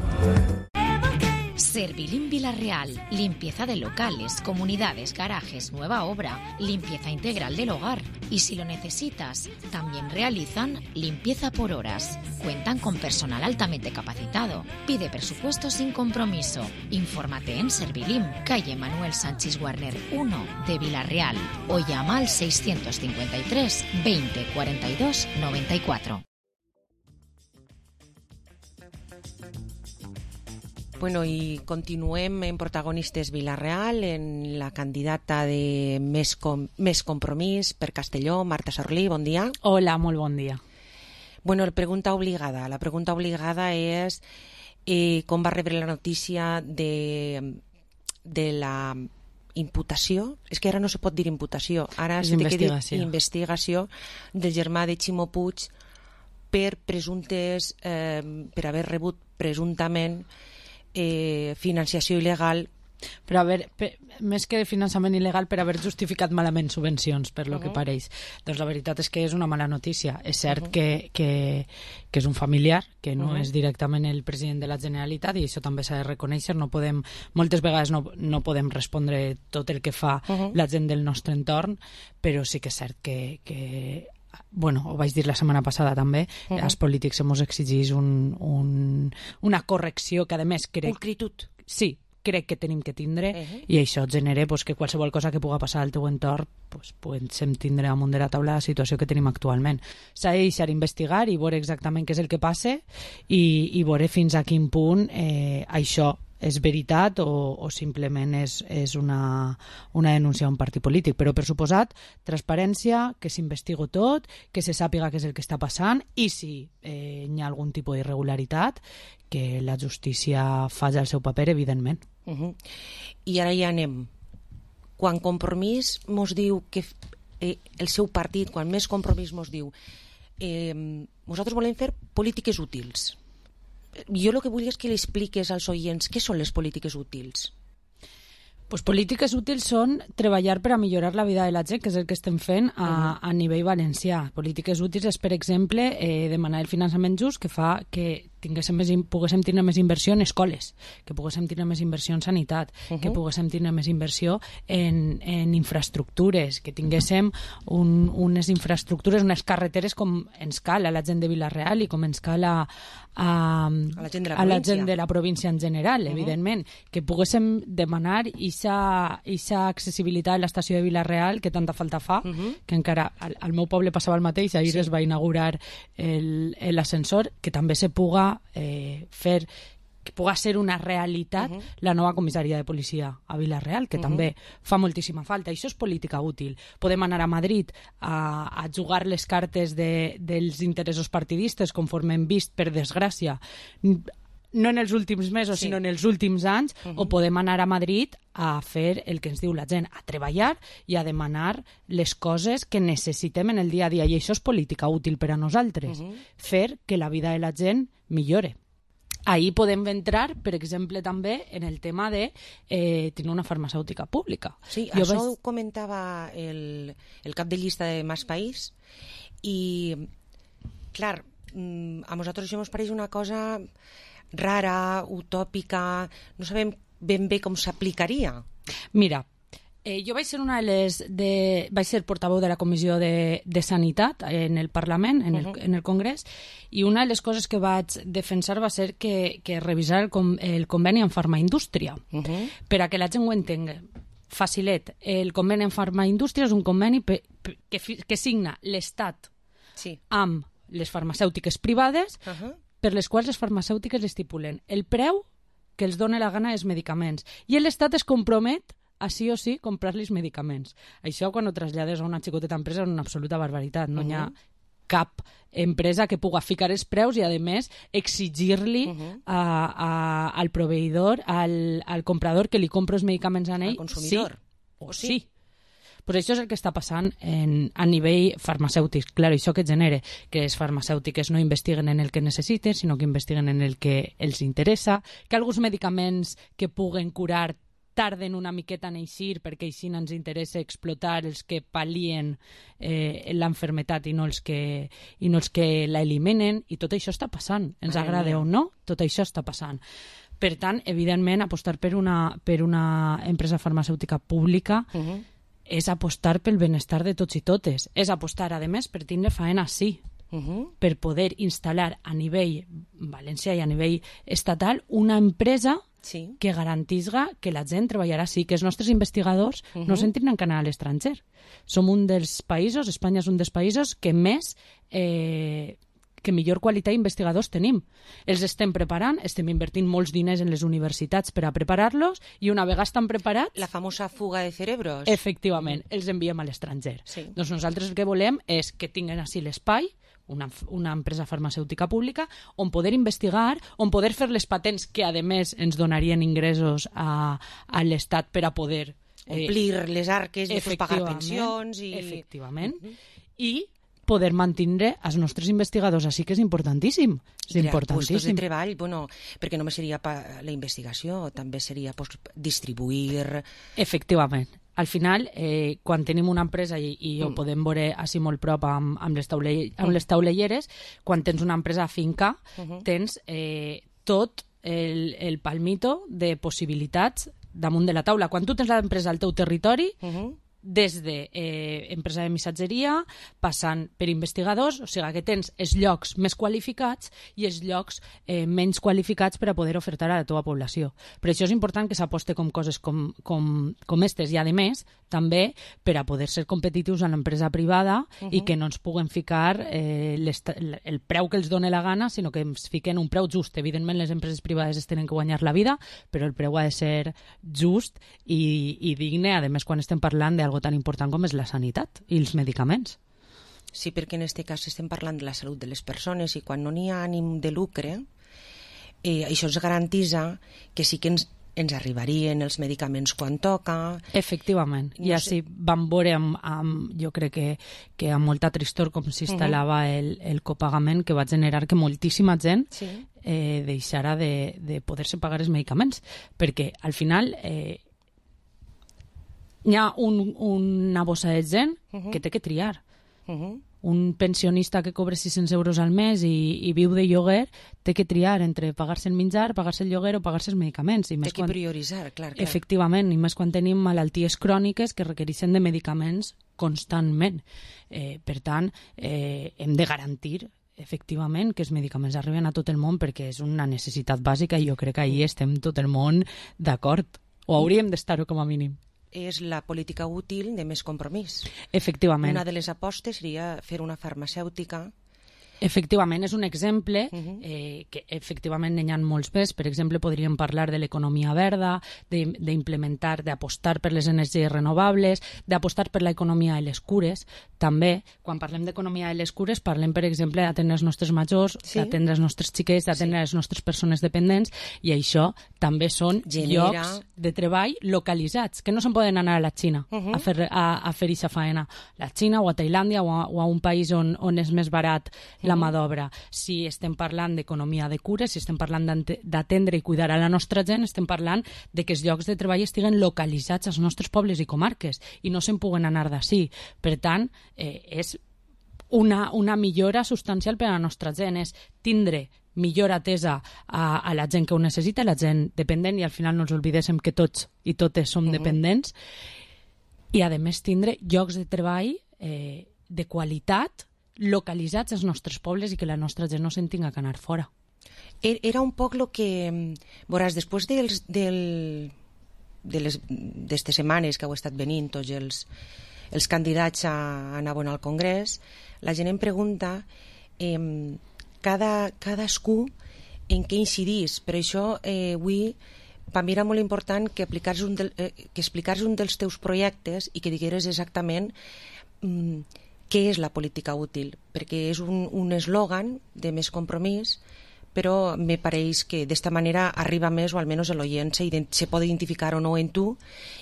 Speaker 4: Servilim Villarreal, limpieza de locales, comunidades, garajes, nueva obra, limpieza integral del hogar. Y si lo necesitas, también realizan limpieza por horas. Cuentan con personal altamente capacitado. Pide presupuesto sin compromiso. Infórmate en Servilim, calle Manuel Sánchez Warner uno de Villarreal, o llama al seiscientos cincuenta y tres, veinte, cuarenta y dos, noventa y cuatro.
Speaker 15: Bueno, i continuem en Protagonistes Vila-real, en la candidata de Més, Com Més Compromís per Castelló, Marta Sorlí, bon dia.
Speaker 6: Hola, molt bon dia.
Speaker 15: Bueno, la pregunta obligada. La pregunta obligada és eh, com va rebre la notícia de, de la imputació, és que ara no se pot dir imputació, ara
Speaker 6: és
Speaker 15: se té que dir
Speaker 6: investigació.
Speaker 15: investigació del germà de Ximo Puig per presumptes, eh, per haver rebut presumptament Eh, financiació il·legal,
Speaker 6: per haver, per, més que de finançament il·legal, per haver justificat malament subvencions, per lo uh -huh. que pareix. Doncs la veritat és que és una mala notícia. És cert uh -huh. que, que, que és un familiar, que no uh -huh. és directament el president de la Generalitat, i això també s'ha de reconèixer. No podem, moltes vegades no, no podem respondre tot el que fa uh -huh. la gent del nostre entorn, però sí que és cert que, que bueno, ho vaig dir la setmana passada també, uh -huh. als polítics ens exigeix un, un, una correcció que a més crec...
Speaker 15: Pulcritud.
Speaker 6: Sí, crec que tenim que tindre, uh -huh. i això genera pues, que qualsevol cosa que puga passar al teu entorn pues, podem tindre amunt de la taula la situació que tenim actualment. S'ha de deixar investigar i veure exactament què és el que passa i, i veure fins a quin punt eh, això és veritat o, o simplement és, és una, una denúncia a un partit polític. Però, per suposat, transparència, que s'investigo tot, que se sàpiga què és el que està passant, i si eh, hi ha algun tipus d'irregularitat, que la justícia faci el seu paper, evidentment.
Speaker 15: Uh -huh. I ara ja anem. Quan Compromís mos diu que eh, el seu partit, quan Més Compromís mos diu eh, nosaltres volem fer polítiques útils, jo el que vull és que li expliques als oients què són les polítiques útils.
Speaker 6: Pues polítiques útils són treballar per a millorar la vida de la gent, que és el que estem fent a, uh-huh. a nivell valencià. Polítiques útils és, per exemple, eh, demanar el finançament just, que fa que tinguéssim més, poguéssim tenir més inversió en escoles, que poguéssim tenir més inversió en sanitat, uh-huh. que poguéssim tenir més inversió en, en infraestructures, que tinguéssim un, unes infraestructures, unes carreteres com ens cal a la gent de Vila-real i com ens cal a, a,
Speaker 15: a, la, gent de la,
Speaker 6: a la gent de la província en general, uh-huh. evidentment, que poguéssim demanar aquesta accessibilitat a l'estació de Vila-real que tanta falta fa, uh-huh. que encara al, al meu poble passava el mateix, ahir sí. es va inaugurar l'ascensor, que també se puga eh, fer que puga ser una realitat uh-huh. la nova comissaria de policia a Vila-real, que uh-huh. també fa moltíssima falta. Això és política útil. Podem anar a Madrid a, a jugar les cartes de, dels interessos partidistes, conforme hem vist, per desgràcia, no en els últims mesos, sí. sinó en els últims anys, uh-huh. o podem anar a Madrid a fer el que ens diu la gent, a treballar i a demanar les coses que necessitem en el dia a dia. I això és política útil per a nosaltres. Uh-huh. Fer que la vida de la gent millore. ahí podem entrar, per exemple, també en el tema de eh, tenir una farmacèutica pública.
Speaker 15: Sí,
Speaker 6: jo
Speaker 15: això
Speaker 6: vaig...
Speaker 15: ho comentava el, el cap de llista de Mas País i, clar, a nosaltres això ens pareix una cosa rara, utòpica, no sabem ben bé com s'aplicaria.
Speaker 6: Mira, eh, jo vaig ser una de les... De, vaig ser portaveu de la Comissió de, de Sanitat en el Parlament, en el, uh -huh. en el Congrés, i una de les coses que vaig defensar va ser que, que revisar el, com, el conveni en farmaindústria, uh -huh. per a que la gent ho entengui. Facilet, el conveni en farmaindústria és un conveni pe, pe, que, que signa l'Estat sí. amb les farmacèutiques privades, uh -huh. per les quals les farmacèutiques estipulen el preu que els dona la gana als medicaments. I l'Estat es compromet a sí o sí comprar-los medicaments. Això, quan ho trasllades a una xicoteta empresa, és una absoluta barbaritat. No uh -huh. hi ha cap empresa que puga ficar els preus i, a més, exigir-li uh -huh. a, a, al proveïdor, al, al comprador, que li compra els medicaments a ell.
Speaker 15: Al consumidor.
Speaker 6: Sí o sí. sí. Pues això és el que està passant en, a nivell farmacèutic. Clar, això que genera que les farmacèutiques no investiguen en el que necessiten, sinó que investiguen en el que els interessa, que alguns medicaments que puguen curar tarden una miqueta en eixir perquè així ens interessa explotar els que pal·lien eh, l'enfermetat i no els que, i no els que la eliminen, i tot això està passant. Ens agrada o no, tot això està passant. Per tant, evidentment, apostar per una, per una empresa farmacèutica pública uh -huh. és apostar pel benestar de tots i totes. És apostar, a més, per tindre faena sí, uh -huh. per poder instal·lar a nivell valencià i a nivell estatal una empresa sí. que garantisga que la gent treballarà sí, que els nostres investigadors uh -huh. no s'entrin que anar a l'estranger. Som un dels països, Espanya és un dels països que més... Eh, que millor qualitat d'investigadors tenim. Els estem preparant, estem invertint molts diners en les universitats per a preparar-los i una vegada estan preparats...
Speaker 15: La famosa fuga de cerebros.
Speaker 6: Efectivament, mm. els enviem a l'estranger. Sí. Doncs nosaltres el que volem és que tinguin així l'espai, una, una empresa farmacèutica pública, on poder investigar, on poder fer les patents que, a més, ens donarien ingressos a, a l'Estat per a poder...
Speaker 15: Eh, omplir les arques, després pagar pensions i...
Speaker 6: Efectivament. Mm-hmm. I poder mantenir els nostres investigadors, així que és importantíssim. És importantíssim.
Speaker 15: Puestos de treball, bueno, perquè només seria la investigació, també seria pues, distribuir...
Speaker 6: Efectivament. Al final, eh, quan tenim una empresa, i, i ho mm. podem veure així molt prop amb, amb, les, taule, amb mm. les taulelleres, quan tens una empresa a finca, uh -huh. tens eh, tot el, el palmito de possibilitats damunt de la taula. Quan tu tens l'empresa al teu territori, uh -huh. des de eh, empresa de missatgeria, passant per investigadors, o sigui que tens els llocs més qualificats i els llocs eh, menys qualificats per a poder ofertar a la teva població. Per això és important que s'aposte com coses com, com, com estes i, a més, també per a poder ser competitius en l'empresa privada uh -huh. i que no ens puguen ficar eh, el preu que els doni la gana, sinó que ens fiquen un preu just. Evidentment, les empreses privades es tenen que guanyar la vida, però el preu ha de ser just i, i digne, a més, quan estem parlant d'algo tan important com és la sanitat i els medicaments.
Speaker 15: Sí, perquè en aquest cas estem parlant de la salut de les persones i quan no n'hi ha ànim de lucre, eh, això ens garantisa que sí que ens, ens arribarien els medicaments quan toca.
Speaker 6: Efectivament. No I així sé... vam veure, amb, amb, jo crec que, que amb molta tristor, com s'instal·lava uh -huh. el, el copagament, que va generar que moltíssima gent sí. eh, deixara de, de poder-se pagar els medicaments. Perquè, al final... Eh, hi ha un, una bossa de gent uh -huh. que té que triar. Uh -huh. Un pensionista que cobra sis-cents euros al mes i, i viu de lloguer té que triar entre pagar-se el menjar, pagar-se el lloguer o pagar-se els medicaments. I
Speaker 15: té
Speaker 6: més
Speaker 15: que quan... prioritzar, clar, clar.
Speaker 6: Efectivament, i més quan tenim malalties cròniques que requereixen de medicaments constantment. Eh, per tant, eh, hem de garantir efectivament que els medicaments arriben a tot el món perquè és una necessitat bàsica i jo crec que ahir estem tot el món d'acord. O hauríem d'estar-ho com a mínim.
Speaker 15: És la política útil de més compromís.
Speaker 6: Efectivament.
Speaker 15: Una de les apostes seria fer una farmacèutica.
Speaker 6: Efectivament, és un exemple uh-huh. eh, que efectivament n'hi ha molts més. Per exemple, podríem parlar de l'economia verda, d'implementar, d'apostar per les energies renovables, d'apostar per l'economia de les cures. També, quan parlem d'economia de les cures, parlem, per exemple, d'atendre els nostres majors, sí. d'atendre els nostres xiquets, d'atendre sí. les nostres persones dependents, i això també són Genera... llocs de treball localitzats, que no se'n poden anar a la Xina uh-huh. a fer a, a fer aquesta faena. La Xina o a Tailàndia o a, o a un país on, on és més barat la mà d'obra. Si estem parlant d'economia de cures, si estem parlant d'atendre i cuidar a la nostra gent, estem parlant de que els llocs de treball estiguen localitzats als nostres pobles i comarques i no se'n puguen anar d'ací. Per tant, eh, és una, una millora substancial per a la nostra gent, és tindre millor atesa a, a la gent que ho necessita, la gent dependent, i al final no ens oblidéssim que tots i totes som uh -huh. dependents, i a més tindre llocs de treball eh, de qualitat localitzats als nostres pobles i que la nostra gent no se'n tinga que anar fora.
Speaker 15: Era un poc el que... Veuràs, després dels, del, de les d'estes setmanes que heu estat venint tots els, els candidats a, a anar al Congrés, la gent em pregunta eh, cada, cadascú en què incidís. Per això eh, avui per mi era molt important que, un del, eh, que explicares un dels teus projectes i que digueres exactament mm, què és la política útil, perquè és un, un eslògan de més compromís, però me pareix que d'esta manera arriba més, o almenys l'oient se, se pot identificar o no en tu,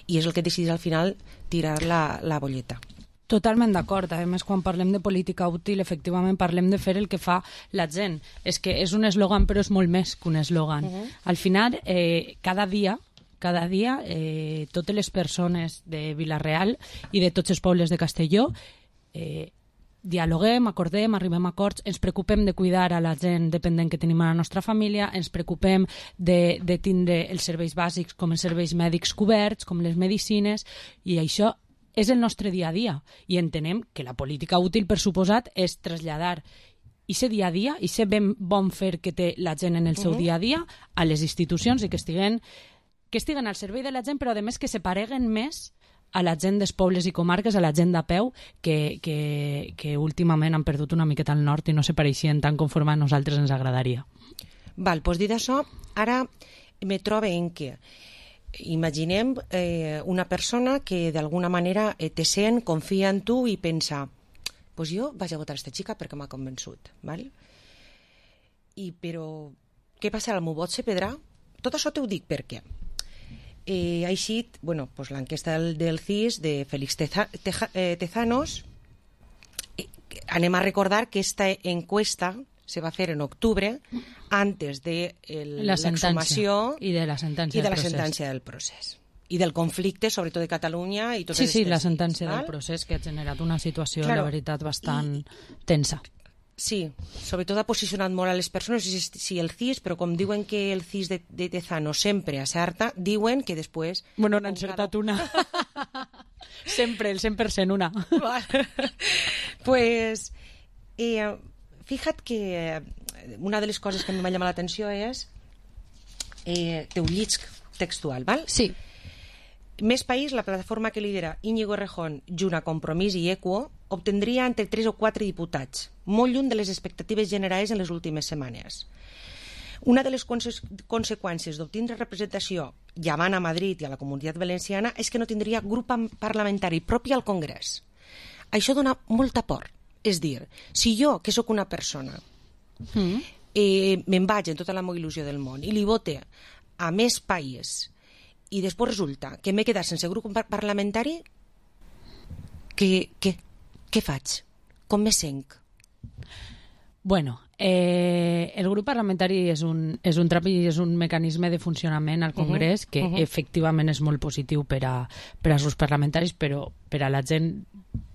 Speaker 15: i és el que decidís al final tirar la, la bolleta.
Speaker 6: Totalment d'acord. A més, quan parlem de política útil, efectivament parlem de fer el que fa la gent. És que és un eslògan, però és molt més que un eslògan. Uh-huh. Al final, eh, cada dia, cada dia eh, totes les persones de Vila-real i de tots els pobles de Castelló eh, dialoguem, acordem, arribem a acords, ens preocupem de cuidar a la gent dependent que tenim a la nostra família, ens preocupem de, de tindre els serveis bàsics com els serveis mèdics coberts, com les medicines, i això és el nostre dia a dia, i entenem que la política útil, per suposat, és traslladar aquest dia a dia, aquest ben bon fer que té la gent en el seu uh-huh. dia a dia a les institucions, i que estiguen, que estiguen al servei de la gent, però a més que s'apareguen més a la gent dels pobles i comarques, a la gent de peu, que, que, que últimament han perdut una miqueta al nord i no se pareixien tant conforme a nosaltres ens agradaria.
Speaker 15: Val, doncs dit això, ara me trobo en què imaginem eh, una persona que d'alguna manera eh, te sent, confia en tu i pensa, pues jo vaig a votar aquesta xica perquè m'ha convençut, val? I però què passarà? El meu vot se perdrà? Tot això t'ho dic perquè eh, ha eixit, bueno, pues l'enquesta del, del C I S de Félix Teza, Teja, eh, Tezanos. Eh, anem a recordar que esta encuesta se va fer en octubre, antes de el,
Speaker 6: la
Speaker 15: l'exhumació
Speaker 6: i de la sentència,
Speaker 15: i de la
Speaker 6: del,
Speaker 15: sentència del procés. I del conflicte, sobretot de Catalunya. I
Speaker 6: sí, sí, la sentència del procés, que ha generat una situació, claro, la veritat, bastant I, tensa.
Speaker 15: Sí, sobretot ha posicionat molt a les persones, si, si el C I S, però com diuen que el C I S de, de Tezano sempre acerta, diuen que després...
Speaker 6: Bueno, n'ha encertat una. Sempre, el cent per cent una.
Speaker 15: Pues... Eh, Fíjate que una de les coses que m'ha llamat l'atenció és eh, teu llisc textual, val?
Speaker 6: Sí.
Speaker 15: Més País, la plataforma que lidera Íñigo Errejón, junt a Compromís i Equo, obtendria entre tres o quatre diputats, molt lluny de les expectatives generades en les últimes setmanes. Una de les conse- conseqüències d'obtindre representació llamant a Madrid i a la Comunitat Valenciana és que no tindria grup parlamentari propi al Congrés. Això dona molta por. És dir, si jo, que sóc una persona, mm. eh, me'n vaig en tota la meva il·lusió del món i li vote a Més País i després resulta que m'he quedat sense grup parlamentari, què, què, què faig? Com me senc?
Speaker 6: Bueno, eh, el grup parlamentari és un, és un trap i és un mecanisme de funcionament al Congrés uh -huh, que uh -huh. efectivament és molt positiu per a, per als grups parlamentaris, però per a la gent,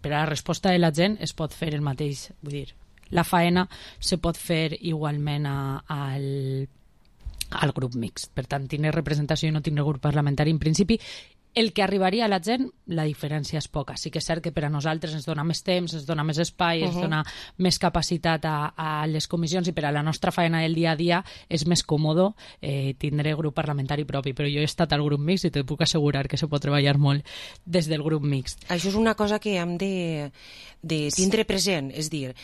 Speaker 6: per a la resposta de la gent es pot fer el mateix. Vull dir, la faena se pot fer igualment a, a al, al grup mixt. Per tant, tindre representació i no tindre grup parlamentari, en principi, el que arribaria a la gent, la diferència és poca. Sí que és cert que per a nosaltres ens dona més temps, ens dona més espai, uh -huh. ens dona més capacitat a, a les comissions, i per a la nostra feina del dia a dia és més còmode eh, tindre grup parlamentari propi. Però jo he estat al grup mixt i te puc assegurar que se pot treballar molt des del grup mixt.
Speaker 15: Això és una cosa que hem de, de tindre present. És dir,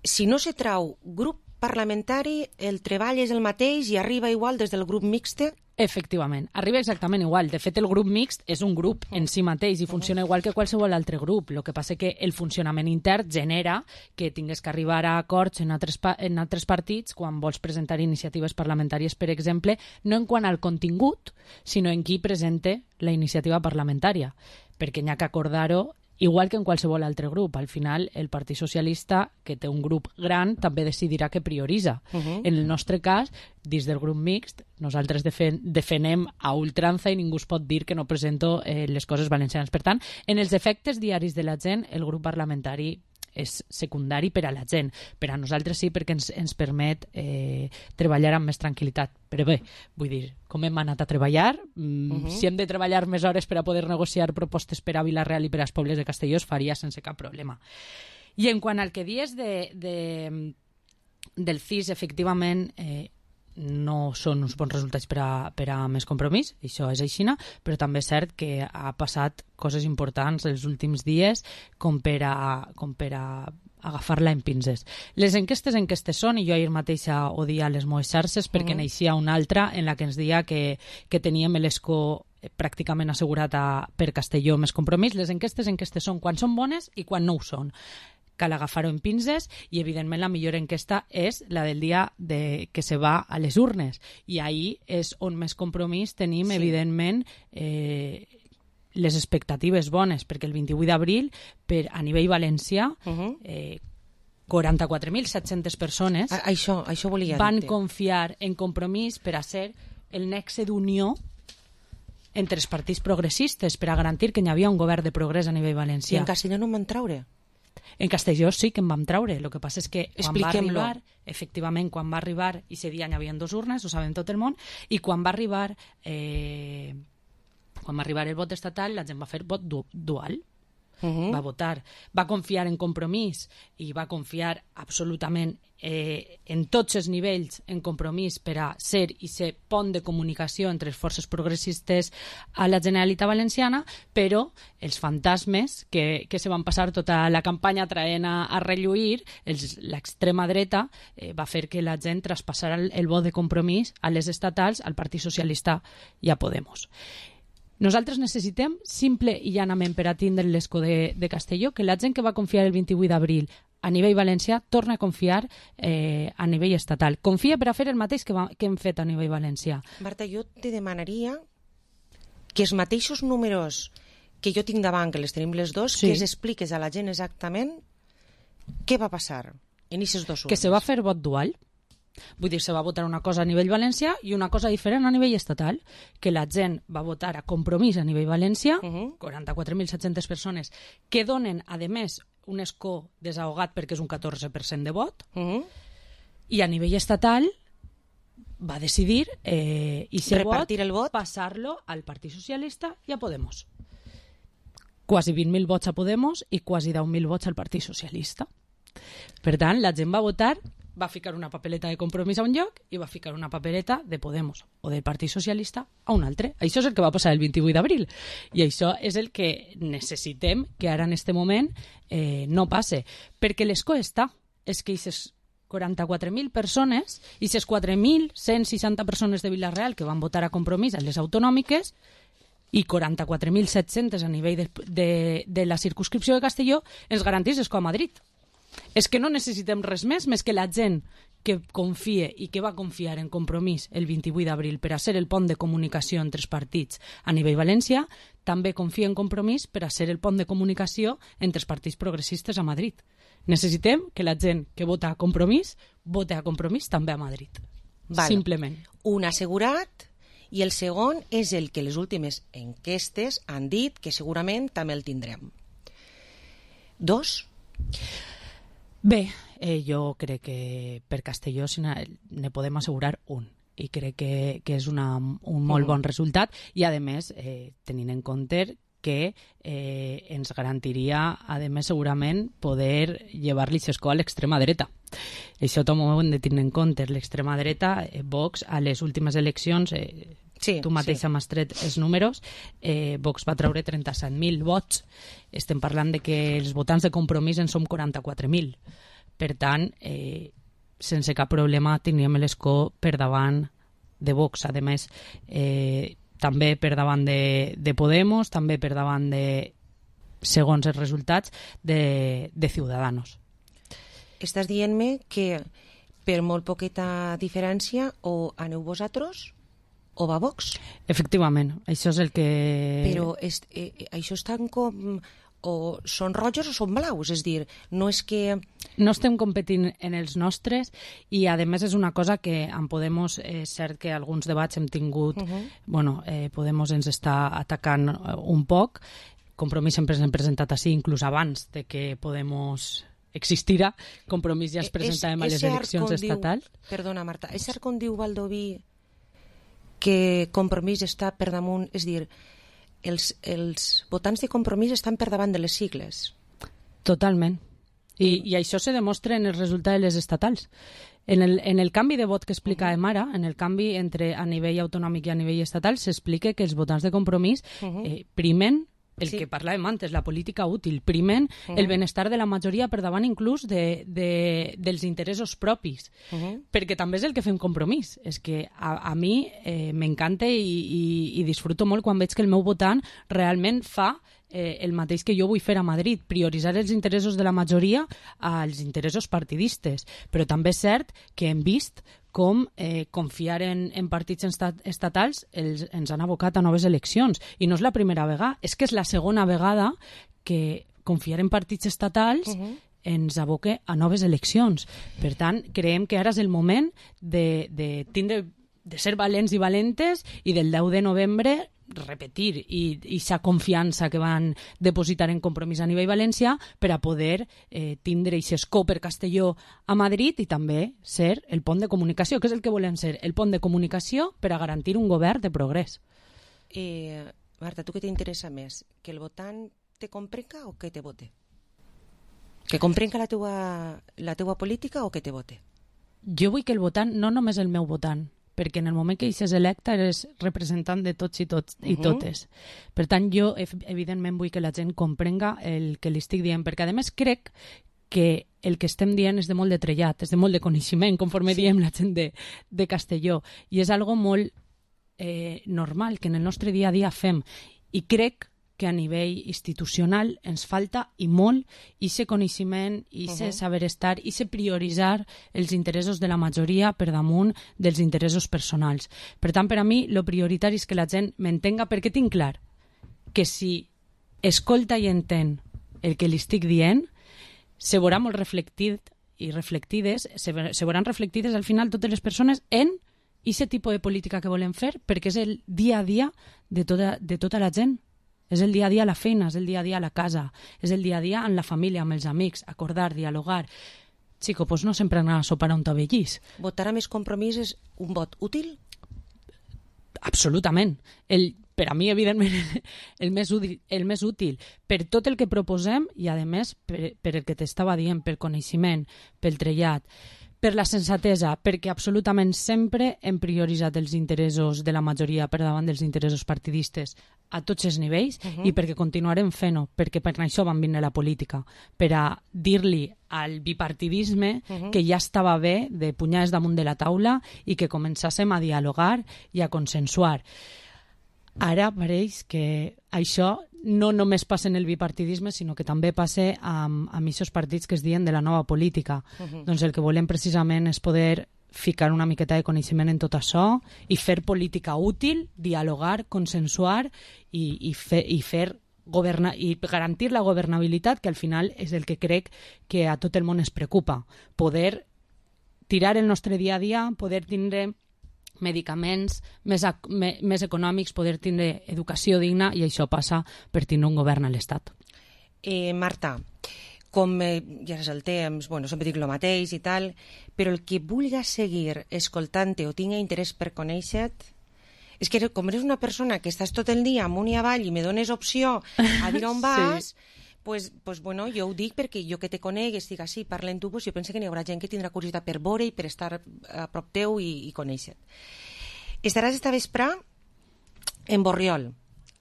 Speaker 15: si no se trau grup parlamentari, el treball és el mateix i arriba igual des del grup mixte?
Speaker 6: Efectivament, arriba exactament igual. De fet, el grup mixt és un grup en si mateix i funciona igual que qualsevol altre grup. El que passa que el funcionament intern genera que tingues que arribar a acords en altres, en altres partits quan vols presentar iniciatives parlamentàries, per exemple, no en quant al contingut, sinó en qui presente la iniciativa parlamentària, perquè n'hi ha que acordar-ho igual que en qualsevol altre grup. Al final, el Partit Socialista, que té un grup gran, també decidirà què prioritza.
Speaker 15: Uh-huh.
Speaker 6: En el nostre cas, dins del grup mixt, nosaltres defen defenem a ultranza i ningú es pot dir que no presento eh, les coses valencianes. Per tant, en els efectes diaris de la gent, el grup parlamentari és secundari per a la gent. Per a nosaltres sí, perquè ens, ens permet eh, treballar amb més tranquil·litat. Però bé, vull dir, com hem anat a treballar, mm,
Speaker 15: Uh-huh.
Speaker 6: si hem de treballar més hores per a poder negociar propostes per a Vila-real i per als pobles de Castelló, es faria sense cap problema. I en quant al que dies de, de, del C I S, efectivament, eh, no són uns bons resultats per a, per a més compromís, això és aixina, però també és cert que ha passat coses importants els últims dies com per a, com per a agafar-la en pinces. Les enquestes enquestes són, i jo ahir mateixa ho dia a les meves xarxes perquè
Speaker 15: Mhm.
Speaker 6: n'eixia una altra en la que ens deia que, que teníem l'escó pràcticament assegurat a, per Castelló més compromís. Les enquestes enquestes són quan són bones i quan no ho són. Cal agafar-ho en pinces i, evidentment, la millor enquesta és la del dia de, que se va a les urnes. I ahir és on més compromís tenim,
Speaker 15: Sí.
Speaker 6: evidentment, eh, les expectatives bones, perquè el vint-i-vuit d'abril, per a nivell valencià,
Speaker 15: Uh-huh.
Speaker 6: eh, quaranta-quatre mil set-centes persones
Speaker 15: A- això, això volia
Speaker 6: van
Speaker 15: dir-te.
Speaker 6: confiar en Compromís per a ser el nexe d'unió entre els partits progressistes, per a garantir que hi havia un govern de progrés a nivell
Speaker 15: I
Speaker 6: valencià.
Speaker 15: en Castelló no en van traure?
Speaker 6: En Castelló sí que en vam traure. El que passa és que quan va
Speaker 15: Expliquem-lo.
Speaker 6: arribar, efectivament, quan va arribar, i ese dia hi havia dos urnes, ho sabem tot el món, i quan va arribar eh, quan va arribar el vot estatal, la gent va fer vot du dual.
Speaker 15: Uh-huh.
Speaker 6: Va votar, va confiar en Compromís i va confiar absolutament eh, en tots els nivells en Compromís per a ser i ser pont de comunicació entre les forces progressistes a la Generalitat Valenciana, però els fantasmes que, que se van passar tota la campanya traient a, a relluir, l'extrema dreta, eh, va fer que la gent traspassara el, el vot de Compromís a les estatals, al Partit Socialista i a Podemos. Nosaltres necessitem, simple i llanament per a tindre l'escó de, de Castelló, que la gent que va confiar el vint-i-vuit d'abril a nivell valencià torna a confiar eh, a nivell estatal. Confia per a fer el mateix que, va, que hem fet a nivell valencià.
Speaker 15: Marta, jo te demanaria que els mateixos números que jo tinc davant, que les tenim les dos,
Speaker 6: Sí.
Speaker 15: que els expliques a la gent exactament què va passar en aquestes dos
Speaker 6: Que se va fer vot dual. Vull dir, se va votar una cosa a nivell valencià i una cosa diferent a nivell estatal, que la gent va votar a Compromís a nivell valencià,
Speaker 15: Uh-huh.
Speaker 6: quaranta-quatre mil set-centes persones, que donen, a més, un escó desahogat perquè és un catorze per cent de vot,
Speaker 15: Uh-huh.
Speaker 6: i a nivell estatal va decidir eh, i ser
Speaker 15: Repartir el vot,
Speaker 6: passar-lo al Partit Socialista i a Podemos. Quasi vint mil vots a Podemos i quasi deu mil vots al Partit Socialista. Per tant, la gent va votar, va ficar una papeleta de Compromís a un lloc i va ficar una papeleta de Podemos o del Partit Socialista a un altre. Això és el que va passar el vint-i-vuit d'abril. I això és el que necessitem que ara en este moment eh, no passe. Perquè l'escó està. És que aquestes quaranta-quatre mil persones i aquestes quatre mil cent seixanta persones de Vila-real que van votar a Compromís a les autonòmiques i quaranta-quatre mil set-centes a nivell de, de, de la circunscripció de Castelló ens garantís l'escó a Madrid. És que no necessitem res més més que la gent que confie i que va confiar en Compromís el vint-i-vuit d'abril per a ser el pont de comunicació entre els partits a nivell valencià, també confia en Compromís per a ser el pont de comunicació entre els partits progressistes a Madrid. Necessitem que la gent que vota a Compromís vote a Compromís també a Madrid.
Speaker 15: Val.
Speaker 6: Simplement.
Speaker 15: Un assegurat, i el segon és el que les últimes enquestes han dit que segurament també el tindrem. Dos?
Speaker 6: Bé, eh, jo crec que per Castelló si ne, ne podem assegurar un i crec que, que és una, un molt
Speaker 15: Mm.
Speaker 6: bon resultat i a més eh, tenint en compte que eh, ens garantiria a més segurament poder llevar-li l'escó a l'extrema dreta. Això també ho hem de tenir en compte. L'extrema dreta, eh, Vox, a les últimes eleccions, eh,
Speaker 15: sí,
Speaker 6: tu mateixa
Speaker 15: sí.
Speaker 6: m'has tret els números, eh, Vox va treure trenta-set mil vots. Estem parlant de que els votants de Compromís en som quaranta-quatre mil. Per tant, eh, sense cap problema tindríem l'escó per davant de Vox. A més, eh, també per davant de, de Podemos, també per davant de, segons els resultats, de, de Ciudadanos.
Speaker 15: Estàs dient-me que per molt poqueta diferència o aneu vosaltres o va Vox?
Speaker 6: Efectivament, això és el que...
Speaker 15: Però és, eh, això estan com o són rojos o són blaus, és dir, no és que...
Speaker 6: No estem competint en els nostres i, a més, és una cosa que en Podemos és cert que alguns debats hem tingut, uh-huh. bueno, eh, Podemos ens està atacant un poc, Compromís sempre ens hem presentat així, inclús abans de que Podemos existira, Compromís ja es presentàvem a les eleccions estatals.
Speaker 15: Diu, perdona, Marta, és cert com diu Baldoví que Compromís està per damunt, és dir, els, els votants de Compromís estan per davant de les sigles?
Speaker 6: Totalment. I, i això se demostra en el resultat de les estatals. En el, en el canvi de vot que explicàvem uh-huh. ara, en el canvi entre a nivell autonòmic i a nivell estatal, s'explica que els votants de Compromís uh-huh. eh, primen el sí. que parlàvem antes, la política útil, primen uh-huh. el benestar de la majoria per davant inclús de, de, dels interessos propis, uh-huh. perquè també és el que fem Compromís. És que a, a mi eh, m'encanta i, i, i disfruto molt quan veig que el meu votant realment fa eh, el mateix que jo vull fer a Madrid, prioritzar els interessos de la majoria als interessos partidistes. Però també és cert que hem vist com eh, confiar en, en partits estat, estatals els, ens han abocat a noves eleccions. I no és la primera vegada, és que és la segona vegada que confiar en partits estatals uh-huh. ens aboca a noves eleccions. Per tant, creiem que ara és el moment de, de tindre de ser valents i valentes i del deu de novembre repetir i aquesta confiança que van depositar en Compromís a nivell València per a poder eh, tindre aquest escó per Castelló a Madrid i també ser el pont de comunicació, que és el que volem ser, el pont de comunicació per a garantir un govern de progrés.
Speaker 15: Eh, Marta, tu què t'interessa més? Que el votant te comprenga o que te vote? Que comprenga la teua, la teua política o que te vote?
Speaker 6: Jo vull que el votant, no només el meu votant, perquè en el moment que eixes electa eres representant de tots i tots i uh-huh. totes. Per tant, jo evidentment vull que la gent comprenga el que li estic dient, perquè a més crec que el que estem dient és de molt de trellat, és de molt de coneixement, conforme sí. diem la gent de, de Castelló, i és algo molt eh, normal que en el nostre dia a dia fem, i crec que a nivell institucional ens falta i molt ixe coneixement, ixe uh-huh. saber estar, ixe prioritzar els interessos de la majoria per damunt dels interessos personals. Per tant, per a mi, lo prioritari és que la gent m'entenga, perquè tinc clar que si escolta i entén el que li estic dient, se veurà molt reflectit i reflectides, se, se veuran reflectides al final totes les persones en ixe tipus de política que volem fer, perquè és el dia a dia de tota, de tota la gent. És el dia a dia a la feina, és el dia a dia a la casa, és el dia a dia en la família, amb els amics, acordar, dialogar. Chico, pues no sempre anar a sopar a un tovellís.
Speaker 15: Votar a més Compromís és un vot útil?
Speaker 6: Absolutament. El, per a mi, evidentment, el més, útil, el més útil per tot el que proposem i, a més, per, per el que t'estava dient, pel coneixement, pel trellat, per la sensatesa, perquè absolutament sempre hem prioritzat els interessos de la majoria per davant dels interessos partidistes a tots els nivells uh-huh. i perquè continuarem fent-ho, perquè per això van vindre la política, per a dir-li al bipartidisme uh-huh. que ja estava bé de punyades damunt de la taula i que començàssim a dialogar i a consensuar. Ara pareix que això no només passa en el bipartidisme, sinó que també passa amb, amb aquests partits que es diuen de la nova política. Uh-huh. Doncs el que volem precisament és poder ficar una miqueta de coneixement en tot això i fer política útil, dialogar, consensuar i, i, fer, i fer governar i garantir la governabilitat, que al final és el que crec que a tot el món es preocupa. Poder tirar el nostre dia a dia, poder tindre medicaments més, me, més econòmics, poder tindre educació digna, i això passa per tindre un govern a l'Estat.
Speaker 15: Eh, Marta, com eh, ja és el temps, bueno, sempre dic el mateix i tal, però el que vulga seguir escoltant-te o tingui interès per conèixer-te, és que com eres una persona que estàs tot el dia amunt i avall i me dones opció a dir on vas, sí. Pues, pues bueno, jo ho dic perquè jo que te conec, estic així, parlant tu, pues jo penso que n'hi haurà gent que tindrà curiositat per veure i per estar a prop teu i, i conèixer. Estaràs esta vespre en Borriol,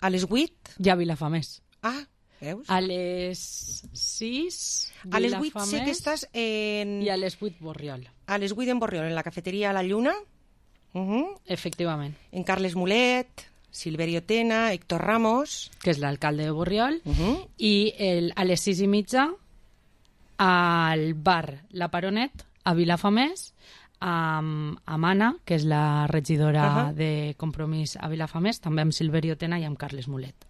Speaker 15: a les vuit?
Speaker 6: Ja a Vilafamés.
Speaker 15: Ah, veus?
Speaker 6: A les sis, Vilafamés.
Speaker 15: A les vuit sé que estàs en...
Speaker 6: I a les vuit Borriol.
Speaker 15: A les vuit en Borriol, en la cafeteria La Lluna. Uh-huh.
Speaker 6: Efectivament.
Speaker 15: En Carles Mulet... Silverio Tena, Héctor Ramos...
Speaker 6: Que és l'alcalde de Borriol.
Speaker 15: Uh-huh.
Speaker 6: I el, a les sis i mitja al bar La Paronet, a Vilafamés, amb, amb Anna, que és la regidora uh-huh. de Compromís a Vilafamés, també amb Silverio Tena i amb Carles Mulet.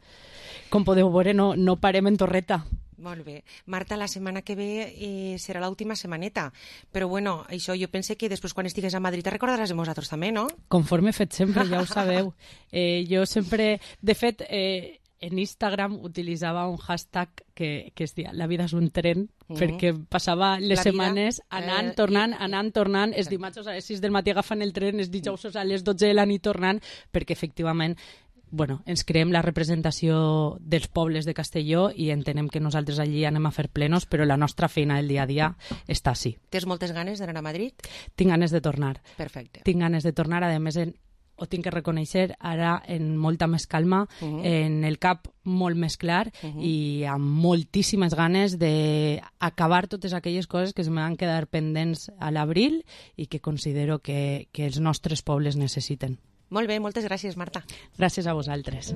Speaker 6: Com podeu veure, no, no parem en torreta.
Speaker 15: Molt bé. Marta, la setmana que ve eh, serà l'última setmaneta. Però bueno, això jo pense que després quan estigues a Madrid te recordaràs de nosaltres també, no?
Speaker 6: Conforme he fet sempre, ja ho sabeu. Eh, jo sempre, de fet, eh, en Instagram utilitzava un hashtag que, que es deia la vida és un tren, mm-hmm. perquè passava les vida, setmanes anant, eh, tornant, i... anant, tornant, els dimarts a les sis del matí agafant el tren, els dijous a les dotze de la nit tornant, perquè efectivament bueno, ens creem la representació dels pobles de Castelló i entenem que nosaltres allí anem a fer plenos, però la nostra feina del dia a dia està així.
Speaker 15: Tens moltes ganes d'anar a Madrid?
Speaker 6: Tinc ganes de tornar.
Speaker 15: Perfecte.
Speaker 6: Tinc ganes de tornar, a més, en, ho tinc que reconèixer ara en molta més calma, uh-huh. en el cap molt més clar uh-huh. i amb moltíssimes ganes d'acabar totes aquelles coses que es me van quedar pendents a l'abril i que considero que, que els nostres pobles necessiten.
Speaker 15: Molt bé, moltes gràcies, Marta.
Speaker 6: Gràcies a vosaltres.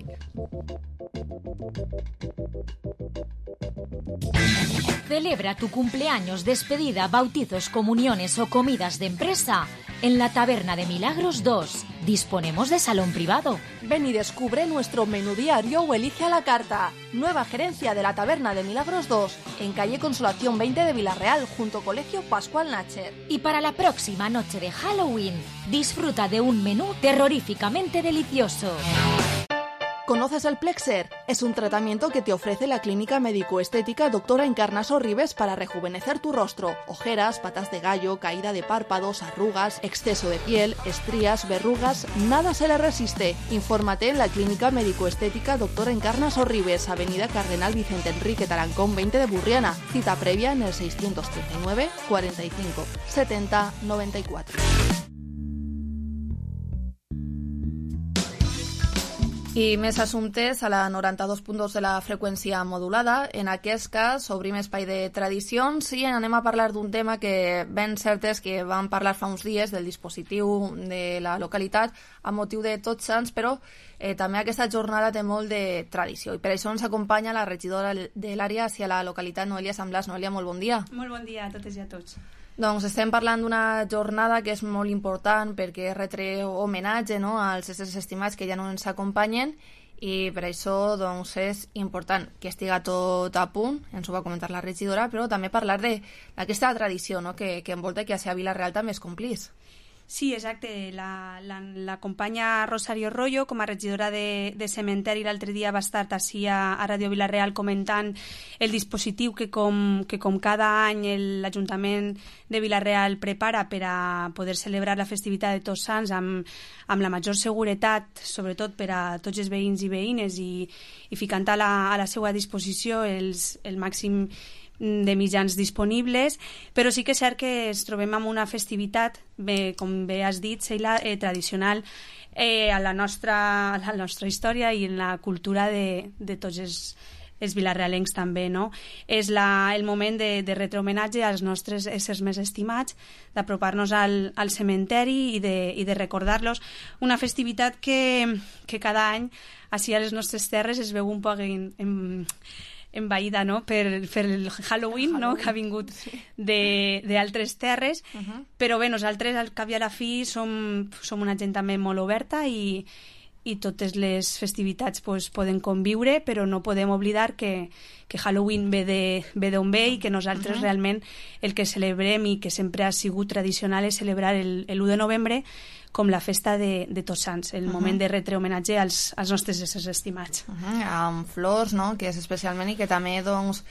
Speaker 4: Celebra tu cumpleaños, despedida, bautizos, comuniones o comidas de empresa en la Taberna de Milagros dos. Disponemos de salón privado.
Speaker 23: Ven y descubre nuestro menú diario o elige a la carta. Nueva gerencia de la Taberna de Milagros dos, en calle Consolación veinte de Villarreal, junto Colegio Pascual Nacher.
Speaker 4: Y para la próxima noche de Halloween, disfruta de un menú terroríficamente delicioso.
Speaker 23: ¿Conoces el Plexer? Es un tratamiento que te ofrece la clínica médico-estética Doctora Encarna Sorribes para rejuvenecer tu rostro. Ojeras, patas de gallo, caída de párpados, arrugas, exceso de piel, estrías, verrugas, nada se le resiste. Infórmate en la clínica médico-estética Doctora Encarna Sorribes, avenida Cardenal Vicente Enrique Tarancón veinte de Burriana. Cita previa en el seiscientos treinta y nueve, cuarenta y cinco, setenta, noventa y cuatro. I més assumptes a la noranta-dos punt dos de la freqüència modulada. En aquest cas, obrim espai de tradicions i anem a parlar d'un tema que ben cert és que vam parlar fa uns dies del dispositiu de la localitat a motiu de Tots Sants, però eh, també aquesta jornada té molt de tradició i per això ens acompanya la regidora de l'àrea hacia la localitat, Noelia Samblàs. Noelia, molt bon dia.
Speaker 8: Molt bon dia a totes i a tots.
Speaker 23: Doncs estem parlant d'una jornada que és molt important perquè retre homenatge, no?, als éssers estimats que ja no ens acompanyen i per això doncs, és important que estiga tot a punt, ens ho va comentar la regidora, però també parlar d'aquesta tradició, no?, que, que envolta que a Vilareal també es complís.
Speaker 8: Sí, exacte. La, la, la companya Rosario Rollo, com a regidora de, de Cementeri, l'altre dia va estar així a, a Ràdio Vilareal comentant el dispositiu que com, que com cada any l'Ajuntament de Vilareal prepara per a poder celebrar la festivitat de Tots Sants amb, amb la major seguretat, sobretot per a tots els veïns i veïnes i, i ficant a la, a la seva disposició els, el màxim de mitjans disponibles, però sí que és cert que ens trobem amb una festivitat, bé, com bé has dit, Sheila, eh, tradicional eh, a, la nostra, a la nostra història i en la cultura de, de tots els, els vilarealencs també, no? És la, el moment de, de retre homenatge als nostres éssers més estimats, d'apropar-nos al, al cementeri i de, i de recordar-los. Una festivitat que, que cada any, així a les nostres terres, es veu un poc en, en envaïda, no?, per, per el Halloween, no?, que ha vingut d'altres terres, uh-huh. Però bé, nosaltres al cap i a la fi som, som una gent també molt oberta i, i totes les festivitats pues, poden conviure, però no podem oblidar que, que Halloween ve d'on ve i que nosaltres uh-huh. realment el que celebrem i que sempre ha sigut tradicional és celebrar el, el u de novembre com la festa de, de Tots Sants, el uh-huh. moment de retre homenatge als, als nostres éssers estimats.
Speaker 23: Uh-huh. Amb flors, no?, que és especialment i que també, doncs,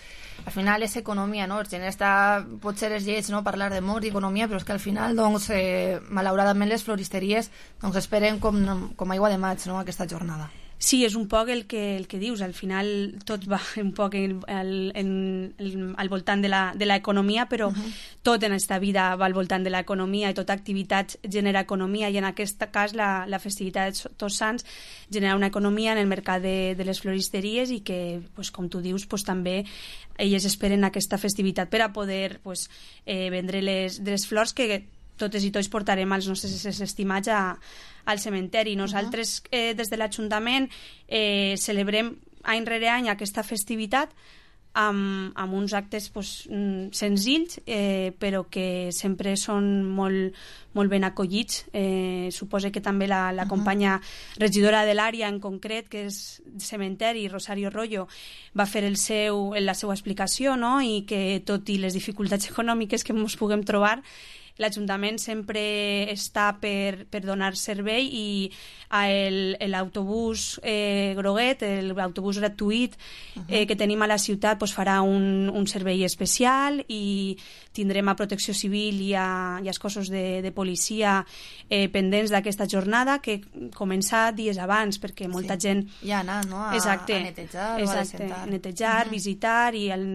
Speaker 23: al final és economia, no? Gent està, potser és lleig, no?, parlar de mort i economia, però és que al final, doncs, eh, malauradament les floristeries, doncs, esperen com, com aigua de maig, no?, aquesta jornada.
Speaker 8: Sí, és un poc el que, el que dius, al final tot va un poc en, en, en, en, al voltant de l'economia, però uh-huh. tot en aquesta vida va al voltant de l'economia i tota activitat genera economia i en aquest cas la, la festivitat de Tots Sants genera una economia en el mercat de, de les floristeries i que, pues, com tu dius, pues, també elles esperen aquesta festivitat per a poder pues, eh, vendre les, les flors que totes i tots portarem als nostres éssers estimats a, al cementeri. Nosaltres, eh, des de l'Ajuntament, eh, celebrem any rere any aquesta festivitat amb, amb uns actes pues, senzills, eh, però que sempre són molt, molt ben acollits. Eh, suposo que també la, la uh-huh. companya regidora de l'àrea en concret, que és Cementeri, Rosario Rollo, va fer el seu, la seva explicació, no? I que tot i les dificultats econòmiques que ens puguem trobar, l'Ajuntament sempre està per, per donar servei i l'autobús eh, groguet, l'autobús gratuït uh-huh. eh, que tenim a la ciutat pues, farà un, un servei especial i tindrem a Protecció Civil i, a, i als cossos de, de policia eh, pendents d'aquesta jornada que comença dies abans perquè molta sí. gent...
Speaker 2: Ja anar, no? A,
Speaker 8: exacte,
Speaker 2: a netejar
Speaker 8: exacte,
Speaker 2: o a desentar.
Speaker 8: netejar, uh-huh. visitar i... El,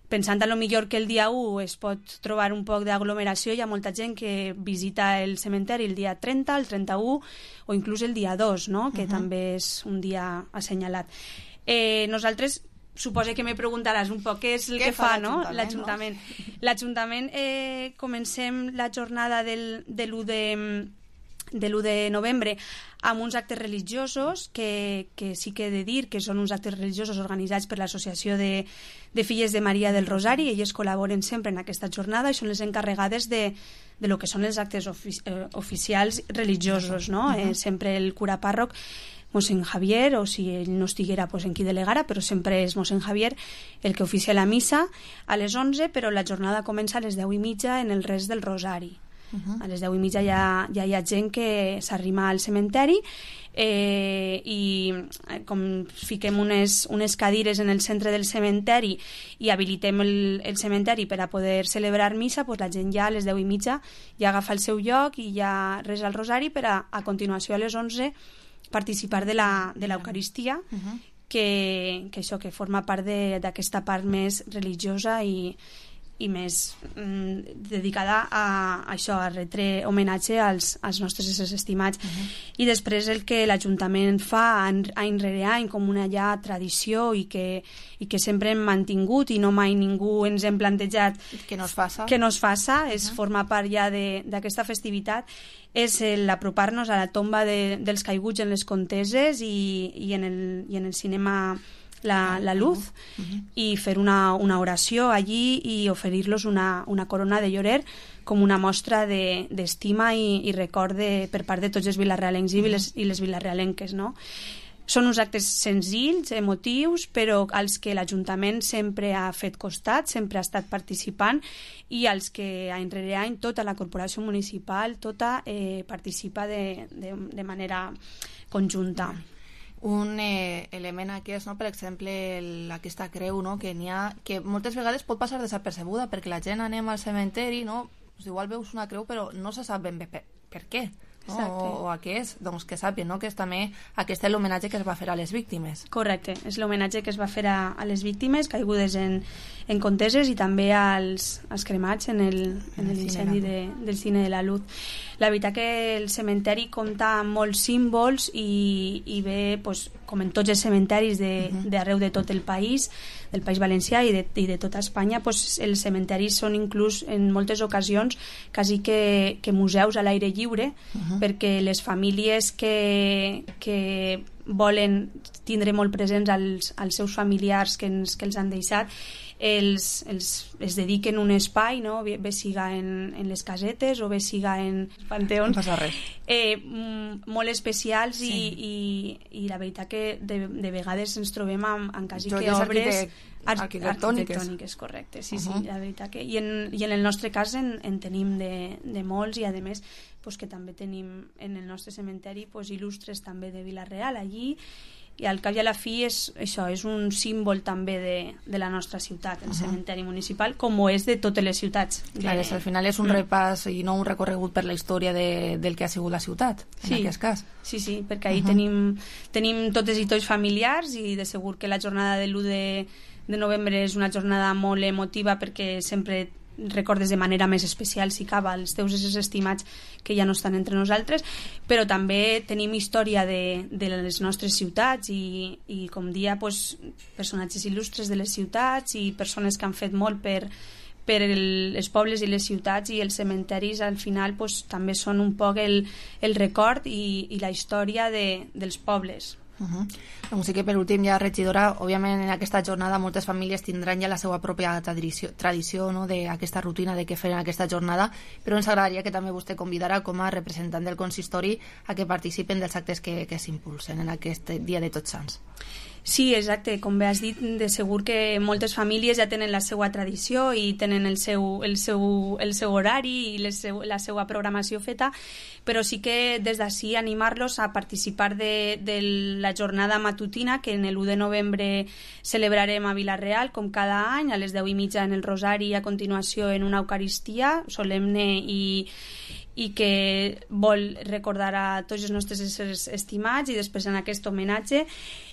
Speaker 8: pensant a lo millor que el dia u es pot trobar un poc d'aglomeració, hi ha molta gent que visita el cementeri el dia trenta, el trenta-u o inclús el dia dos, no? que uh-huh. també és un dia assenyalat. Eh, nosaltres, suposo que me preguntaràs un poc què és el
Speaker 2: què
Speaker 8: que fa,
Speaker 2: fa
Speaker 8: no?
Speaker 2: l'Ajuntament.
Speaker 8: L'Ajuntament. L'Ajuntament eh, comencem la jornada del, de l'u de... de l'u de novembre amb uns actes religiosos que, que sí que he de dir que són uns actes religiosos organitzats per l'Associació de, de Filles de Maria del Rosari. Elles col·laboren sempre en aquesta jornada i són les encarregades de, de lo que són els actes ofici, eh, oficials religiosos, no? Uh-huh. eh, sempre el cura pàrroc mossèn Javier, o si ell no estiguera pues, en qui delegara, però sempre és mossèn Javier el que oficia la missa a les onze, però la jornada comença a les deu i mitja en el rest del Rosari. Uh-huh. A les deu i mitja ja, ja hi ha gent que s'arrima al cementeri eh, i com fiquem unes, unes cadires en el centre del cementeri i habilitem el, el cementeri per a poder celebrar missa, pues la gent ja a les deu i mitja ja agafa el seu lloc i ja resa el rosari per a, a continuació a les onze participar de la, de l'Eucaristia uh-huh. que, que això que forma part d'aquesta part més religiosa i i més mm, dedicada a, a això, a retre homenatge als, als nostres éssers estimats. Uh-huh. I després el que l'Ajuntament fa any, any rere any com una ja tradició i que, i que sempre hem mantingut i no mai ningú ens hem plantejat
Speaker 2: que no es faça,
Speaker 8: que no es faça uh-huh. és formar part ja d'aquesta festivitat, és l'apropar-nos a la tomba de, dels caiguts en les conteses i, i, en, el, i en el cinema La, la luz uh-huh. i fer una, una oració allí i oferir-los una, una corona de llorer com una mostra d'estima de, i, i record de, per part de tots els vilarrealencs uh-huh. i, les, i les vilarrealenques, no? Són uns actes senzills, emotius, però als que l'Ajuntament sempre ha fet costat, sempre ha estat participant i als que any rere any tota la corporació municipal tota eh, participa de, de, de manera conjunta. Uh-huh.
Speaker 2: Un eh, element aquest, no? Per exemple, el, aquesta creu, no? que n'hi ha, que moltes vegades pot passar desapercebuda perquè la gent anem al cementeri, no? Pues igual veus una creu però no se sap ben bé per, per què, no? o, o a què és, doncs que sàpien, no? que és també aquest és l'homenatge que es va fer a les víctimes.
Speaker 8: Correcte, és l'homenatge que es va fer a, a les víctimes caigudes en, en conteses i també als, als cremats en el, en el incendi de, del Cine de la Luz. La veritat que el cementeri compta amb molts símbols i, i ve, pues, com en tots els cementeris d'arreu de, uh-huh. de tot el país, del País Valencià i de, i de tota Espanya, pues, els cementeris són inclús en moltes ocasions quasi que, que museus a l'aire lliure, uh-huh. perquè les famílies que, que volen tindre molt presents als, als seus familiars que, ens, que els han deixat els, els, es dediquen un espai, no? bé, bé siga en, en les casetes o bé siga en panteons,
Speaker 2: no passa res.
Speaker 8: Eh, molt especials sí. i, i, i la veritat que de, de vegades ens trobem amb, amb quasi
Speaker 2: jo
Speaker 8: que obres
Speaker 2: arquitectòniques.
Speaker 8: arquitectòniques, correcte, sí, uh-huh. sí, la veritat que i en, i en el nostre cas en, en tenim de, de molts i a més pues, que també tenim en el nostre cementeri pues, il·lustres també de Vila-real allí i al cap i a la fi és, això, és un símbol també de, de la nostra ciutat, el uh-huh. cementeri municipal, com ho és de totes les ciutats.
Speaker 2: Clar,
Speaker 8: de...
Speaker 2: és, al final és un mm. repàs i no un recorregut per la història de, del que ha sigut la ciutat, en
Speaker 8: sí.
Speaker 2: aquest cas.
Speaker 8: Sí, sí, perquè ahir uh-huh. tenim, tenim totes i tots familiars i de segur que la jornada de l'u de, de novembre és una jornada molt emotiva perquè sempre recordes de manera més especial si cava els teus éssers estimats que ja no estan entre nosaltres, però també tenim història de, de les nostres ciutats i, i com dia pues, personatges il·lustres de les ciutats i persones que han fet molt per, per el, els pobles i les ciutats i els cementeris al final pues, també són un poc el, el record i, i la història de, dels pobles.
Speaker 2: Uh-huh. Doncs sí que per últim ja, regidora, òbviament en aquesta jornada moltes famílies tindran ja la seva pròpia tradició, tradició no? d'aquesta rutina de què fer en aquesta jornada, però ens agradaria que també vostè convidara com a representant del consistori a que participen dels actes que, que s'impulsen en aquest dia de Tots Sants.
Speaker 8: Sí, exacte, com bé has dit, de segur que moltes famílies ja tenen la seva tradició i tenen el seu, el seu, el seu horari i les seu, la seva programació feta, però sí que des d'ací animar-los a participar de, de la jornada matutina que en l'u de novembre celebrarem a Vila-real, com cada any, a les deu i mitja en el Rosari i a continuació en una Eucaristia solemne i i que vol recordar a tots els nostres éssers estimats i després en aquest homenatge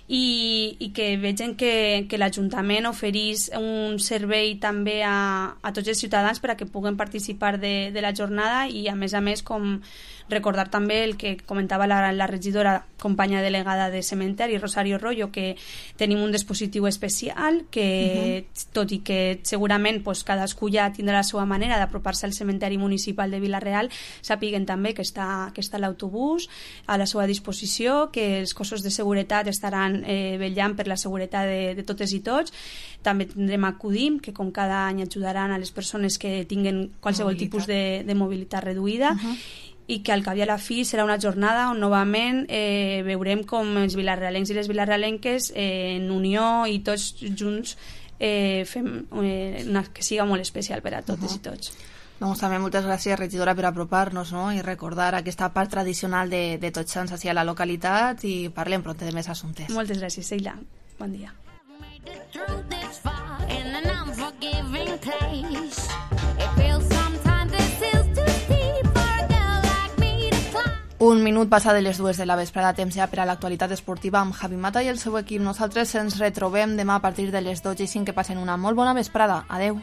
Speaker 8: i, i que vegin que, que l'Ajuntament oferís un servei també a, a tots els ciutadans per a que puguen participar de, de la jornada i a més a més com recordar també el que comentava la, la regidora companya delegada de Cementeri, Rosario Royo, que tenim un dispositiu especial que uh-huh. tot i que segurament pues, cadascú ja tindrà la seva manera d'apropar-se al cementeri municipal de Vila-real, sàpiguen també que està, que està l'autobús a la seva disposició, que els cossos de seguretat estaran eh, vetllant per la seguretat de, de totes i tots. També tindrem Acudim, que com cada any ajudaran a les persones que tinguen qualsevol mobilitat. tipus de, de mobilitat reduïda. Uh-huh. I que al cap i a la fi serà una jornada on novament eh, veurem com els vilarealencs i les vilarealenques eh, en unió i tots junts eh, fem eh, una, que siga molt especial per a totes uh-huh. i tots.
Speaker 2: Doncs també moltes gràcies, regidora, per apropar-nos no? i recordar aquesta part tradicional de, de Tots Sants hacia la localitat i parlem pront de més assumptes.
Speaker 8: Moltes gràcies, Sheila. Bon dia.
Speaker 2: Un minut passa de les dues de la vesprada, temps ja per a l'actualitat esportiva amb Javi Mata i el seu equip. Nosaltres ens retrobem demà a partir de les dotze i cinc. Que passen una molt bona vesprada. Adeu.